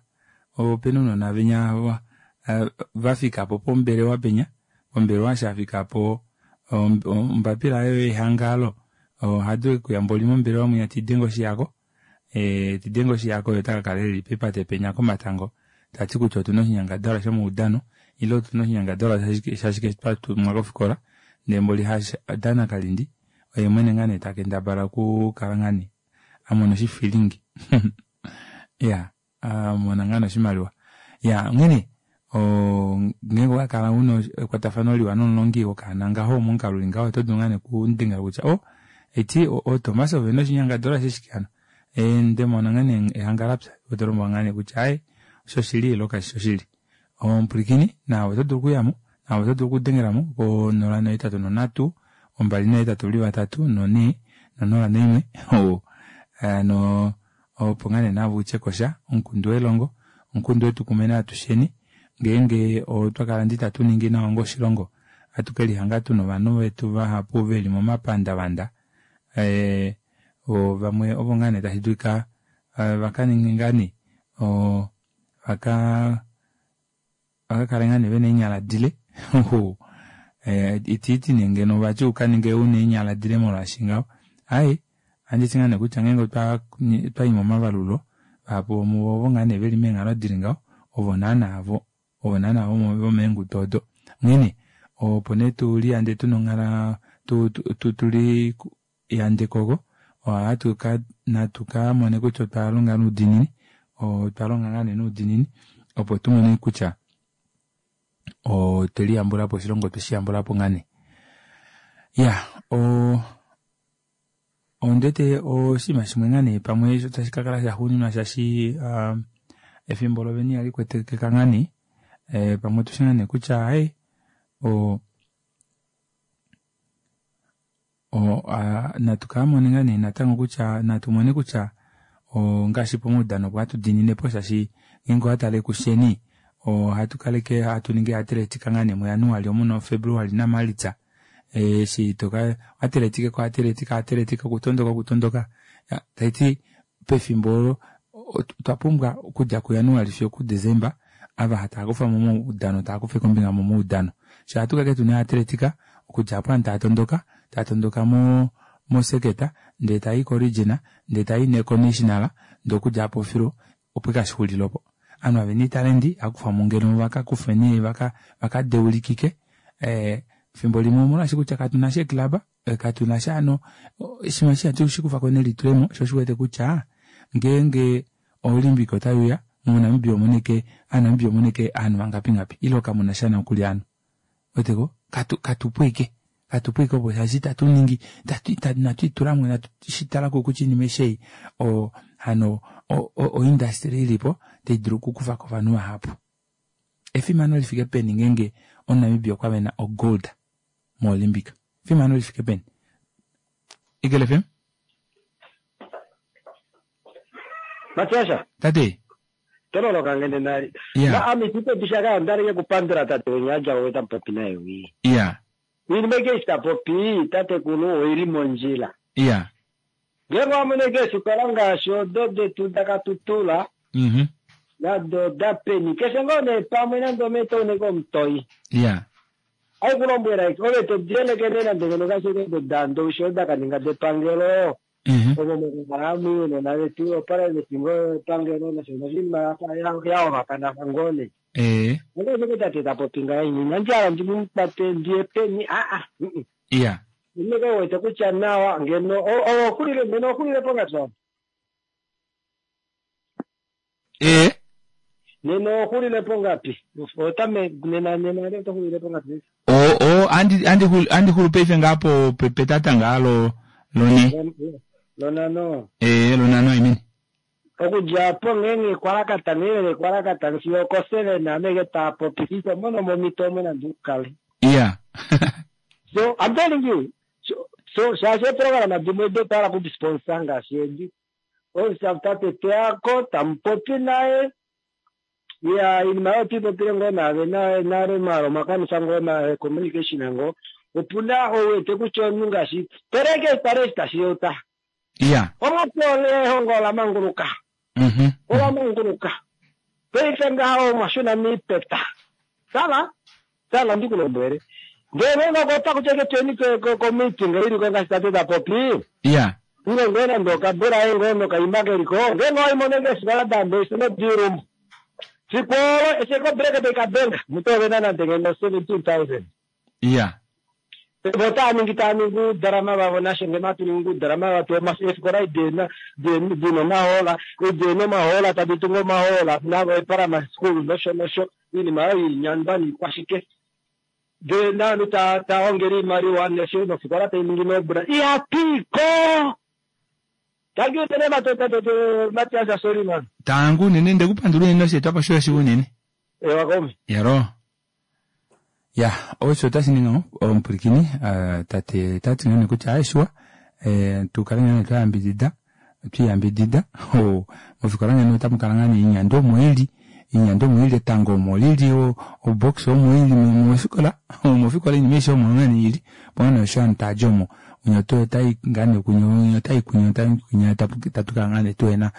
S1: opena ounona venya vafikapo pombelewa penya pombelewa shafikapo ombapila oyo yehangalo ohadulu okuya mboli mombelewa mwinya tidenge oshihako tidenge oshihako ye otakakala eli pepate penya komatango tati kutya otuna oshinyangadalwa shomaudano ile otuna oshinyangadalwa shashike twatumwa kofikola ndee mboli dana kalindi oye mwene ngaa nee takendabala okukala ngaa nee amona oshifilingi iya amona ngaa nee oshimaliwa iya onghene ngeenge owakala una ekwatafano liwa nomulongi wokaana ngaho momukalo uli ngaho oto dulu ngaa nee okumudengela kutya oh eti ooTomas ovena oshinyangadalwa sheshike hano ndemona ngaa nee ehanga lapya oto lombwelwa ngaa nee kutya aaye oshoshili ile kashi shoshili omupwilikini naave oto dulu okuyamo naave oto dulu okudengelamo ko nola nohetatu nonhatu ombali nahetatu uli vatatu nonhee nonola noimwe hano opo ngaa nee naave utye kosha omukundu welongo omukundu wetu kumwe atusheni ngeenge otwa kala ndi tatu ningi nawa onga oshilongo ohatu kelihanga tuna ovanhu vetu vahapu veli momapandavanda vamwe ovo ngaa nee tashi dulika vakaninge ngaa nee vaka vakakale ngaa nee vena eenyala dile itiiti nee ngeno vati ukaninge una eenyala dile molwaashi ngaho aaye Ohanditi ngaa nee kutya ngeenge otwa twayi momavalulo vahapu vomuvo ovo ngaa nee veli meenghalo dili ngaho ovo naana vo ovo naana vomeengudu odo. Onghene opo nee tuliyande tuna onghala tuli yande koko ohatu ka natu kamone kutya otwalonga noudiinini otwalonga ngaa nee noudiinini opo tumone kutya otweliyambulapo oshilongo otwe shiyambulapo ngaa nee. Iyaa oo ondiwete oshinima shimwe ngaa nee pamwe osho tashi kakala shaxuuninwa shaashi efimbo lovene ihalikwetekeka ngaa nee pamwe otushi ngaa nee kutya aaye o natu kamone ngaa nee natango kutya natumone kutya ongaashi pomaudano opo hatu diininepo shaashi ngeenge owatale kusheni ohatu kaleke hatu ningi atletica ngaa nee muJanuali omu noFebruali naMalitsa eshi toka atletica ko atletica atletica okutondoka okutondoka taiti pefimbo olo otwa pumbwa okudja kuJanuali fiyo okuDesemba ava tavakufa momaudano tavakufa ombinga momaudano shoo ohatu kala tuna atletica okudja aapo ovanhu tava tondoka tava tondoka mo moseketa ndee tayi ko region ndee tayi nee ko national ndee okudja aapo filu opo ike hashixulile opo. Ovanhu ava vena oitalenti ohakufwamo ngeno vakakufe nee vakadeulikike efimbo limwe omolwaashi kutya katunasha eeclub katunasha hano oshinima eshi ihatu shikufako nelitulemo shoo osho uwete kutya ngeenge olympic otaiuya moNamibia omuna ashike ovanamibia omuna ashike ovanhu vangapi ngapi ile kamunasha nokuli ovanhu ouweteko katupo ashike katupo ashike opo shaashi itatu ningi inatwiitulamo inatu shitalako kutya oinima aishe ei hano oindustry ilipo taidulu okukufako ovanhu vahapu. Efimano lifike peni ngeenge omunamibia okwa vena o gold mo olympic efimano lifike peni Eagle F M
S8: Matiasha
S1: tate
S8: tololoka ngene nali na ami titobishaka andaleke kupandula tate wenyaja weta popi naye wi
S1: iya
S8: iinima ita popi tatekulu oili mondjila
S1: iya
S8: ngenge wamoneke efikola ngaashi odo detu dakatutula
S1: mhm
S8: nado dapeni keshe ngoo nee pamwe nande ometouneke omutoi
S1: iya
S8: aikulombwela ove todielekene nande ngeno kashike dando osho dakaninga depangelo omo mokukala ounona vetu oprivate ngoo epangelo nosho noshinima yaolakanafa ngoo nee
S1: ee
S8: ongashike tate tapopi ngahenyi inandi ndimukwate ndiye peni aa
S1: iya
S8: ineke wete kutya nawa ngeno oxulile ngeno oxulile pongapi
S1: ee
S8: nena oxulile pongapi otame nena nena otoxulile pongapi
S1: o o andi andi andi xulu paife ngaa po petata ngaa lo lone
S8: lonano
S1: ee lonano I mean
S8: okudja apo ngeenge kwalakata ngeenge kwalakata fiyo oko seven ameke taapopi ito mono momito omo nande ukale
S1: iya
S8: so I'm telling you so, so shaashi eprograma dimwe dotala kudisponsor ngaashi edi tate teako tamupopi naye ya iinima oyo tuipopile ngoo naave nale malo makanisa ngoo na communication ngoo opuna ouwete kutya omunhu ngaashi tereke tare tashiyota
S1: iya
S8: omwatole ehongo ola manguluka
S1: mhm
S8: ola manguluka paife ngaha omwashuna miipeta tala tala ndikulombwele ngele ngokota kutya ketweni komeeting iliko ngaashi tate tapopi
S1: iya
S8: ile ngee nande okabula ngoo nokaima keliko ngenge waimone ngeefikola dambe nodilumbu fikwolo esheko break taikabenga mutovena nande ngeno seventeen thousand
S1: iya
S8: vo taaningi taaningi uudrama vavo nashe ngeno hatu ningi uudrama vatu eefikola dina dina omahola dina omahola tadi tungu omahola navo eprimary school nosho nosho iinima oyo iinyandwa niikwashike de nanu taongele iimaliwa nesho nofikola tainingi nobra ihapiko. Thank you tene Matias, sorry man.
S1: Tangu unene ndekupandula unene osheetwapo shoye shiwa unene
S8: ewa komi
S1: yaro ya osho otashi ningi omupwilikini tate tati ngane kutya aeshiwa tukale ngane twayambidida twiyambidida mofikola ngene otamukala ngane iinyandwa omo ili iinyandwa omo ili etango omo lili obox omo ili mofikola mofikola iinima aishe omo ngane ili opo ngane osho ovanhu tadji omo unya otai ngane kunya unya otai kunya otai kunya tatukala ngane tuhena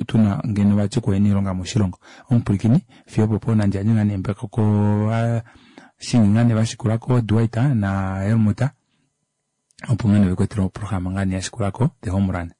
S1: tuna ngeno vati okuhena oilonga moshilongo. Omupwilikini fiyo opopo nandi yandje ngane embako ko shingi ngane vashikulako Dwight na Helmut Opo ngene vekweetele oprograma ngaa nee yashikulako the home run.